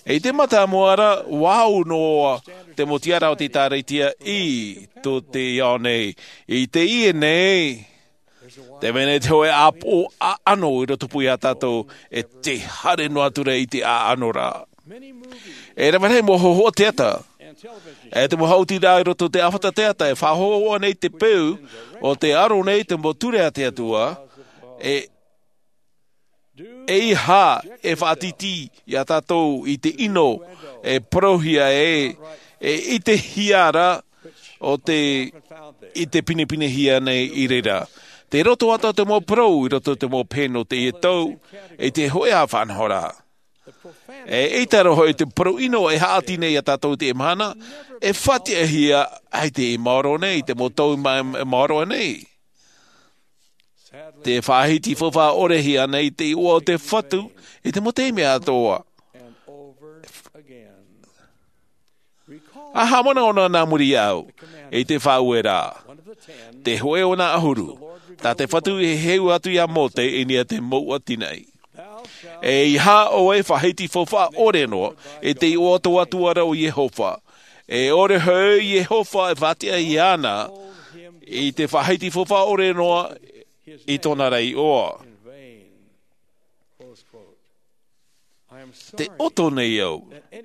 I te mātāmua ra, ʻua au noa te mau tiʻaraʻa o te ʻĒtārētia i tō te ao nei. I teie nei, te mea nei te hōʻē ʻāpoʻo ʻaʻano i roto pū ia tātou, e te haere noa atu ra i te ʻaʻano ra. E rave rahi mau hōhoʻa teata, e te mau haʻutiraʻa i roto i te ʻāfata teata, e faʻahōhoʻa nei te peu o te aro nei te mau ture a te Atua, e, eiaha e faʻatītī ia tātou i te ʻino e parauhia e, e ʻitehia ra o te, i te pinepinehia nei i reira. Te roto atoʻa te mau parau i roto te mau pene o teie tau, i te hōʻē faʻanahoraʻa. E ʻaita rā hoʻi te parau ʻino e haʻati nei ia tātou i teie mahana, e faʻatiʻahia ai te maoro nei, te mau tau ma-, maoro nei. Te faʻahiti faufaʻa ʻore hia nei te iʻoa o te Fatu i te mau taime atoʻa. ʻA haʻamanaʻo noa nā muri iāʻu i te faʻaueraʻa, te hōʻē o nā ʻahuru, tā te Fatu i heheu atu ia Mōte i niʻa i te mouʻa tinaʻi. Eiaha ʻoe e faʻahiti faufaʻa ʻore noa i te iʻoa o tō Atua ra ʻo Iehova. E ʻore hoʻi Iehova e faʻatiʻa iāna i te faʻahiti faufaʻa ʻore noa i tōna ra iʻoa. Te ʻoto nei au,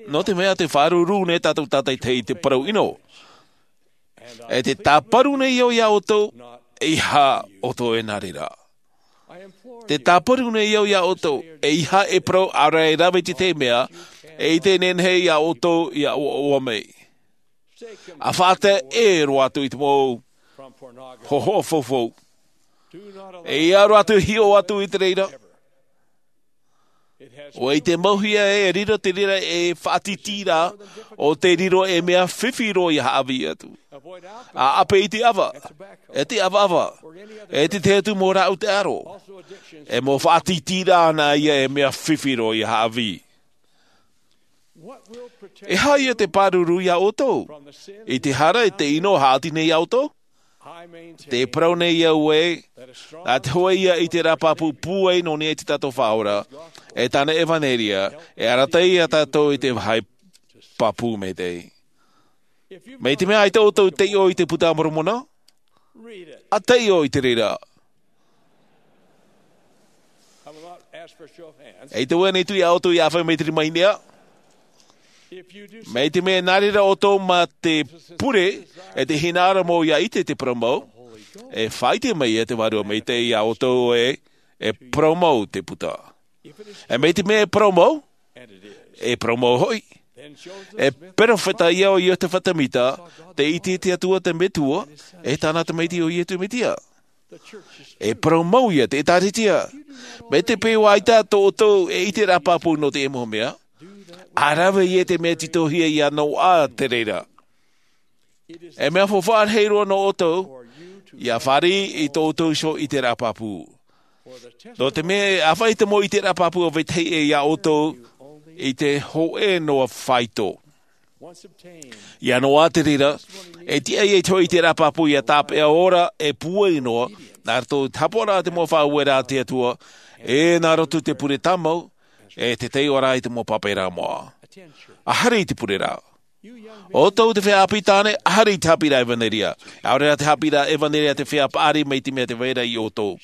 nō te mea te faʻaruru nei tātou tātaitahi i te parau ʻino. E te tāparu nei au ia ʻoutou, eiaha ʻoutou e nā reira. Te tāparu nei au ia ʻoutou, eiaha e parau ʻaore e rave i te tahi mea, e ʻite nehenehe ia ʻoutou ia ʻoaʻoa mai. ʻA faʻatae roa atu i te mau hōhoʻa faufaʻa. E ʻia roa atu e hiʻo atu i te reira. ʻUa ʻite mau hia ē, e riro te reira ei faʻatītīraʻa, ʻo te riro ei mea fifi roa ia haʻavī atu. ʻA ʻape i te ʻava, e te ʻavaʻava, e te tahi atu mau rāʻau taʻaro. E mau faʻatītīraʻa nā ia ei mea fifi roa ia haʻavī. E aha ia te pāruru ia ʻoutou i te hara, i te ʻino e haʻati nei ia ʻoutou? Te parau nei au ē, nā te hōʻē ia ʻiteraʻa pāpū pūai nō niʻa i te tātou Faʻaora, e tāna ʻevanelia, e arataʻi ia tātou i te vāhi pāpū maitaʻi. Mai te mea ʻaita ʻoutou i taiʻo i te Puta a Moromona, ʻa taiʻo i te reira. E te ʻoe nei tui a ʻoutou ia ʻāfaʻi mai te rima i niʻa. Mai te mea nā reira ʻoutou mā te pure, e te hinaʻaro mau ia ʻite te parau mau, e faʻaʻite mai ia te Vārua Maitaʻi ia ʻoutou ē, e parau mau te Puta. E mai te mea e parau mau, e parau mau hoʻi. E perofeta ia ʻo Iosepha Semita, tei ʻite i te Atua te Metua, e tāna Tamaiti ʻo Iesu Mesia. E parau mau ia te ʻĒtārētia. Mai te peu ʻaita tō ʻoutou ei ʻiteraʻa pāpū nō te mau mea, ʻa rave ia i te mea tītauhia ia noaʻa te reira. E mea faufaʻa rahi roa nō ʻoutou ia fāriʻi i tō ʻoutou iho ʻiteraʻa pāpū. Nō te mea e ʻāfaʻi te mau ʻiteraʻa pāpū a vetahi ʻē ia ʻoutou i te hōʻē noa faito. Ia noa te reira, e tiʻa ia i te hoʻi i te rāpapu ia tāpeʻa ora e pūai noa, nā roto i te hāpaʻoraʻa te mau faʻaueraʻa a te Atua, e nā roto i te pure tāmau, e te taiʻoraʻa i te mau pāpaʻiraʻa moʻa. ʻA haere i te pureraʻa. ʻO tō te feiā ʻāpī tāne, ʻa haere i te haʻapiʻiraʻa ʻevanelia. ʻAore rā te haʻapiʻiraʻa ʻevanelia te feiā paʻari mai te mea te vai ra iā ʻoutou.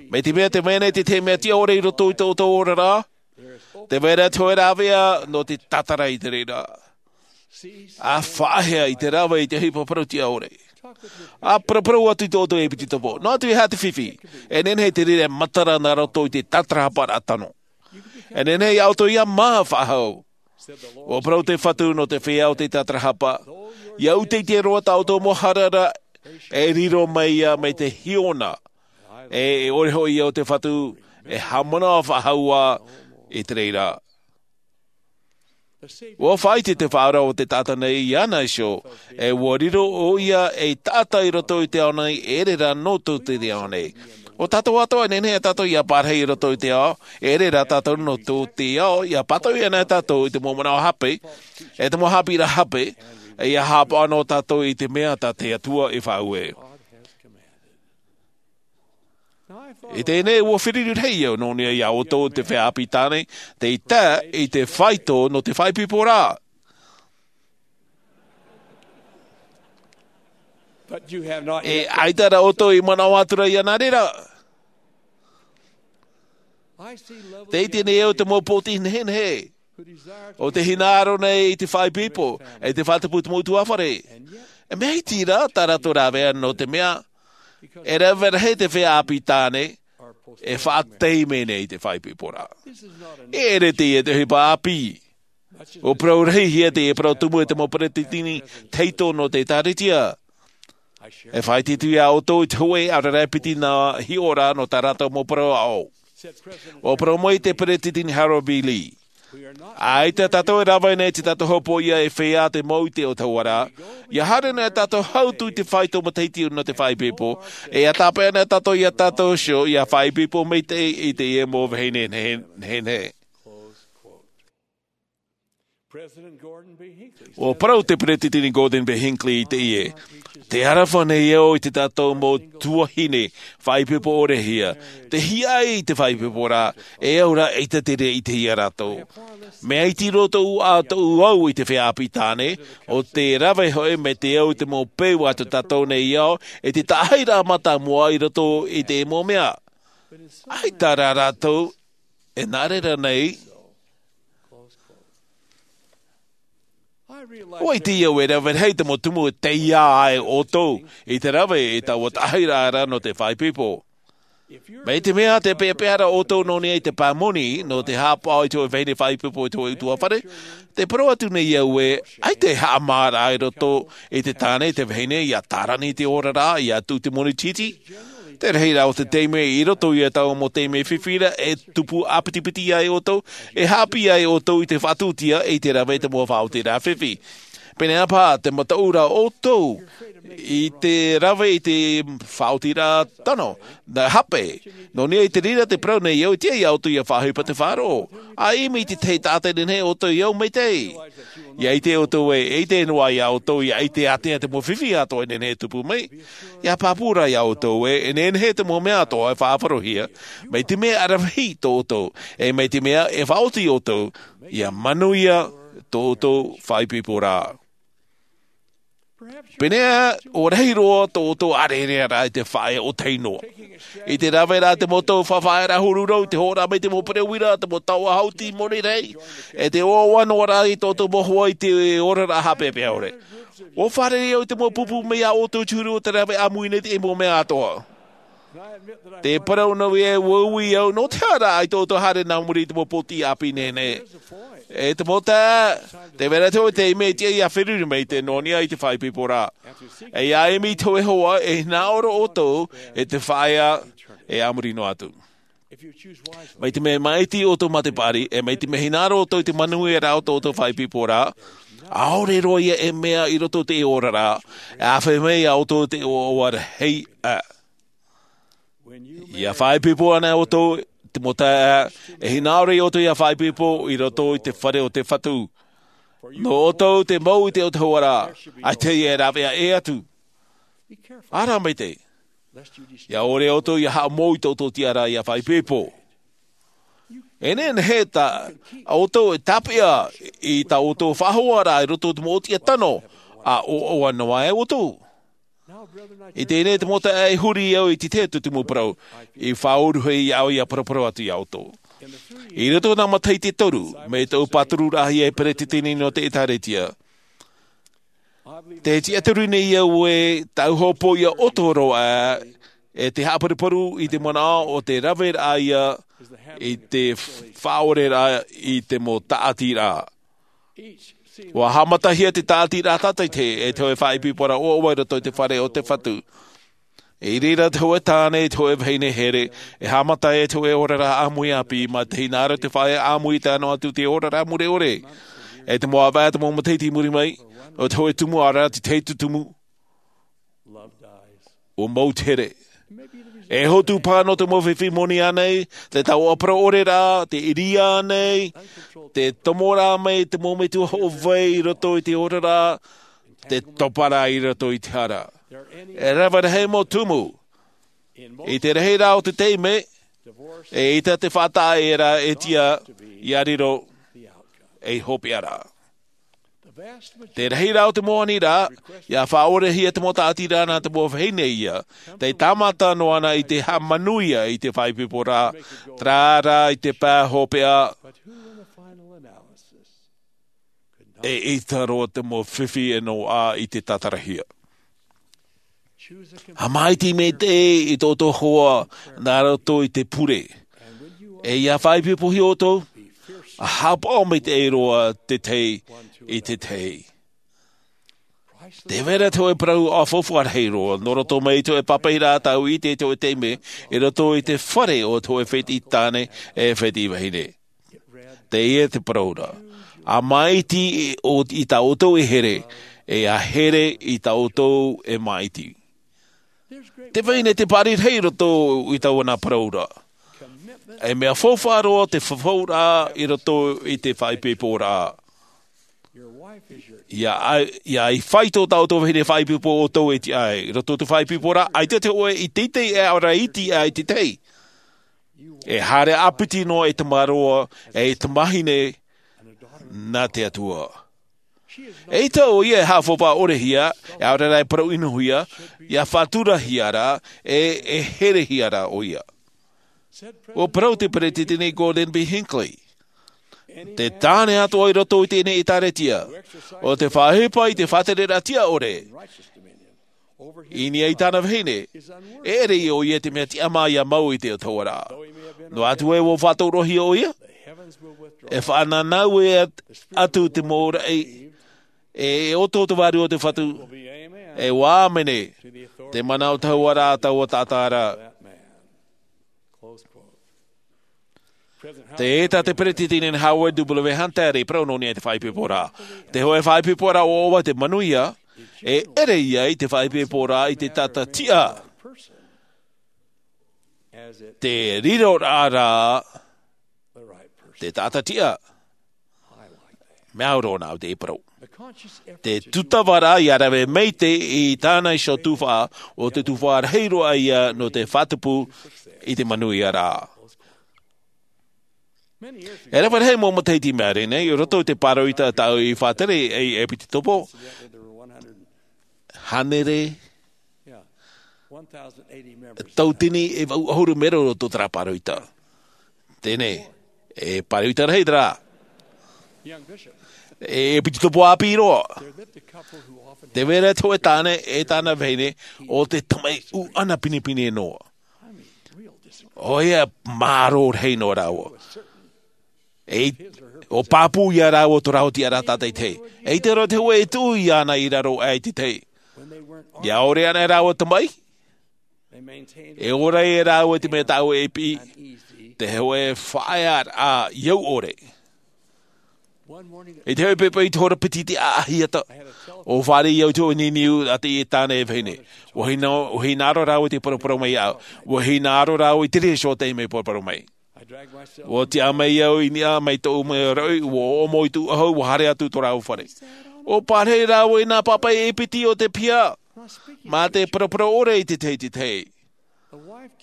Mai te mea te vai ra i te tahi mea tiʻa ʻore i roto i tō ʻoutou oraraʻa, te vai ra te hōʻē rāveʻa nō te tātara i te reira. ʻA faʻaea i te rave i te ʻohipa parau tiʻa ʻore. ʻA paraparau atu i tō ʻoutou ʻepitetopo. Noa atu e aha te fifi. E nehenehe te reira e matara nā roto i te tātarahapa ra tano. E nehenehe iā ʻoutou ia mā faʻahou. ʻUa parau te Fatu nō te feiā o te tātarahapa. Ia ʻūteʻute roa tā ʻoutou mau haere ra, e riro mai ia mai te hiona. E, e ʻore hoʻi ia o te Fatu, e haʻamanaʻo faʻahou ā i te reira. ʻUa faʻaʻite te Faʻaora o te taʻata nei iāna iho, e ʻua riro ʻoia ei taʻata i roto i te ao nei, e ʻere rā nō tō te ao nei. ʻO tātou atoʻa e nehenehe tātou ia parahi i roto i te ao, e ʻere rā tātou nō tō te ao, ia pātoʻi ana tātou i te mau manaʻo hape, e te mau haʻapiʻiraʻa hape, e ia haʻapaʻo noa tātou i te mea tā te Atua i faʻaue. I teie nei, ʻua feruri rahi au nō niʻa iā ʻoutou te feiā ʻāpī tāne, tei tae i te faito nō te faʻaipoiporaʻa. E ʻaita rā ʻoutou i manaʻo atu ra ia nā reira. Tei teie nei au te mau pōti nehenehe. ʻO tē hinaʻaro nei i te faʻaipoipo, e te faʻatupu i te mau ʻutuāfare. E mea iti rā tā rātou rāveʻa nō te mea, e rave rahi te feiā ʻāpī tāne, e faʻataime nei i te faʻaipoiporaʻa. E ʻere teie te ʻohipa ʻāpī. ʻUa parau rahi hia teie parau tumu e te mau peretiteni tahito nō te ʻĒtārētia. E faʻaʻite atu iā ʻoutou i te hōʻē ʻaore rā e piti nā hiʻoraʻa nō tā rātou mau parau aʻo. ʻUa parau mai te peretiteni Harold B. Lee. ʻAita tātou e rave nei te tātou hopoiʻa e feiā te mau ʻite o te hauʻa ra. Ia haere nei tātou hau atu i te faito matahiti nō te faʻaipoipo. E ia tāpeʻa nei tātou iā tātou iho, ia faʻaipoipo maitaʻi i teie mau vahine nehenehe. ʻUa parau te peretiteni Gordon B. Hinckley i teie. Tē aroha nei au i tā tātou mau tuahine faʻaipoipo ʻore hia. Tē hiaʻai i te faʻaipoiporaʻa, e au rā ʻaita te reira i ʻite iā rātou. Mea iti roa tōʻu ʻā, tōʻu au i te feiā ʻāpī tāne, ʻo te rave hoʻi mai te au i te mau peu a tō tātou nei ao, e te taʻahiraʻa mātāmua i roto i te mau mea. ʻAita rā rātou, e nā reira nei, ʻua ʻite au e rave rahi te mau tumu e taiā ai ʻoutou i te rave i taua taʻahiraʻa ra nō te faʻaipoipo. Mai te mea tē peʻapeʻa ra ʻoutou nō niʻa i te pāmoni nō te haʻapaʻo i te hōʻē vahine faʻaipoipo i te hōʻē ʻutuāfare, tē parau atu nei au ē, ʻaita e haʻamāraʻa i roto i te tāne, te vahine, ia tārani i te oraraʻa, ia tuʻu i te moni tītī. Te rahiraʻa o te taime, i roto ia taua mau taime fifi ra, e tupu ʻāpitipiti ai ʻoutou, e haʻapiʻi ai ʻoutou i te faʻatūtia, i te rave i te mau faʻaotiraʻa fifi. Pēneiaʻe paha te mataʻu ra ʻoutou i te rave i te faʻaotiraʻa tano, nā hape. Nō niʻa i te reira tē parau nei au, e tiʻa iā ʻoutou ia faʻaʻohipa te faʻaroʻo. ʻA ʻimi i te tahi taʻata e nehenehe ʻoutou e au maitaʻi. Ia ʻite ʻoutou ē, e ʻite noa iā ʻoutou, ia ʻite ātea te mau fifi atoʻa e nehenehe e tupu mai. Ia pāpū rā iā ʻoutou ē, e nehenehe te mau mea atoʻa e faʻaʻarohia, mai te mea e ʻaravihi tō ʻoutou, e mai te mea e faʻaoti ʻoutou, ia manuia tō ʻoutou faʻaipoiporaʻa. Pēneiaʻe, ʻua rahi roa tō ʻoutou ʻārearea ra i te faʻaea ʻōtahi noa. I te rave ra te mau tau faʻaearaʻa huru rau, i te hoʻo ra mai te mau pereʻoʻo ra, te mau taoʻa hauti moni rahi, e te ʻoaʻoa noa ra i tō ʻoutou mau hoa i te oraraʻa haʻapeʻapeʻa ʻore. ʻUa fārerei au i te mau pupu mai iā ʻoutou i te huru o te rave ʻāmui nei i te mau mea atoʻa. Tē parau noa vau ē, ʻua ui au, nō te aha rā ʻaita ʻoutou haere nā muri i te mau pōti ʻāpī nehenehe. E te mau taeaʻe, tē vai ra te hōʻē taime e tiʻa ia feruri maitaʻi nō niʻa i te faʻaipoiporaʻa. E ia ʻimi i te hōʻē hoa, e hinaʻaro ʻoutou i te faʻaea e a muri noa atu. Mai te mea e māʻiti ʻoutou mā te paʻari, e mai te mea e hinaʻaro ʻoutou i te manuiaraʻa o tō ʻoutou faʻaipoiporaʻa, ʻaore roa ia e mea i roto i te oraraʻa, e ʻāfaʻi mai iā ʻoutou te ʻoaʻoa rahi aʻe. Ia faʻaipoipo ana ʻoutou, te mau taeaʻe, e hinaʻaro ʻoutou ia faʻaipoipo i roto i te fare o te Fatu. Nō ʻoutou te mau i te autahuʻaraʻa, ʻaita e rāveʻa ʻē atu. Ara mai te ia ʻore ʻoutou ia haʻamou i tō ʻoutou tiʻaraʻa ia faʻaipoipo. E nehenehe tā ʻoutou e tāpeʻa i tā ʻoutou faʻahoaraʻa i roto i te mau tiʻa tano, ʻa ʻoaʻoa noa e ʻoutou. I teie nei te mau taeaʻe, e huri au i te tahi atu te mau parau i faʻaʻuruhia au ia paraparau atu ia ʻoutou. I roto i nā matahiti e toru, mai tōʻu pātururaʻa ia e peretiteni nō te ʻēkālesia, te tiʻaturi nei au ē tāʻu hopoiʻa ʻoto roa e te haʻaparuparu i te manaʻo o te raveraʻa ia i te faʻaʻoreraʻa i te mau tāʻatiraʻa. ʻUa haʻamatahia te tāʻatiraʻa tātaʻitahi e te hōʻē faʻaipoiporaʻa ʻoaʻoa i roto i te fare o te Fatu. I reira te hōʻē tāne, te hōʻē vahine here, e haʻamata e te hōʻē oraraʻa ʻāmui ʻāpī, mā te hinaʻaro te faʻaea ʻāmui i te ʻano atu te oraraʻa mure ʻore. E te mau ʻāvaʻe, te mau matahiti i muri mai, ʻo te hōʻē tumu ʻaore rā te tahi atu tumu, ʻua mau te here. E hotu paha nō te mau fifi moni ānei, te taoʻa parau ʻore rā, te ʻiriā ānei, te tomo rā mai te mau metua hoʻo vai i roto i te oraraʻa, te topa rā i roto i te hara. E rave rahi mau tumu. I te rahiraʻa o te taime, eʻita te faʻataʻa e rā e tiʻa ia riro ei hopeʻa ra. Te rahiraʻa o te mau aniraʻa, ʻia faʻaʻorehia te mau tāʻatiraʻa nā te mau vahine ia, tei tāmata noa na i te haʻamanuia i te faʻaipoiporaʻa, terā rā i te pae hopeʻa, eʻita roa te mau fifi e noaʻa i te tātarahia. Haʻamaitaʻi maitaʻi i tō ʻoutou hoa nā roto i te pure. E ʻia faʻaipoipohia ʻoutou, ʻa haʻapaʻo maitaʻi roa te tahi i te tahi. Tē vai ra te hōʻē parau ʻa faufaʻa rahi roa, nō roto mai i te hōʻē pāpaʻiraʻa tāʻu i ʻite i te hōʻē taime, i roto i te fare o te hōʻē fētiʻi tāne e fētiʻi vahine. Teie te parau ra. ʻA māʻiti i, o, i tā ʻoutou e here, e ʻa here i tā ʻoutou e māʻiti. Tē vai nei te paʻari rahi i roto i taua nā parau ra. E mea faufaʻa roa te fafauraʻa i roto i te faʻaipoiporaʻa. ʻIa, ʻia, ʻia fāito tā ʻoutou vahine faʻaipoipo ʻoutou e tiʻa ai. I roto i te faʻaipoiporaʻa, ʻaita te hōʻē i teitei e ʻaore rā iti ai te tahi. E haere ʻāpiti noa e tamaroa, e tamahine nā te Atua. ʻEita ʻoia e haʻafaufaʻa ʻorehia, e ʻaore rā e parau ʻinohia, ʻia faʻaturahia ra, e, e herehia ra ʻoia. ʻUa parau te Peretiteni Gordon B. Hinckley. Te tāne atoʻa i roto i teie nei ʻēkālesia, ʻo tē faʻaʻohipa i te faʻatereraʻa tiʻa ʻore i niʻa i tāna vahine, e ʻere ʻoia i te mea tiʻamā ʻia mau i te autahuʻaraʻa. Noa atu ē ʻua faʻatorohia ʻoia, e faʻananau ē at-, atu te mau raʻi, e, e ʻoto te vārua o te Fatu, e ʻua ʻāmene, te mana o te autahuʻaraʻa taua taʻata ra. Tē ʻita te Peretiteni Howard W. Hunter i parau nō niʻa i te faʻaipoiporaʻa. Te hōʻē faʻaipoiporaʻa ʻoaʻoa te manuia, e ʻere ia i te faʻaipoiporaʻa i te taʻata tiʻa. Te riroraʻa ra, te taʻata tiʻa. Mea au roa nā au te parau. Te tūtava ra ʻia rave maitaʻi i tāna iho tufaʻa, ʻo te tufaʻa rahi roa ia nō te faʻatupu i te manuia ra. E rave rahi mau matahiti i maʻiri nei, i roto i te pāroita tāʻu i faʻatere ai e piti topo. Hānere, tauatini e vaʻu ʻahuru mero i roto i terā pāroita. Teie nei, e pāroita rahi terā. E, e piti topo ʻāpī roa. Tē vai ra te hōʻē tāne e tāna vahine, ʻo te tamaʻi ʻūʻana pinepine noa. ʻOia, māro rahi noa rāua. E, ʻua pāpū ia rāua tō rāua tiʻaraʻa tātaʻitahi. ʻEita roa te hōʻē e tuʻu iāna i raro aʻe i te tahi. ʻIa ʻore ana rāua tamaʻi, e ora ia rāua i te mea tāʻu e piʻi, te hōʻē faʻaearaʻa i au ʻore. I te hōʻē poʻipoʻi i te hora piti i te ʻāʻahiata, ʻua fāriʻi au i te hōʻē niniu a teie tāne e vahine. ʻUa hina-, ʻua hinaʻaro rāua i te paraparau mai iāʻu. ʻUa hinaʻaro rāua i te reira iho taime paraparau mai. Ua tiʻa mai au i niʻa mai tōʻu mea raʻi, ua ʻoʻomo i tōʻu ʻahu, ua haere atu tō rāua fare. Ua pārahi rāua i nā pāpaʻi e piti o te piha, mā te paraparau ʻore i te tahi i te tahi.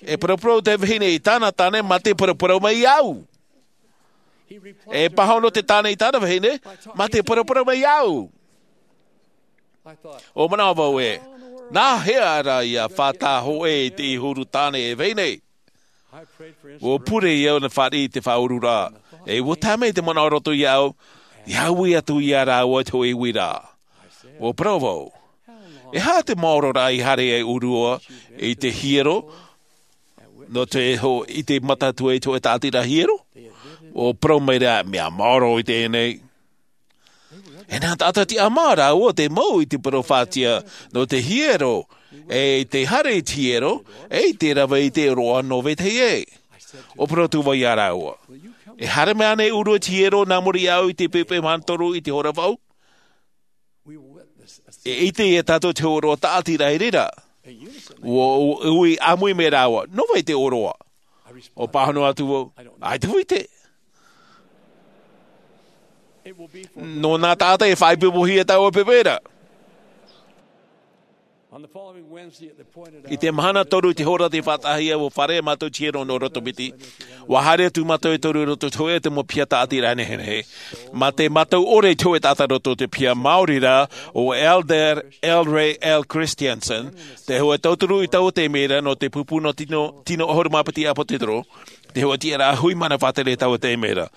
E paraparau te vahine i tāna tāne, mā te paraparau mai au. E pāhono te tāne i tāna vahine, mā te paraparau mai au. ʻO manaʻo vau ē, nā hea rā ia fātata hōʻē i te huru tāne e vahine? Ua pure au nā fāriʻi i te faʻaururaʻa, e ua tae mai te manaʻo roto iāʻu, ia ui atu iā rāua te hōʻē uiraʻa. Ua parau vau, e aha te maoro rā i haere ai ʻōrua i te hiero, nō te ho-, i te mata atu ai te hōʻē tāʻatiraʻa hiero? Ua parau mai rā, mea maoro i teie nei. E nā taʻata tiʻamā rāua te mau i te parau fātia nō te hiero, e i te haere i te hiero, e i te rave i te ʻōroʻa nō vetahi ē. Ua parau atu vau iā rāua, e haere mai ānei ʻōrua i te hiero nā muri iāʻu i te pepe mahana toru i te hora vaʻu? E ʻite ia tātou te hōroʻa tāʻatiraʻa i reira. Ua, ua ui ʻāmui mai rāua, nō vai te ʻōroʻa? Ua pāhono atu vau, ʻaita vau ʻite. Nō nā taʻata e faʻaipoipohia taua pepe ra. I te mahana toru i te hora tei faʻataʻahia, ua fārerei mātou i te hiero nō Roto Piti. Ua haere atu mātou e toru i roto i te hōʻē mau piha tāʻatiraʻa nehenehe. Mā te mātau ʻore i te hōʻē taʻata roto i te piha, maori rā, ʻo Elder L. Ray L. Christensen, te hōʻē tauturu i taua taime ra nō te pupu nō tino, tino ʻahuru mā piti ʻāpōsetolo, te hōʻē tiʻaraʻa hui mana faʻatere i taua taime ra.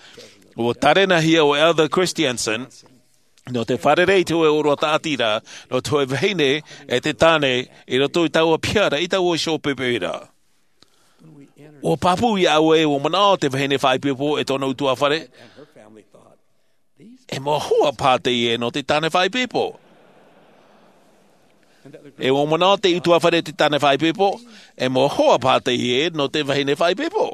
Ua tārenahia ʻo Elder Christensen nō te fārerei i te hōʻē ʻōroʻa tāʻatiraʻa, nō te hōʻē vahine e te tāne i roto i taua piha ra, i taua iho pepe ra. Ua pāpū iāʻu ē, ua manaʻo te vahine faʻaipoipo e tōna ʻutuāfare, e mau hoa paha teie nō te tāne faʻaipoipo. E ua manaʻo te ʻutuāfare te tāne faʻaipoipo, e mau hoa paha teie nō te vahine faʻaipoipo.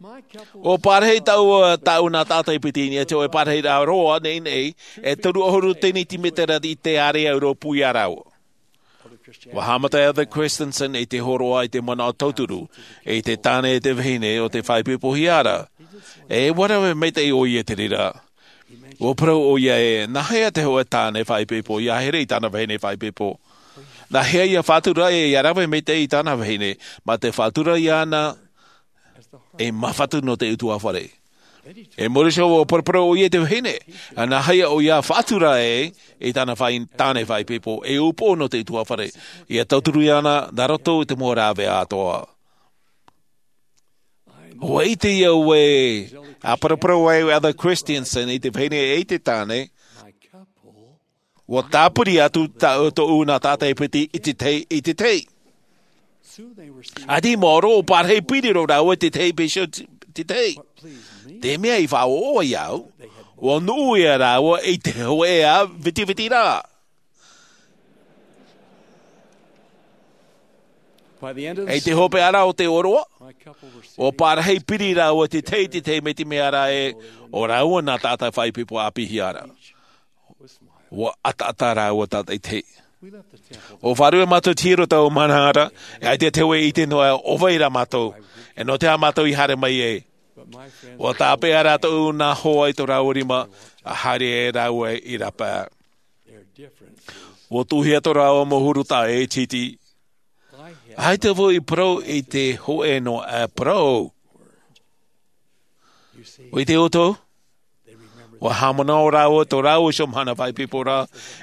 Ua pārahi tāua, tāʻu nā taʻata e piti i niʻa i te hōʻē pārahiraʻa roa nei, nei, e toru ʻahuru tenitimētera i te ārea rōpū iā rāua. Ua haʻamata Elder Christensen i te hōroʻa i te manaʻo tauturu i te tāne e te vahine o te faʻaipoipohia ra. E ua rave maitaʻi ʻoia i te reira. Ua parau ʻoia ē, nā hea te hōʻē tāne faʻaipoipo ia haere i tāna vahine faʻaipoipo? Nā hea ia faʻatura ē, ia rave maitaʻi i tāna vahine, mā te faʻatura iāna e māfatu nō te ʻutuāfare? E muri iho ua paraparau ʻoia i te vahine, nā hea ʻoia faʻatura ē i tāna faʻai-, tāne faʻaipoipo, e upoʻo nō te ʻutuāfare, ia tauturu iāna nā roto i te mau rāveʻa atoʻa. Ua ʻite au ē, a paraparau ai Elder Christensen i te vahine e i te tāne, ua tāpiri atu tā, tōʻu nā taʻata e piti i te tahi, i te tahi. ʻAita i maoro, ua pārahi piri roa rāua i te tahi peso i te tahi. Te mea i faʻaʻoʻoa iāʻu, ua nuʻu ia rāua i te hōʻē ʻā vitiviti ra. I te hopeʻa ra o te ʻōroʻa, ua pārahi piri rāua i te tahi, te tahi, mai te mea ra ē, ʻo rāua nā taʻata faʻaipoipo ʻāpīhia ra. Ua ʻataʻata rāua tātaʻitahi. Ua fārerei mātou i te hiero i taua mahana ra, e ʻaita te hōʻē e ʻite noa ʻo vai rā mātou, e nō te aha mātou i haere mai ai. Ua tāpeʻa rā tōʻu nā hoa i tō rāua rima, a haere ai rāua i rāpae. Ua tuʻuhia tō rāua mau huru taʻa ʻē tītī. ʻAita vau i parau i te hōʻē noa parau. ʻUa ʻite ʻoutou? Ua haʻamanaʻo rāua tō rāua iho mahana faʻaipoipo ra,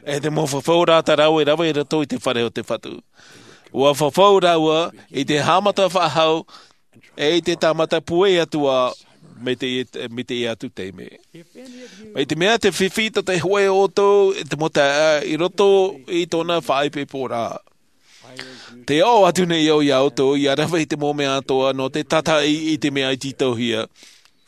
e te mau fafau ra tā rāua i rave i roto i te fare o te Fatu. Ua fafau rāua i te haʻamata faʻahou, e i te tāmata pūai atu ā, mai te, mai teie atu taime. Mai te mea te fifi tō te hōʻē ʻoutou i te mau taeaʻe i roto i tōna faʻaipoipo ra. Tē ʻoaʻoa atu nei au iā ʻoutou, ʻia rave i te mau mea atoʻa nō te tātaʻi i te mea i tītauhia.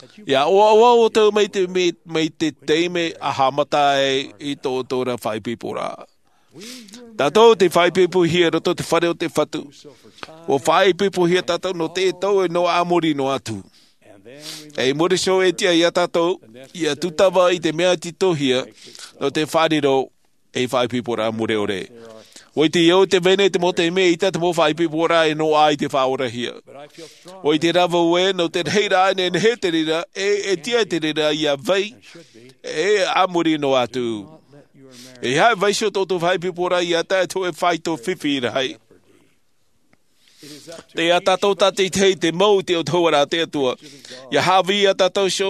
ʻIa ʻoaʻoa ʻoutou mai te, mai, mai te taime a haʻamata ai i tō ʻoutou ra faʻaipoipo ra. Tātou tei faʻaipoipohia i roto i te fare o te Fatu. ʻUa faʻaipoipohia tātou nō te tau e noa a muri noa atu. E i muri iho e tiʻa iā tātou, ʻia tūtava i te mea i tītauhia, nō te faʻariro ei faʻaipoiporaʻa mure ʻore. ʻUa ʻite au te mea nei te mau taime ʻaita te mau faʻaipoipo ra e noaʻa i te faʻaorahia. ʻUa ʻite rā vau ē, nō te reira e nehenehe te reira, e, e tiʻa te reira ʻia vai, e a muri noa atu. E aha e vaiiho tō tō faʻaipoipo ra ʻia tae atu e faito fifi rahi. Tei iā tātou tātaʻitahi te mau i te autahuʻaraʻa a te Atua. ʻIa haʻavī iā tātou iho,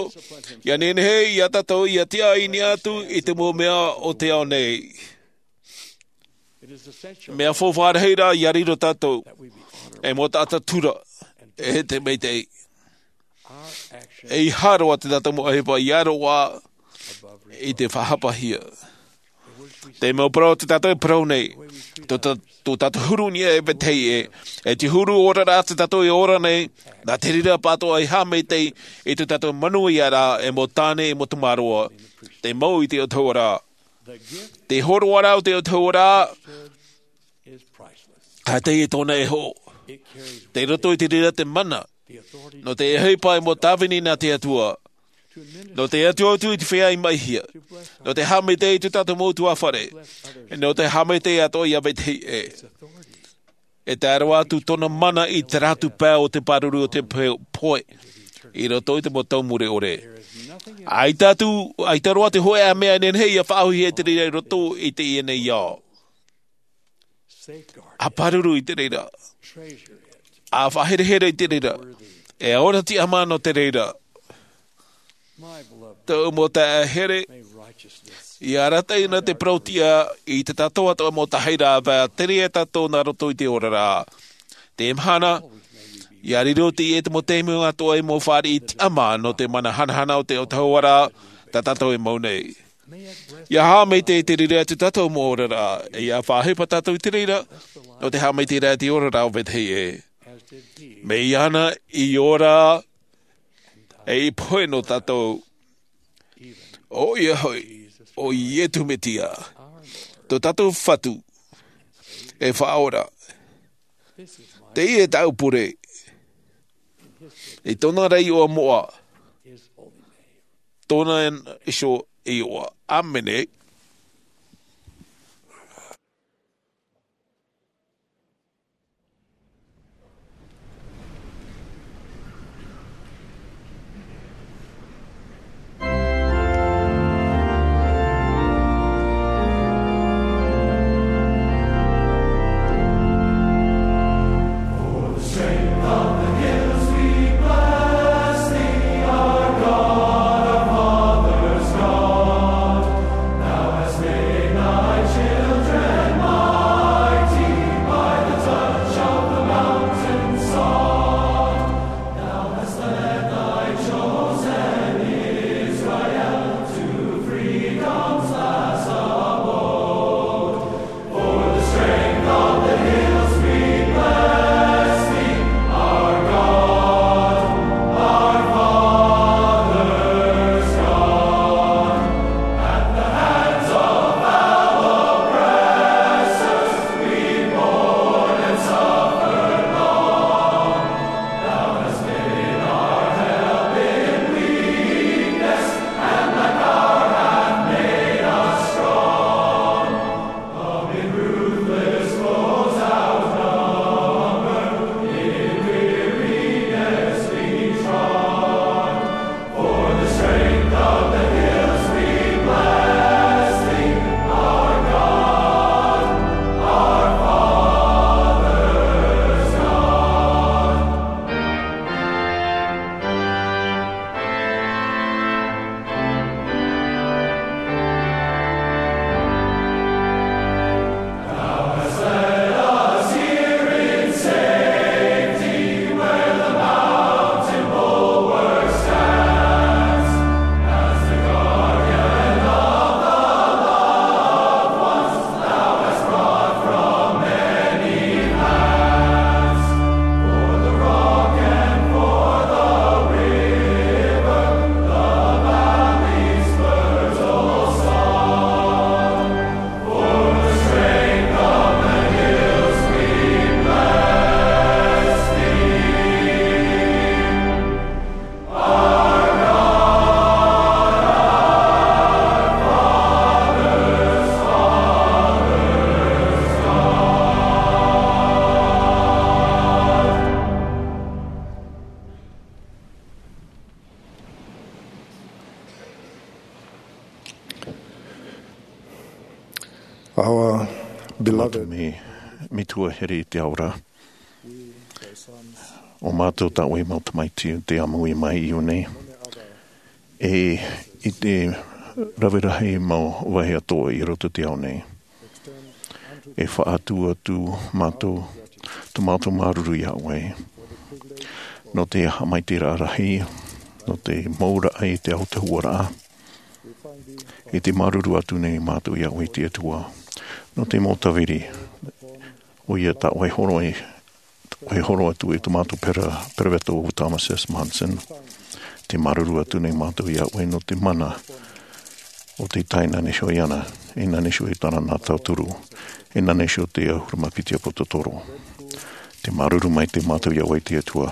ʻia nehenehe iā tātou ʻia tiʻa i niʻa atu i te mau mea o te ao nei. Mea faufaʻa rahi rā ʻia riro tātou, e mau taʻata tura, e te maitaʻi. ʻEiaha roa te tātou mau ʻohipa ʻia roaʻa i te faʻahapahia. Te mau parau o te tātou e parau nei, tō tā-, tō tātou huru i niʻa e vetahi ʻē, e te huru oraraʻa te tātou e ora nei, nā te reira pātoʻa e haʻamaitaʻi i tō tātou manuiaraʻa e mau tāne e mau tamaroa, te mau i te autahuʻaraʻa. Te hōroaraʻa o te autahuʻaraʻa, ʻaita e tōna e hoʻo. Tei roto i te reira te mana, nō te ʻohipa e mau tāvini nā te Atua. Nō te atu atu i te feiā i maʻihia. Nō te haʻamaitaʻi i tō tātou mau ʻutuāfare. Nō te haʻamaitaʻi atoʻa ʻia vetahi ʻē. E tae roa atu tōna mana i terā atu pae o te pāruru o te pe-, poe. I roto i te mau tau mure ʻore. ʻAita atu, ʻaita roa te hōʻē mea e nehenehe ʻia faʻaauhia i te reira i roto i teie nei ao. ʻA pāruru i te reira. ʻA faʻaherehere i te reira. E ora tiʻamā nō te reira. Tōʻu mau taeaʻe here, ʻia arataʻi na te parau-tiʻa i tā tātou atoʻa mau tahi rāveʻa, tere ia tātou nā roto i te oraraʻa. Te mahana, ʻia riro teie te mau taime atoʻa e mau fāriʻi tiʻamā nō te mana hanahana o te autahuʻaraʻa, tā tātou e mau nei. ʻIa haʻamaitaʻi i te reira atu tātou mau oraraʻa, e ʻia faʻaʻohipa tātou i te reira, nō te haʻamaitaʻiraʻa i te oraraʻa o vetahi ʻē. Mai iāna i ora, e i pohe nō tātou. ʻOia hoʻi, ʻo Iesu Mesia, tō tātou Fatu, e Faʻaora. Teie tāʻu pure. I tōna ra iʻoa moʻa. Tōna iho iʻoa. ʻĀmene. Beloved, me, me tua here i te aora. O mātou tā ʻoe mau tamaiti te ʻāmui mai i ʻō nei. E i te rave rahi mau vāhi atoʻa i roto te ao nei. E faʻaʻite atu mātou, tō mātou māuruuru iā ʻoe. Nō te haʻamaitaʻiraʻa rahi, nō te mau raʻa i te ao te huaraʻa. E te māuruuru atu nei mātou iā ʻoe te Atua. Nō te mau tāviri, ʻoia tā ʻoe horo e, ʻoe horo atu e tō mātou pera, peropheta o Thomas S. Monson. Te māuruuru atu nei mātou iā ʻoe nō te mana o te taina nei iho iāna, e nā nei iho e tāna nā tauturu, e nā nei iho te ʻahuru mā piti ʻāpōsetolo. Te māuruuru maitaʻi mātou iā ʻoe te Atua.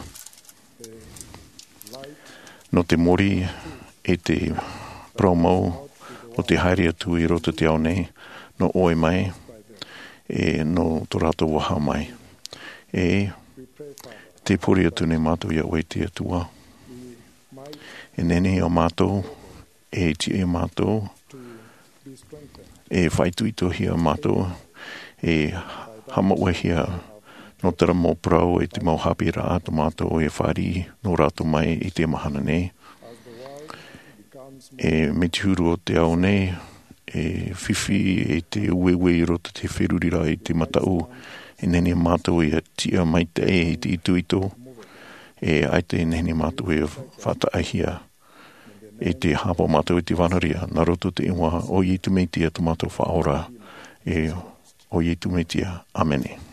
Nō te mōrī e te parau mau o te haere atu i roto te ao nei, nō ʻoe mai, e nō tō rātou vaha mai. E te pure atu nei mātou iā ʻoe te Atua. E nehenehe ā mātou, e tiʻa iā mātou, e faʻaitoitohia mātou, e haʻamāuʻahia nō terā mau parau e te mau haʻapiʻiraʻa tō mātou e fāriʻi nō rātou mai i te mahana nei. E mai te huru o te ao nei, e fifi e te ueue i roto te feruriraʻa i te mataʻu, e nehenehe mātou e tiʻa maitaʻi i te itoito, e ʻaita e nehenehe mātou e faʻataʻahia. E te haʻapaʻo mātou i te vānaria, nā roto te iʻoa o Iesu Mesia tō mātou Faʻaora, e o Iesu Mesia. ʻĀmene.